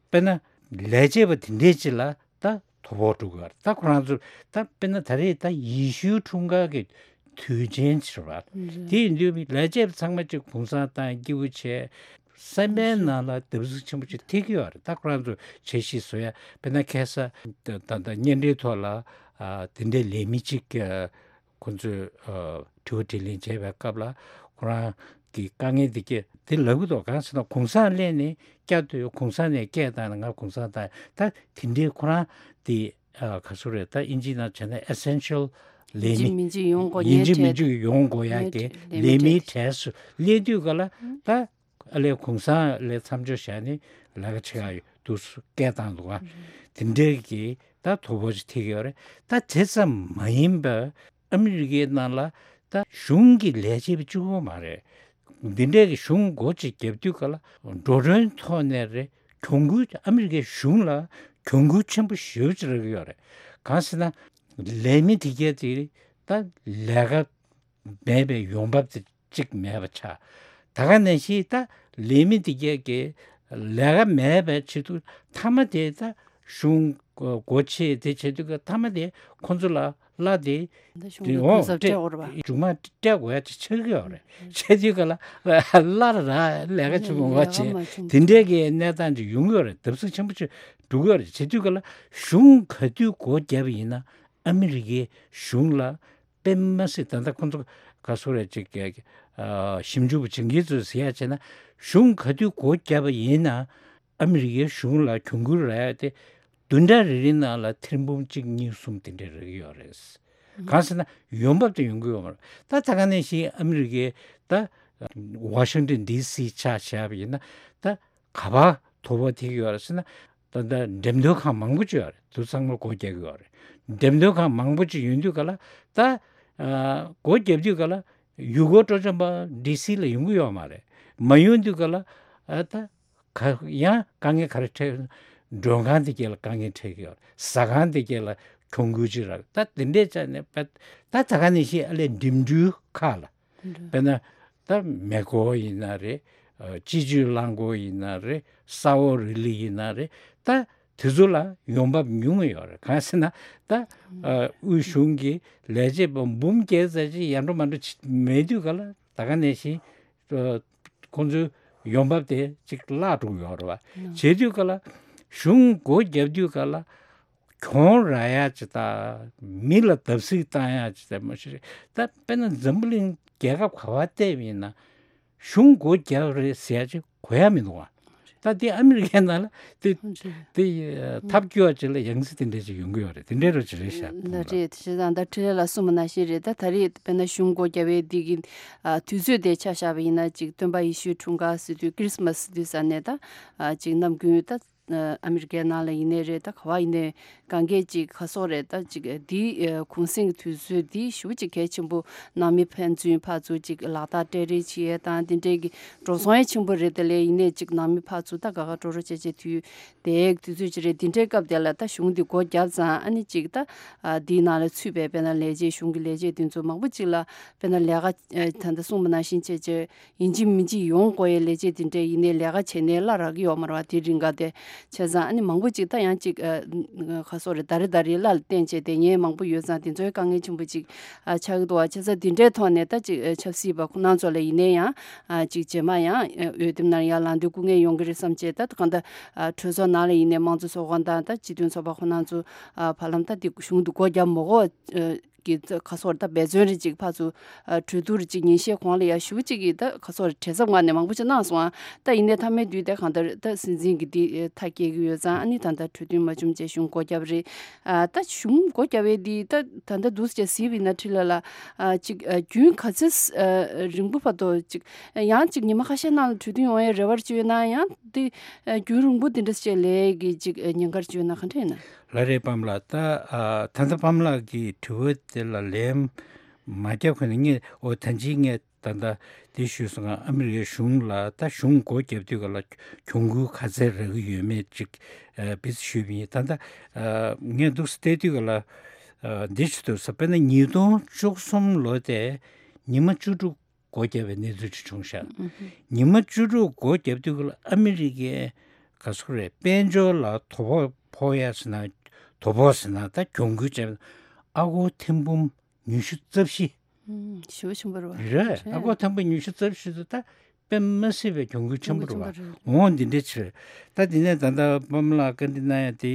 དཔེར་ན་ལས་བྱེད་པ་དེ་འདྲས་ཅིག་ལ་ད་དོ་ཕོག་འགྲོ་གི་ཡོད་རེད། ད་ཁོ་རང་ཚོ་ད་དཔེར་ན་ད་རེས་ད་ཡེ་ཤུའི་འཁྲུངས་སྐར་གྱི་དུས་ཆེན་ཅིག་རེད་པ། དེ་ཡིན་དུས་ལས་བྱེད་པ་ཚང་མ་ཅིག་གུང་སེང་བཏང་། སྐྱིད་པོ་བྱས། སེམས་པའི་ནང་ལ་བརྡབ་གསིག་ཆེན་པོ་ཅིག་ཐེབས་ཀྱི་ཡོད་རེད། ད་ཁོ་རང་ཚོ་འཆར་གཞི་བཟོ་ཡ། དཔེར་ན་ཁ་སང་ད་ད་ད་བརྙན་འཕྲིན་ཐོག་ལ་ཨ་དེ་འདྲའི་ལས་མི་གཅིག་ཨ་ཁོ་ཚོས་ཨ་དྲི་བ་དྲིས་ལན་བྱས་པའི་སྐབས་ལ་ཁོ་རང་གི་དཀའ་ངལ་འདི་སྐད་དེ་ལབ་ཀྱི་འདུག་གང་ཟེར་ན་གུང་སེང་སླེབས་ནས་སྐྱབས་དུས་གུང་སེང་ནས་སྐད་བཏང་ནས་ང་གུང་སེང་བཏང་། ད་དེ་འདྲའི་ཁོ་རང་དེ་ཨ་ག་ཚོད་རེད། ད་ཨིན་ཇི་ནང་བྱས་ན་ཨེ་སེན་ཤལ་ལས་ཡིན་གཅིག་མིན་མི་གཅིག་ཡོང་དགོས། ཡིན་ངའི་གཅིག་མིན་གྲས་གཅིག་ཡོང་དགོས་ཡ་གི་ངའི་ལས་མིའི་གྲས་སུ་སླེབས་དུས་ག་ལ་ད་ཨ་ལས་གུང་སེང་ལས་མཚམས་འཇོག་བྱས་ནས་ལས་ཀ་བྱེད་ཡ་ཡོད་འདུག་སྐད་བཏང་འདུག་ག་དེ་འདྲའི་གི་ད་དོ་ཕོག་ཅིག་ཐེབས་ཀྱི་ཡོད་རེད། ད་དེ་ཙམ་མ་ཡིན་པར་ཨ་མི་རི་ཀའི་ནང་ལ་ད་གཞུང་གི་ལས་བྱེད་པ་གཅིག་པོ་མ་རེད། འདི་འདྲའི་གི་གཞུང་སྒོ་ཅིག་བརྒྱབ་དུས་ག་ལ་འགྲོ་གྲོན་ཐོག་ནས་རེད། གྱོང་གུན། ཨ་མི་རི་ཀའི་གཞུང་ལ་གྱོང་གུན་ཆེན་པོ་ཞེ་པོ་ཅིག་རག་གི་ཡོད་རེད། གང་ཟེར་ན་ལས་མི་དེ་གས་དེ་ད་ལས་ཀ་ མེད་པའི་ཡོང་འབབ་དེ་གཅིག་མེད་པ་ཆགས། ད་ག་ནང་བཞིན་ད་ལས་མི་དེ་གས་ཀྱི་ལས་ཀ་མེད་པའི་ཆེད་དུ་མཐའ་མ་དེ་ད་གཞུང་སྒོ་ཕྱེ་དེ་བྱེད་དུས་ཀྱི་མཐའ་མ་དེ་ཁོང་ཚོ་ལ་གླ་དེ་ད་གཞུང་དེ་གི་འོང་གུན་གསབ་སྤྲད་སྤྲད་འོར་བ། མཇུག་མ་སྤྲད་དགོས་ཡ་ཅིག་ཆགས་ཀྱི་ཡོད་རེད། བྱེད་དུས་ཀ་ལ་གླ་ར་ལས་ཀ་བྱེད་མི་འོང་བ་ཡ་བྱེད་མ་བྱུང་། དེ་འདྲའི་གི་གནས་སྟངས་ཅིག་ཡོང་གི་ཡོད་རེད། བརྡབ་གསིག་ཆེན་པོ་ཅིག་འགྲོ་གི་ཡོད་རེད། བྱེད་དུས་ཀ་ལ་གཞུང་ག་དུས་སྒོ་བརྒྱབ་པ་ཡིན་ན་ཨ་མི་རི་ཀའི་གཞུང་ལ་དཔེ་མ་སྲིད་ད་ལྟ་ཁོང་ཚོ་ག་སོ་རེད་ཅིག་གི་ཨ་ཞིབ་འཇུག་པ་བྱེད་མཁན་ཚོས་ཟེར་ཡ་བྱས་ན་གཞུང་ག་དུས་སྒོ་བརྒྱབ་པ་ཡིན་ན་ཨ་མི་རི་ཀའི་གཞུང་ལ་གྱོང་གུན་རག་ཡ་དེ་བདུན་ཕྲག་རེ་རེའི་ནང་ལ་ཐེར་འབུམ་གཅིག་གཉིས་གསུམ་དེ་འདྲ་རག་གི་ཡོད་རེད། གང་ཟེར་ན་ཡོང་འབབ་དེ་ཡོང་གི་ཡོད་མ་རེད། ད་ད་ག་ནང་བཞིན་ཨ་མི་རི་ཀའི་ད་ཝ་ཤིང་ཏོན་ཌི་སི་ཆ་བཞག་པ་ཡིན་ན་ད་ག་པར་དོ་ཕོག་ཐེབས་ཀྱི་ཡོད་རེད་ཟེར་ན། ད་ལྟ་འགྲེམས་སྟོན་ཁང་མང་པོ་ཅིག་ཡོད་རེད། དེ་ཚང་མ་སྒོ་རྒྱག་གི་ཡོད་རེད། འགྲེམས་སྟོན་ཁང་མང་པོ་ཅིག་ཡོང་དུས་ག་ལ་ད་ཨ་སྒོ་རྒྱབ་དུས་ག་ལ་ཡུལ་སྐོར་སྤྲོ་འཆམ་པ་ཌི་སི་ལ་ཡོང་གི་ཡོད་མ་རེད། མ་ཡོང་དུས་ག་ལ་ཨ་ད་ག་ཡང་དཀའ་ངལ་ག་རེ་འཕྲད། མགྲོན་ཁང་དེ་གས་ལ་དཀའ་ངལ་འཕྲད་ཀྱི་ཡོད་རེད། ཟ་ཁང་དེ་གས་ལ་གྱོང་གུན་ཅིག་རག། ད་དེ་འདྲས་བྱས་ནས་ད་ད་ག་ནང་བཞིན་ཨ་ལས་འགྲིམ་འགྲུལ་ཁག་ལ། དཔེར་ན་ད་མེ་འཁོར་ཡིན་ན་རེད། ཨ་སྤྱི་སྤྱོད་རླངས་འཁོར་ཡིན་ན་རེད། ས་འོག་རི་ལི་ཡིན་ན་རེད། ད་དེ་ཚོ་ལ་ཡོང་འབབ་ཉུང་ངུ་ཡོད་རེད། གང་ཟེར་ན་ད་ཨ་དབུས་གཞུང་གི་ལས་བྱེད་པ་འབུམ་བརྒྱད་ཙམ་ཅིག་ཡར་འགྲོ་མར་འགྲོ་བྱེད་མེད་དུས་ག་ལ་ད་ག་ནང་བཞིན་ཨ་ཁོང་ཚོའི་ཡོང་འབབ་དེ་ཅིག་བརླག་འགྲོ་གི་ཡོད་རེད་བ། བྱེད་དུས་ག་ལ་གཞུང་སྒོ་བརྒྱབ་དུས་ག་ལ། གྱོང་རག་ཡ་ཅིག་དང་མི་ལ་བརྡབ་གསིག་བཏང་ཡ་ཅིག་དང་མ་གཞི་རེད། ད་དཔེར་ན་འཛམ་བུ་གླིང་རྒྱལ་ཁབ་ག་པར་བལྟས་པ་ཡིན་ན་གཞུང་སྒོ་རྒྱབ་རེད་ཟེར་ཡ་ཅིག་གོ་ཡ་མི་འདུག་ཨ། ད་དེ་ཨ་མི་རི་ཀའི་ནང་ལ་དེ་དེ་ཐབས་སྐྱོ་བ་ཅིག་ལ་ཡང་སྲིད་དེ་འདྲ་ཅིག་ཡོང་གི་ཡོད་རེད། དེ་འདྲའི་རོ་ཅིག་རེད་ཤག་ད་རེད། བྱས་ཙང་ད་འཕྲིན་ལས་ལགས་གསུངས་པ་ནང་བཞིན་རེད། ད་ད་རེས་དཔེར་ན་གཞུང་སྒོ་རྒྱབ་པའི་འདི་གི་ཨ་དུས་ཚོད་དེ་ཆ་བཞག་པ་ཡིན་ན་ཅིག་སྟོན་པ་ཡེ་ཤུའི་འཁྲུངས་སྐར་ཟེར་དུས་ཁི་རི་སི་མ་སི་ཟེར་དུས་ས་ནས་ད་ཨ་ཅིག་ནམ་རྒྱུན་ད། ཨ་མི་རི་ཀའི་ནང་ལ་ཡིན་ནའི་རེད། ད་ག་བ་ཡིན་ནའི་གང་གས་ཅིག་ག་སོགས་རེད། ད་ཅིག་འདི་ཨ་གུང་གསེང་གི་དུས་ཚོད་འདི་ཞེ་པོ་ཅིག་གལ་ཆེན་པོ། ནང་མི་ཕན་ཚུན་ཕར་ཚུར་ཅིག་ལག་རྟགས་སྤྲད་རེས་བྱེད་ཡས་དང་འདི་འདྲའི་གི་འགྲོ་སོང་ཡང་ཆེན་པོ་རེད། དེ་ལས་ཡིན་ནའི་ཅིག་ནང་མི་ཕར་ཚུར་ད་དགའ་དགའ་སྤྲོ་སྤྲོ་བྱས་བྱས་དུས་དེའི་དུས་ཚོད་ཅིག་རེད། འདི་འདྲའི་སྐབས་དེ་ལ་ད་གཞུང་འདི་སྒོ་བརྒྱབ་ཙང་ཨ་ནི་ཅིག་ད་ཨ་འདིའི་ནང་ལ་ཚུད་པའི་དཔེར་ན་ལས་བྱེད་གཞུང་གི་ལས་བྱེད་འདི་ཚོ་མང་པོ་ཅིག་ལ་དཔེར་ན་ལས་ཀ་ཨ་ད་ལྟ་གསུངས་པ་ནང་བཞིན་བྱས་བྱས། ཡིན་གཅིག་མིན་གཅིག་ཡོང་དགོས་ཡའི་ལས་བྱེད་དེ་འདྲས་ཡིན་ནའི་ལས་ཀ་བྱས་ནའི་གླ་རག་གི་ཡོད་མ་རེད་བ། དེ་རིང་ག་དེ་བྱས་ཙང་ཨ་ནི་མང་པོ་ཅིག་ད་ཡང་ཅིག་ཨ་ག་སོགས་རེད། ད་རེས་ད་རེས་གླ་ལ་བརྟེན་བྱས་དེ་ཉེན་མང་པོ་ཡོད་ཙང་དེ་ཚོའི་དཀའ་ངལ་ཆེན་པོ་ཅིག་ཨ་ཆགས་ཀྱི་འདུག་བ། བྱས་ཙང་དེ་འདྲའི་ཐོག་ནས་ད་ཅིག་ཨ་ཆབ་སྲིད་པ་ཁོང་རྣམ་ཚོ་ལ་ཡིན་ནའི་ཡང་ཨ་ཅིག་རྗེས་མ་ཡང་ཨ་འོས་འདེམས་ནང་ཡར་ལངས་དུས་སྐུ་ངལ་ཡོང་གི་རེད་བསམ་བྱས། ད་གང་ལྟར་ཨ་གྲོས་ཚོགས་ནང་ལ་ཡིན་ནའི་དམངས་གཙོ་ཚོགས་ཁང་དང་ད་སྤྱི་མཐུན་ཚོགས་པ་ཁོང་རྣམ་ཚོ་ཨ་བར་ལམ་ད་དེ་གཞུང་དུ་སྒོ་བརྒྱབ་མ་དགོས་ཨ། གི་ཁ་སོར་ད་འབད་བརྩོན་རེ་ཅིག་ཕར་ཚུར་ཨ་གྲོས་བསྡུར་རེ་ཅིག་ཉིན་ཤས་གོང་ལ་ཡ་ཞུ་ཅིག་གིས་ད་ཁ་སོར་བྲེལ་འཚུབ་ངང་ནས་མང་པོ་ཅིག་གནང་སོང་ཨ། ད་ཡིན་ནའི་མཐའ་མའི་དུས་དེ་གང་ལྟར་ད་སྲིད་འཛིན་གྱི་འདི་མཐའ་སྐྱེལ་གྱི་ཡོད་ཙང་ཨ་ནི་ད་ལྟ་གྲོས་མཐུན་མ་བྱུང་བྱས་གཞུང་སྒོ་བརྒྱབ་རེད། ཨ་ད་གཞུང་སྒོ་བརྒྱབ་པའི་འདི་ད་ད་ལྟ་འདུག་སེ་བྱས་གཟིགས་པ་ཡིན་ན་འཕྲིན་ལས་ལགས་ཨ་ཅིག་ཨ་རྒྱུན་ག་ཚོད་ཨ་རིང་པོ་བར་དུ་ཅིག་ཡང་ཅིག་ཉི་མ་ཁ་ཤས་ནང་ལ་གྲོས་མཐུན་ཡོང་ཡའི་རེ་བ་ཅིག་ཡོད་ན་ཡང་འདི་ཨ་རྒྱུན་རིང་པོ་འདི་འདྲ་ཞིག་ལས་ཀྱི་ཅིག་ཨ་ཉེན་ཁ་ཅིག་ཡོད་ན་ག་འདྲ་ཡིན་ན། ལགས་རེད་པཱ་ལགས། ད་ཨ་ད་ལྟ་པཱ་ལགས་ཀྱི་དྲི་བ་དེ་ལ་ལན་མ་རྒྱབ་གོང་ནས་ངས་འོ་ད་ཅི་ངས་ད་ལྟ་འདི་ཞུས་སོང་ང་། ཨ་མི་རི་ཀའི་གཞུང་ལ་ད་གཞུང་སྒོ་བརྒྱབ་དུས་ག་ལ་གྱོང་གུན་ག་ཚད་རག་གི་ཡོད་མེད་ཅིག་ཨ་བིས་ཞུས་པ་ཡིན། ད་ལྟ་ཨ་ངས་འདུག་སེ་བལྟས་དུས་ག་ལ་ཨ་འདི་ཞུ་འདོད་ས། དཔེར་ན་ཉིས་སྟོང་བཅུ་གསུམ་ལོ་དེ་ཉི་མ་བཅུ་དྲུག་སྒོ་བརྒྱབ་པའི་གནས་ཚུལ་ཅིག་བྱུང་ཤག་ཉི་མ་བཅུ་དྲུག་སྒོ་བརྒྱབ་དུས་ཀ་ལ་ཨ་མི་རི་ཀའི་ག་ཚོད་རེད། དཔལ་འབྱོར་ལ་དོ་ཕོག་ཕོག་ཡ་ཟེར་ན་དོ་ཕོག་ཟེར་ན་ད་གྱོང་གུན་བྱས་ཨ་སྒོར་ཐེར་འབུམ་ཉི་ཤུ་རྩ་བཞི། ཞེ་པོ་ཆེན་པོ་རེད་བ། རེད། ཨ་སྒོར་ཐེར་འབུམ་ཉི་ཤུ་རྩ་བཞི་དེ་ད་དཔེ་མ་སྲིད་པའི་གྱོང་གུན་ཆེན་པོ་རེད་བ། འོང་འདི་འདྲ་ཕྱིར་ད་འདི་ནས་ད་ལྟ་པཱ་ལགས་བཀའ་འདྲི་གནང་ཡ་དེ་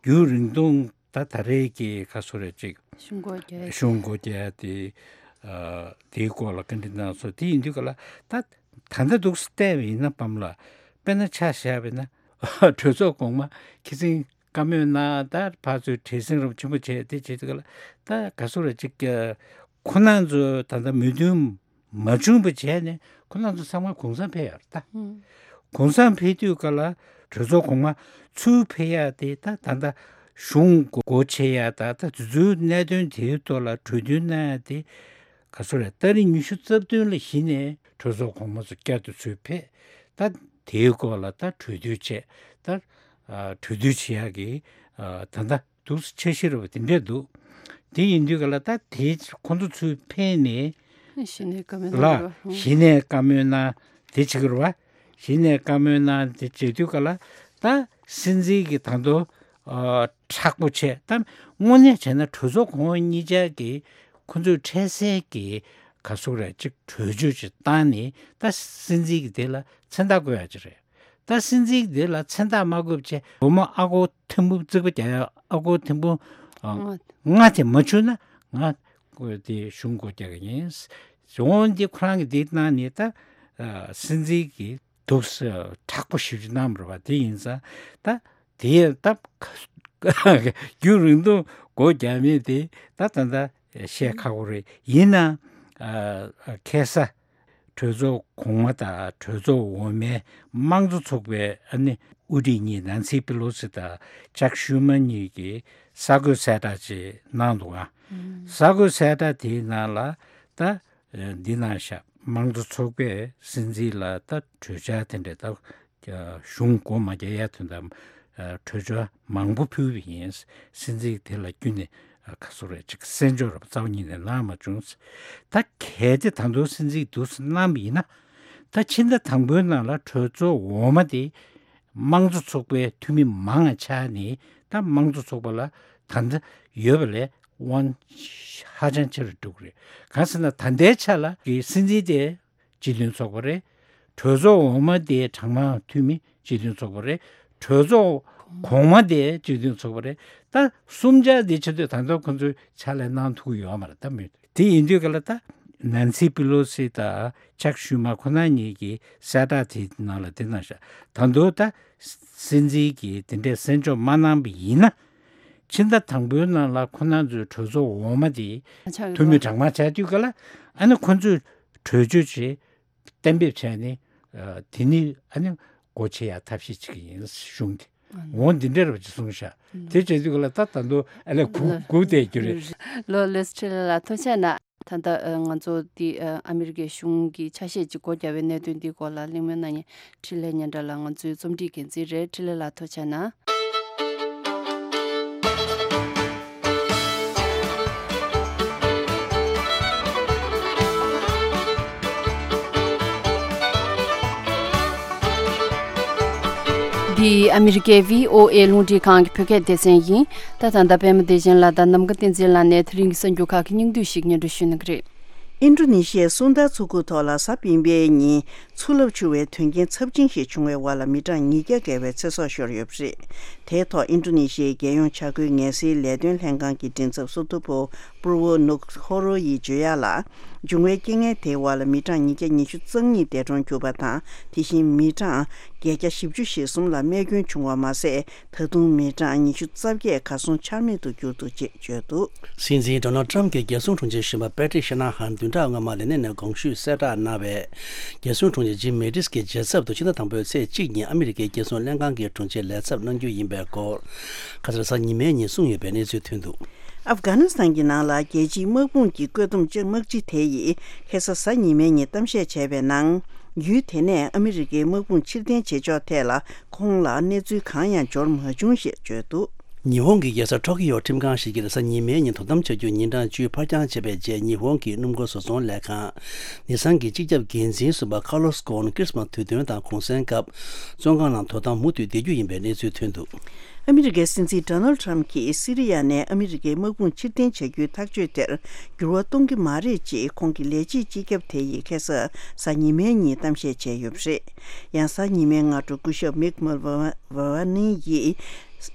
རྒྱུན་རིང་ཐུང་ད་ད་རེས་ཀྱི་ག་ཚོད་རེད་ཅིག་གཞུང་སྒོ་རྒྱག་ཡ་གཞུང་སྒོ་རྒྱག་ཡ་དེ་ཨ་དེའི་སྐོར་ལ་བཀའ་འདྲི་གནང་སོང་། དེ་ཡིན་དུས་ག་ལ་ད་ད་ལྟ་འདུག་སེ་བལྟས་པ་ཡིན་ན་པཱ་ལགས་དཔེར་ན་ཆ་བཞག་པ་ཡིན་ན་གྲོས་ཚོགས་གོང་མ་ཁི་སིང་བཀའ་མོལ་གནང་། ད་ཕར་ཚུར་བྲེལ་ཟིང་རབ་ཆེན་པོ་བྱས་དེ་བྱེད་དུས་ག་ལ་ད་ག་ཚོད་རེད་ཅིག་ཁོ་རང་ཚོ་ད་ལྟ་མོས་མཐུན་མ་བྱུང་བ་བྱས་ནས་ཁོ་རང་ཚོ་ཚང་མ་གུང་སེང་ཕེབས་ཡོད་རེད་ད། གུང་སེང་ཕེབས་དུས་ག་ལ་གྲོས་ཚོགས་གོང་མ་ཚུར་ཕེབས་ཡ་དེ་ད་ད་ལྟ་གཞུང་སྒོ་ཕྱེ་ཡ་ད་ད་དུས་ཚོད་གནད་དོན་དེའི་ཐོག་ལ་གྲོས་མཐུན་གནང་ཡ་དེ་ག་ཚོད་རེད། ཏ་རིག་ཉི་ཤུ་རྩ་བདུན་ལ་གཞི་ནས་གྲོས་ཚོགས་གོང་མ་ཚོ་བསྐྱར་དུ་ཚུར་ཕེབས། ད་དེའི་སྐོར་ལ་ད་གྲོས་བསྡུར་བྱས། ད་ཨ་གྲོས་བསྡུར་བྱེད་ཡག་གི་ཨ་ད་ལྟ་འདུག་སེ་འཆར་གཞི་རེད་པ་དེ་འདྲས་འདུག་དེ་ཡིན་དུས་ག་ལ་ད་དེ་ཁོང་ཚོ་ཚུར་ཕེབས་ནས་ གཞི་ནས་བཀའ་མོལ་གནང་ལ་རེད་བ། གཞི་ནས་བཀའ་མོལ་གནང་དེ་བྱེད་ཀྱི་རེད་བ། གཞི་ནས་བཀའ་མོལ་གནང་དེ་བྱེད་དུས་ག་ལ་ད་སྲིད་འཛིན་གྱི་ད་དུང་ཨ་མཁྲེགས་པོ་བྱས། ད་དངོས་གནས་བྱས་ན་གྲོས་ཚོགས་གོང་འོག་གཉིས་ཆར་གྱི་ཁོ་ཚོས་འཕྲལ་སེལ་གྱི་ག་ཟེར་རེད་ཅིག་གྲོས་ཆོད་ཅིག་བཏང་ནས་ད་སྲིད་འཛིན་གྱི་དེ་ལ་མཚན་རྟགས་བཀོད་ཡ་ཅིག་རེད། ད་སྲིད་འཛིན་དེ་ལ་མཚན་རྟགས་མ་བཀོད་བྱས་སྒོར་མོ་ཨ་སྒོར་ཐེར་འབུམ་རྩིག་པ་རྒྱག་ཡ་ཨ་སྒོར་ཐེར་འབུམ་ཨ་ལྔ་དེ་མ་བྱུང་ན་ང་ཁོ་དེ་གཞུང་སྒོ་རྒྱག་གི་ཡིན། འོན་ཏེ་ཁོ་རང་གིས་དེ་གནང་ནས་ད་ཨ་སྲིད་འཛིན་གྱིས་འདུག་སེ་མཁྲེགས་པོ་ཞེ་པོ་ཅིག་གནང་བ་རེད་བ། དེ་ཡིན་ཙང་ད་དེ་ད་རྒྱུན་རིང་ཐུང་སྒོ་རྒྱག་མིན་དེ་ད་ད་ད་བཤད་ཁག་པོ་རེད། ཡིན་ནའང་ཨ་ཁ་སང་གྲོས་ཚོགས་གོང་མ་དང་གྲོས་ཚོགས་འོག་མའི་དམངས་གཙོ་ཚོགས་པའི་ཨ་ནི་དབུ་ཁྲིད་གཉིས་ནན་སི་པི་ལོ་སི་དང་ཅག་ཤུ་མ་གཉིས་ཀྱིས་གསར་འགོད་གསལ་བསྒྲགས་ཅིག་གནང་འདུག་ཨ། གསར་འགོད་གསལ་བསྒྲགས་དེའི་ནང་ལ་ད་འདི་གནང་ཤག་དམངས་གཙོ་ཚོགས་པས་སྲིད་འཛིན་ལ་ད་གྲོས་འཆར་དེ་འདྲ་ད་གཞུང་སྒོ་མ་རྒྱག་ཡ་དོན་དག་གྲོས་འཆར་མང་པོ་ཕུལ་བ་ཡིན། སྲིད་འཛིན་དེ་ལ་ཁྱོན་ནས་ག་ཟེར་རེད་ཅིག་གསན་འཇོག་ར་རྩ་བ་ཉིད་ནས་གནང་མ་བྱུང་། ད་གལ་ཏེ་ད་དུང་སྲིད་འཛིན་འདུག་སེ་གནང་བ་ཡིན་ན་ད་ཕྱི་ཟླ་དང་པོའི་ནང་ལ་གྲོས་ཚོགས་འོག་མ་དེ་དམངས་གཙོ་ཚོགས་པའི་འཐུས་མི་མང་ང་ཆགས་ནས་ད་དམངས་གཙོ་ཚོགས་པ་ལ་ད་ལྟ་ཡོད་པ་ལས་དབང་ཧ་ཅང་ཆེ་རུ་འགྲོ་གི་རེད། གང་ཟེར་ན་ད་ལྟའི་ཆ་ལ་གི་སྲིད་འཛིན་དེ་སྤྱི་མཐུན་ཚོགས་པ་རེད། གྲོས་ཚོགས་འོག་མ་དེ་གྲངས་མང་འཐུས་མི་སྤྱི་མཐུན་ཚོགས་པ་རེད། གྲོས་ཚོགས་གོང་མ་དེ་སྤྱི་མཐུན་ཚོགས་པ་རེད། ད་གསུམ་ཆ་དེ་ཆེད་དུ་ད་ལྟ་ཁོ་ཚོས་ཕྱག་ལས་གནང་ཐུབ་ཀྱི་ཡོད་མ་རེད། ད་མི་དེ་ཡིན་དུས་ག་ལ་ད་ནན་སི་པི་ལོ་སི་དང་ཅག་ཤུ་མ་ཁོ་ན་གཉིས་ཀྱིས་གསལ་བསྒྲགས་དེའི་ནང་ལ་དེ་གནང་ཤག་ད་དུང་ད་སྲིད་འཛིན་གྱིས་དེ་འདྲའི་གསན་འཇོག་མ་གནང་བ་ཡིན་ན་ཕྱི་ཟླ་དང་པོའི་ནང་ལ་ཁོ་ན་ཚོའི་གྲོས་ཚོགས་འོག་མ་དེ་ཆགས་ཡོད་འཐུས་མི་པ། གྲངས་མང་ཆགས་དུས་ག་ལ་ཨ་ནི་ཁོ་ཚོས་གྲོས་ཆོད་ཅིག་གཏན་འབེབས་བྱས་ནས་ཨ་དེ་ནི་ཨ་ནི་སྒོ་ཕྱེ་ཡ་ཐབས་ཤེས་བྱེད་ཀྱི་ཡིན་གཞུང་གིས། འོ་འདི་འདྲ་རེད་པ་ཅིག་གསུངས་ཤག་དེ་བྱེད་དུས་ག་ལ་ད་ད་དུང་ཨ་ལས་སྒུག་སྒུག་བསྡད་རྒྱུ་རེད། ལགས་ལགས་སོ། འཕྲིན་ལས་ལགས་ཐུགས་རྗེ་གནང་། ད་ལྟ་ཨ་ང་ཚོ་འདི་ཨ་ཨ་མི་རི་ཀའི་གཞུང་གི་ཆ་ཤས་ཅིག་སྒོ་བརྒྱབ་པའི་གནད་དོན་འདིའི་སྐོར་ལ་གླེང་མོལ་གནང་མཁན་འཕྲིན་ལས་སྙན་གྲགས་ལགས་ང་ཚོའི་རྩོམ་སྒྲིག་འགན་འཛིན་རེད། འཕྲིན་ལས་ལགས་ཐུགས་རྗེ་གནང་། འདི་ཨ་མི་རི་ཀའི་བྷི་ཨོ་ཨེ་རླུང་འཕྲིན་ཁང་གི་བོད་སྐད་སྡེ་ཚན་ཡིན། ད་ད་ལྟ་པད་མ་བདེ་ཆེན་ལགས་དང་ནམ་མཁའ་བསྟན་འཛིན་ལགས་ནས་དེ་རིང་གི་གསར་འགྱུར་ཁག་གི་སྙིང་བསྡུས་ཤིག་སྙན་སྒྲོན་ཞུ་གནང་གི་རེད། ཨིན་ཌོ་ནེ་ཤི་ཡའི་སུན་ད་མཚོ་ཁུག་ཐོག་ལ་གཟའ་སྤེན་པའི་ཉིན་མཚོ་རླབས་འཕྱུར་བའི་དོན་རྐྱེན་ཚབས་ཆེན་ཞིག་བྱུང་བའི་འོག་ལ་མི་གྲངས་ཉིས་བརྒྱ་བརྒལ་བའི་ཚེ་སྲོག་ཤོར་ཡོད་པ་རེད། དེའི་ཐོག་ཨིན་ཌོ་ནེ་ཤི་ཡའི་རྒྱལ་ཡོངས་བྱ་སྒོའི་ངལ་སེལ་ལས་དོན་ལྷན་ཁང་གི་མགྲིན་ཚབ་སུ་ཐོ་པོ་པུར་བོ་ནུག་ཧོ་རོ་ཡིས་བརྗོད་ཡག་ལ། འབྱུང་བའི་རྐྱེན་ངན་དེའི་འོག་ལ་མི་གྲངས་ཉིས་བརྒྱ་ཉི་ཤུ་རྩ་གཉིས་འདས་གྲོངས་གྱུར་པ་དང་། དེ་བཞིན་མི་གྲངས་བརྒྱད་བརྒྱ་བཞི་བཅུ་ཞེ་གསུམ་ལ་རྨས་སྐྱོན་བྱུང་བ་མ་ཟད། ད་དུང་མི་གྲངས་ཉི་ཤུ་རྩ་བརྒྱད་གར་སོང་ཆ་མེད་དུ་གྱུར་འདུག་ཅེས་བརྗོད་འདུག། སྲིད་འཛིན་ཌོ་ནལ་ཊམ་གྱི་རྒྱལ་སྲུང་དྲུང་ཆེ་གཞོན་པ་པེ་ཊི་ཤ་ན་ཧན་བདུན་ཕྲག་སྔོན་མ་ལས་གནས་ནས་དགོངས་ཞུས་གསལ་བསྒྲགས་གནང་བས། རྒྱལ་སྲུང་དྲུང་ཆེ་ཇིམ་མེ་ཏིས་ཀྱིས་རྗེས་ཚབ་ཏུ་ཕྱི་ཟླ་དང་པོའི་ཚེས་གཅིག་ཉིན་ཨ་མི་རི་ཀའི་རྒྱལ་སྲུང་ལྷན་ཁང་གི་དྲུང་ཆེ་ལས་ཚབ་གནང་རྒྱུ་ཡིན་པའི་སྐོར། ཁ་སང་གཟའ་ཉི་མའི་ཉིན་གསུངས་ཡོད་པའི་གནས་ཚུལ་ཐོན་འདུག། ཨབ་གྷ་ནི་སི་ཐན་གྱི་ནང་ལ་རྒྱལ་སྤྱིའི་དམག་དཔུང་གི་བཀོད་འདོམས་ལྕགས་དམག་སྤྱི་དེ་ཡིས་ཁ་སང་གཟའ་ཉི་མའི་ཉིན་གཏམ་བཤད་བྱས་པའི་ནང་། ཡུལ་དེ་ནས་ཨ་མི་རི་ཀའི་དམག་དཔུང་ཕྱིར་འཐེན་བྱེད་ཕྱོགས་ཐད་ལ་ཁོང་ལ་གནས་ཚུལ་གང་ཡང་འབྱོར་མ་བྱུང་ཞེས་བརྗོད་འདུག། ཉི་ཧོང་གི་རྒྱལ་ས་ཊོ་ཀི་ཡོ་ཁྲིམས་ཁང་ཞིག་གིས་གཟའ་ཉི་མའི་ཉིན་དོ་དམ་བྱ་རྒྱུ་ཉིན་གྲངས་བཅུ་ཕར་འགྱངས་བྱས་པའི་རྗེས། ཉི་ཧོང་གི་སྣུམ་འཁོར་བཟོ་ཚོང་ལས་ཁང་ནི་སན་གྱི་སྤྱི་ཁྱབ་འགན་འཛིན་ཟུར་པ་ཁ་ལོ་སི་ཀོན་ཁྲི་སི་མ་སི་དུས་སྟོན་དང་གུང་སེང་སྐབས་བཙོན་ཁང་ནང་དོ་དམ་མུ་མཐུད་བསྡད་རྒྱུ་ཡིན་པའི་གནས་ཚུལ་ཐོན་འདུག། ཨ་མི་རི་ཀའི་སྲིད་འཛིན་ཌོ་ནལ་ཊམ་གྱིས་སི་རི་ཡ་ནས་ཨ་མི་རི་ཀའི་དམག་དཔུང་ཕྱིར་འཐེན་བྱ་རྒྱུའི་ཐག་གཅོད་དེར་འགྱུར་བ་གཏོང་གི་མ་རེད་ཅེས་ཁོང་གི་ལས་བྱེད་སྤྱི་ཁྱབ་དེ་ཡིས་ཁ་སང་གཟའ་ཉི་མའི་ཉིན་གཏམ་བཤད་བྱས་ཡོད་པ་རེད། ཡང་གཟའ་ཉི་མའི་སྔ་དྲོ་སྐུ་ཞབས་མིག་མལ་ཝ་ཝ་ནི་ཡིས་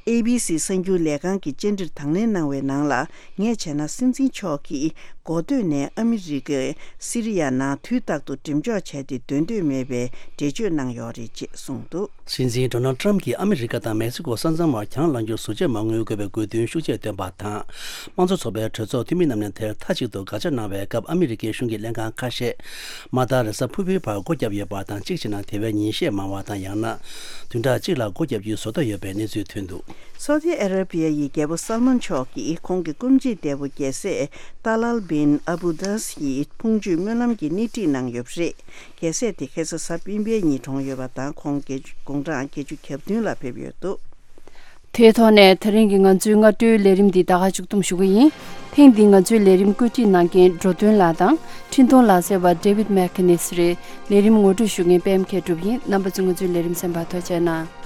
ཨེ་བི་སི་གསར་འགྱུར་ལས་ཁང་གི་བཅར་འདྲིར་དང་ལེན་གནང་བའི་ནང་ལ། ངས་བྱས་ན་སྲིད་འཛིན་མཆོག་གིས་འགོ་སྟོད་ནས་ཨ་མི་རི་ཀས་སི་རི་ཡ་ནང་དུས་རྟག་ཏུ་འགྲེམས་འཇོག་བྱས་ཏེ་སྡོད་འདོད་མེད་པའི་འགྲེལ་བརྗོད་གནང་ཡོད་རེད་ཅེས་གསུངས་འདུག། སྲིད་འཛིན་ཌོ་ནལ་ཊམ་གྱིས་ཨ་མི་རི་ཀ་དང་མེག་སི་ཀོ་ས་མཚམས་བར་གྱང་ལངས་རྒྱུར་ཟུར་བཅད་མ་དངུལ་དགོས་པའི་དགོས་འདུན་ཤུགས་ཆེ་བཏོན་པ་དང་། དམངས་གཙོ་ཚོགས་པའི་གྲོས་ཚོགས་འཐུས་མི་རྣམས་ནས་དེར་མཐའ་གཅིག་ཏུ་དགག་བྱ་གནང་བའི་སྐབས། ཨ་མི་རི་ཀའི་གཞུང་གི་ལྷན་ཁང་ཁ་ཤས་མ་མཐའ་རེས་གཟའ་ཕུར་བུའི་བར་སྒོ་བརྒྱབ་ཡོད་པ་དང་། གཅིག་བྱས་ན་དེ་བས་ཉིན་ཤས་མང་བ་དང་། ཡང་ན་བདུན་ཕྲག་གཅིག་ལ་སྒོ་བརྒྱབ་རྒྱུའི་བཟོ་ལྟ་ཡོད་པའི་གནས་ཚུལ་ཐོན་འདུག། སོ་ཏི་ཨ་ར་པི་ཡ་ཡི་རྒྱལ་པོ་སལ་མན་མཆོག་གིས་ཁོང་གི་སྐུ་མཆེད་འདས་པོ་རྒྱལ་སྲས་ཏཱ་ལཱལ་བིན་ཨ་བུ་དཱས་ཡི་ཕུང་མཆོད་སྨོན་ལམ་གྱི་སྣེ་ཁྲིད་གནང་ཡོད་པ་རེད། རྒྱལ་སྲས་དེ་ཁ་སང་གཟའ་སྤེན་པའི་ཉིན་གྲོངས་ཡོད་པ་དང་། ཁོང་དགུང་གྲངས་བརྒྱད་ཅུ་གྱ་བདུན་ལ་ཕེབས་ཡོད་འདུག། དེའི་ཐོག་ནས་དེ་རིང་གི་ང་ཚོའི་སྔ་དྲོའི་ལས་རིམ་འདི་ད་ག་མཇུག་བསྡོམས་ཞུ་གི་ཡིན། ཐེངས་འདིའི་ང་ཚོའི་ལས་རིམ་བཀོད་སྒྲིག་གནང་མཁན་འགྲོ་དོན་ལགས་དང་འཕྲིན་གཏོང་ལག་རྩལ་བ་David McInnes་རེད། ལས་རིམ་ངོ་སྤྲོད་ཞུ་མཁན་པད་མ་མཁས་གྲུབ་ཡིན། རྣམ་པ་ཚོས་ང་ཚོའི་ལས་རིམ་གསན་པར་ཐུགས་རྗེ་གནང་།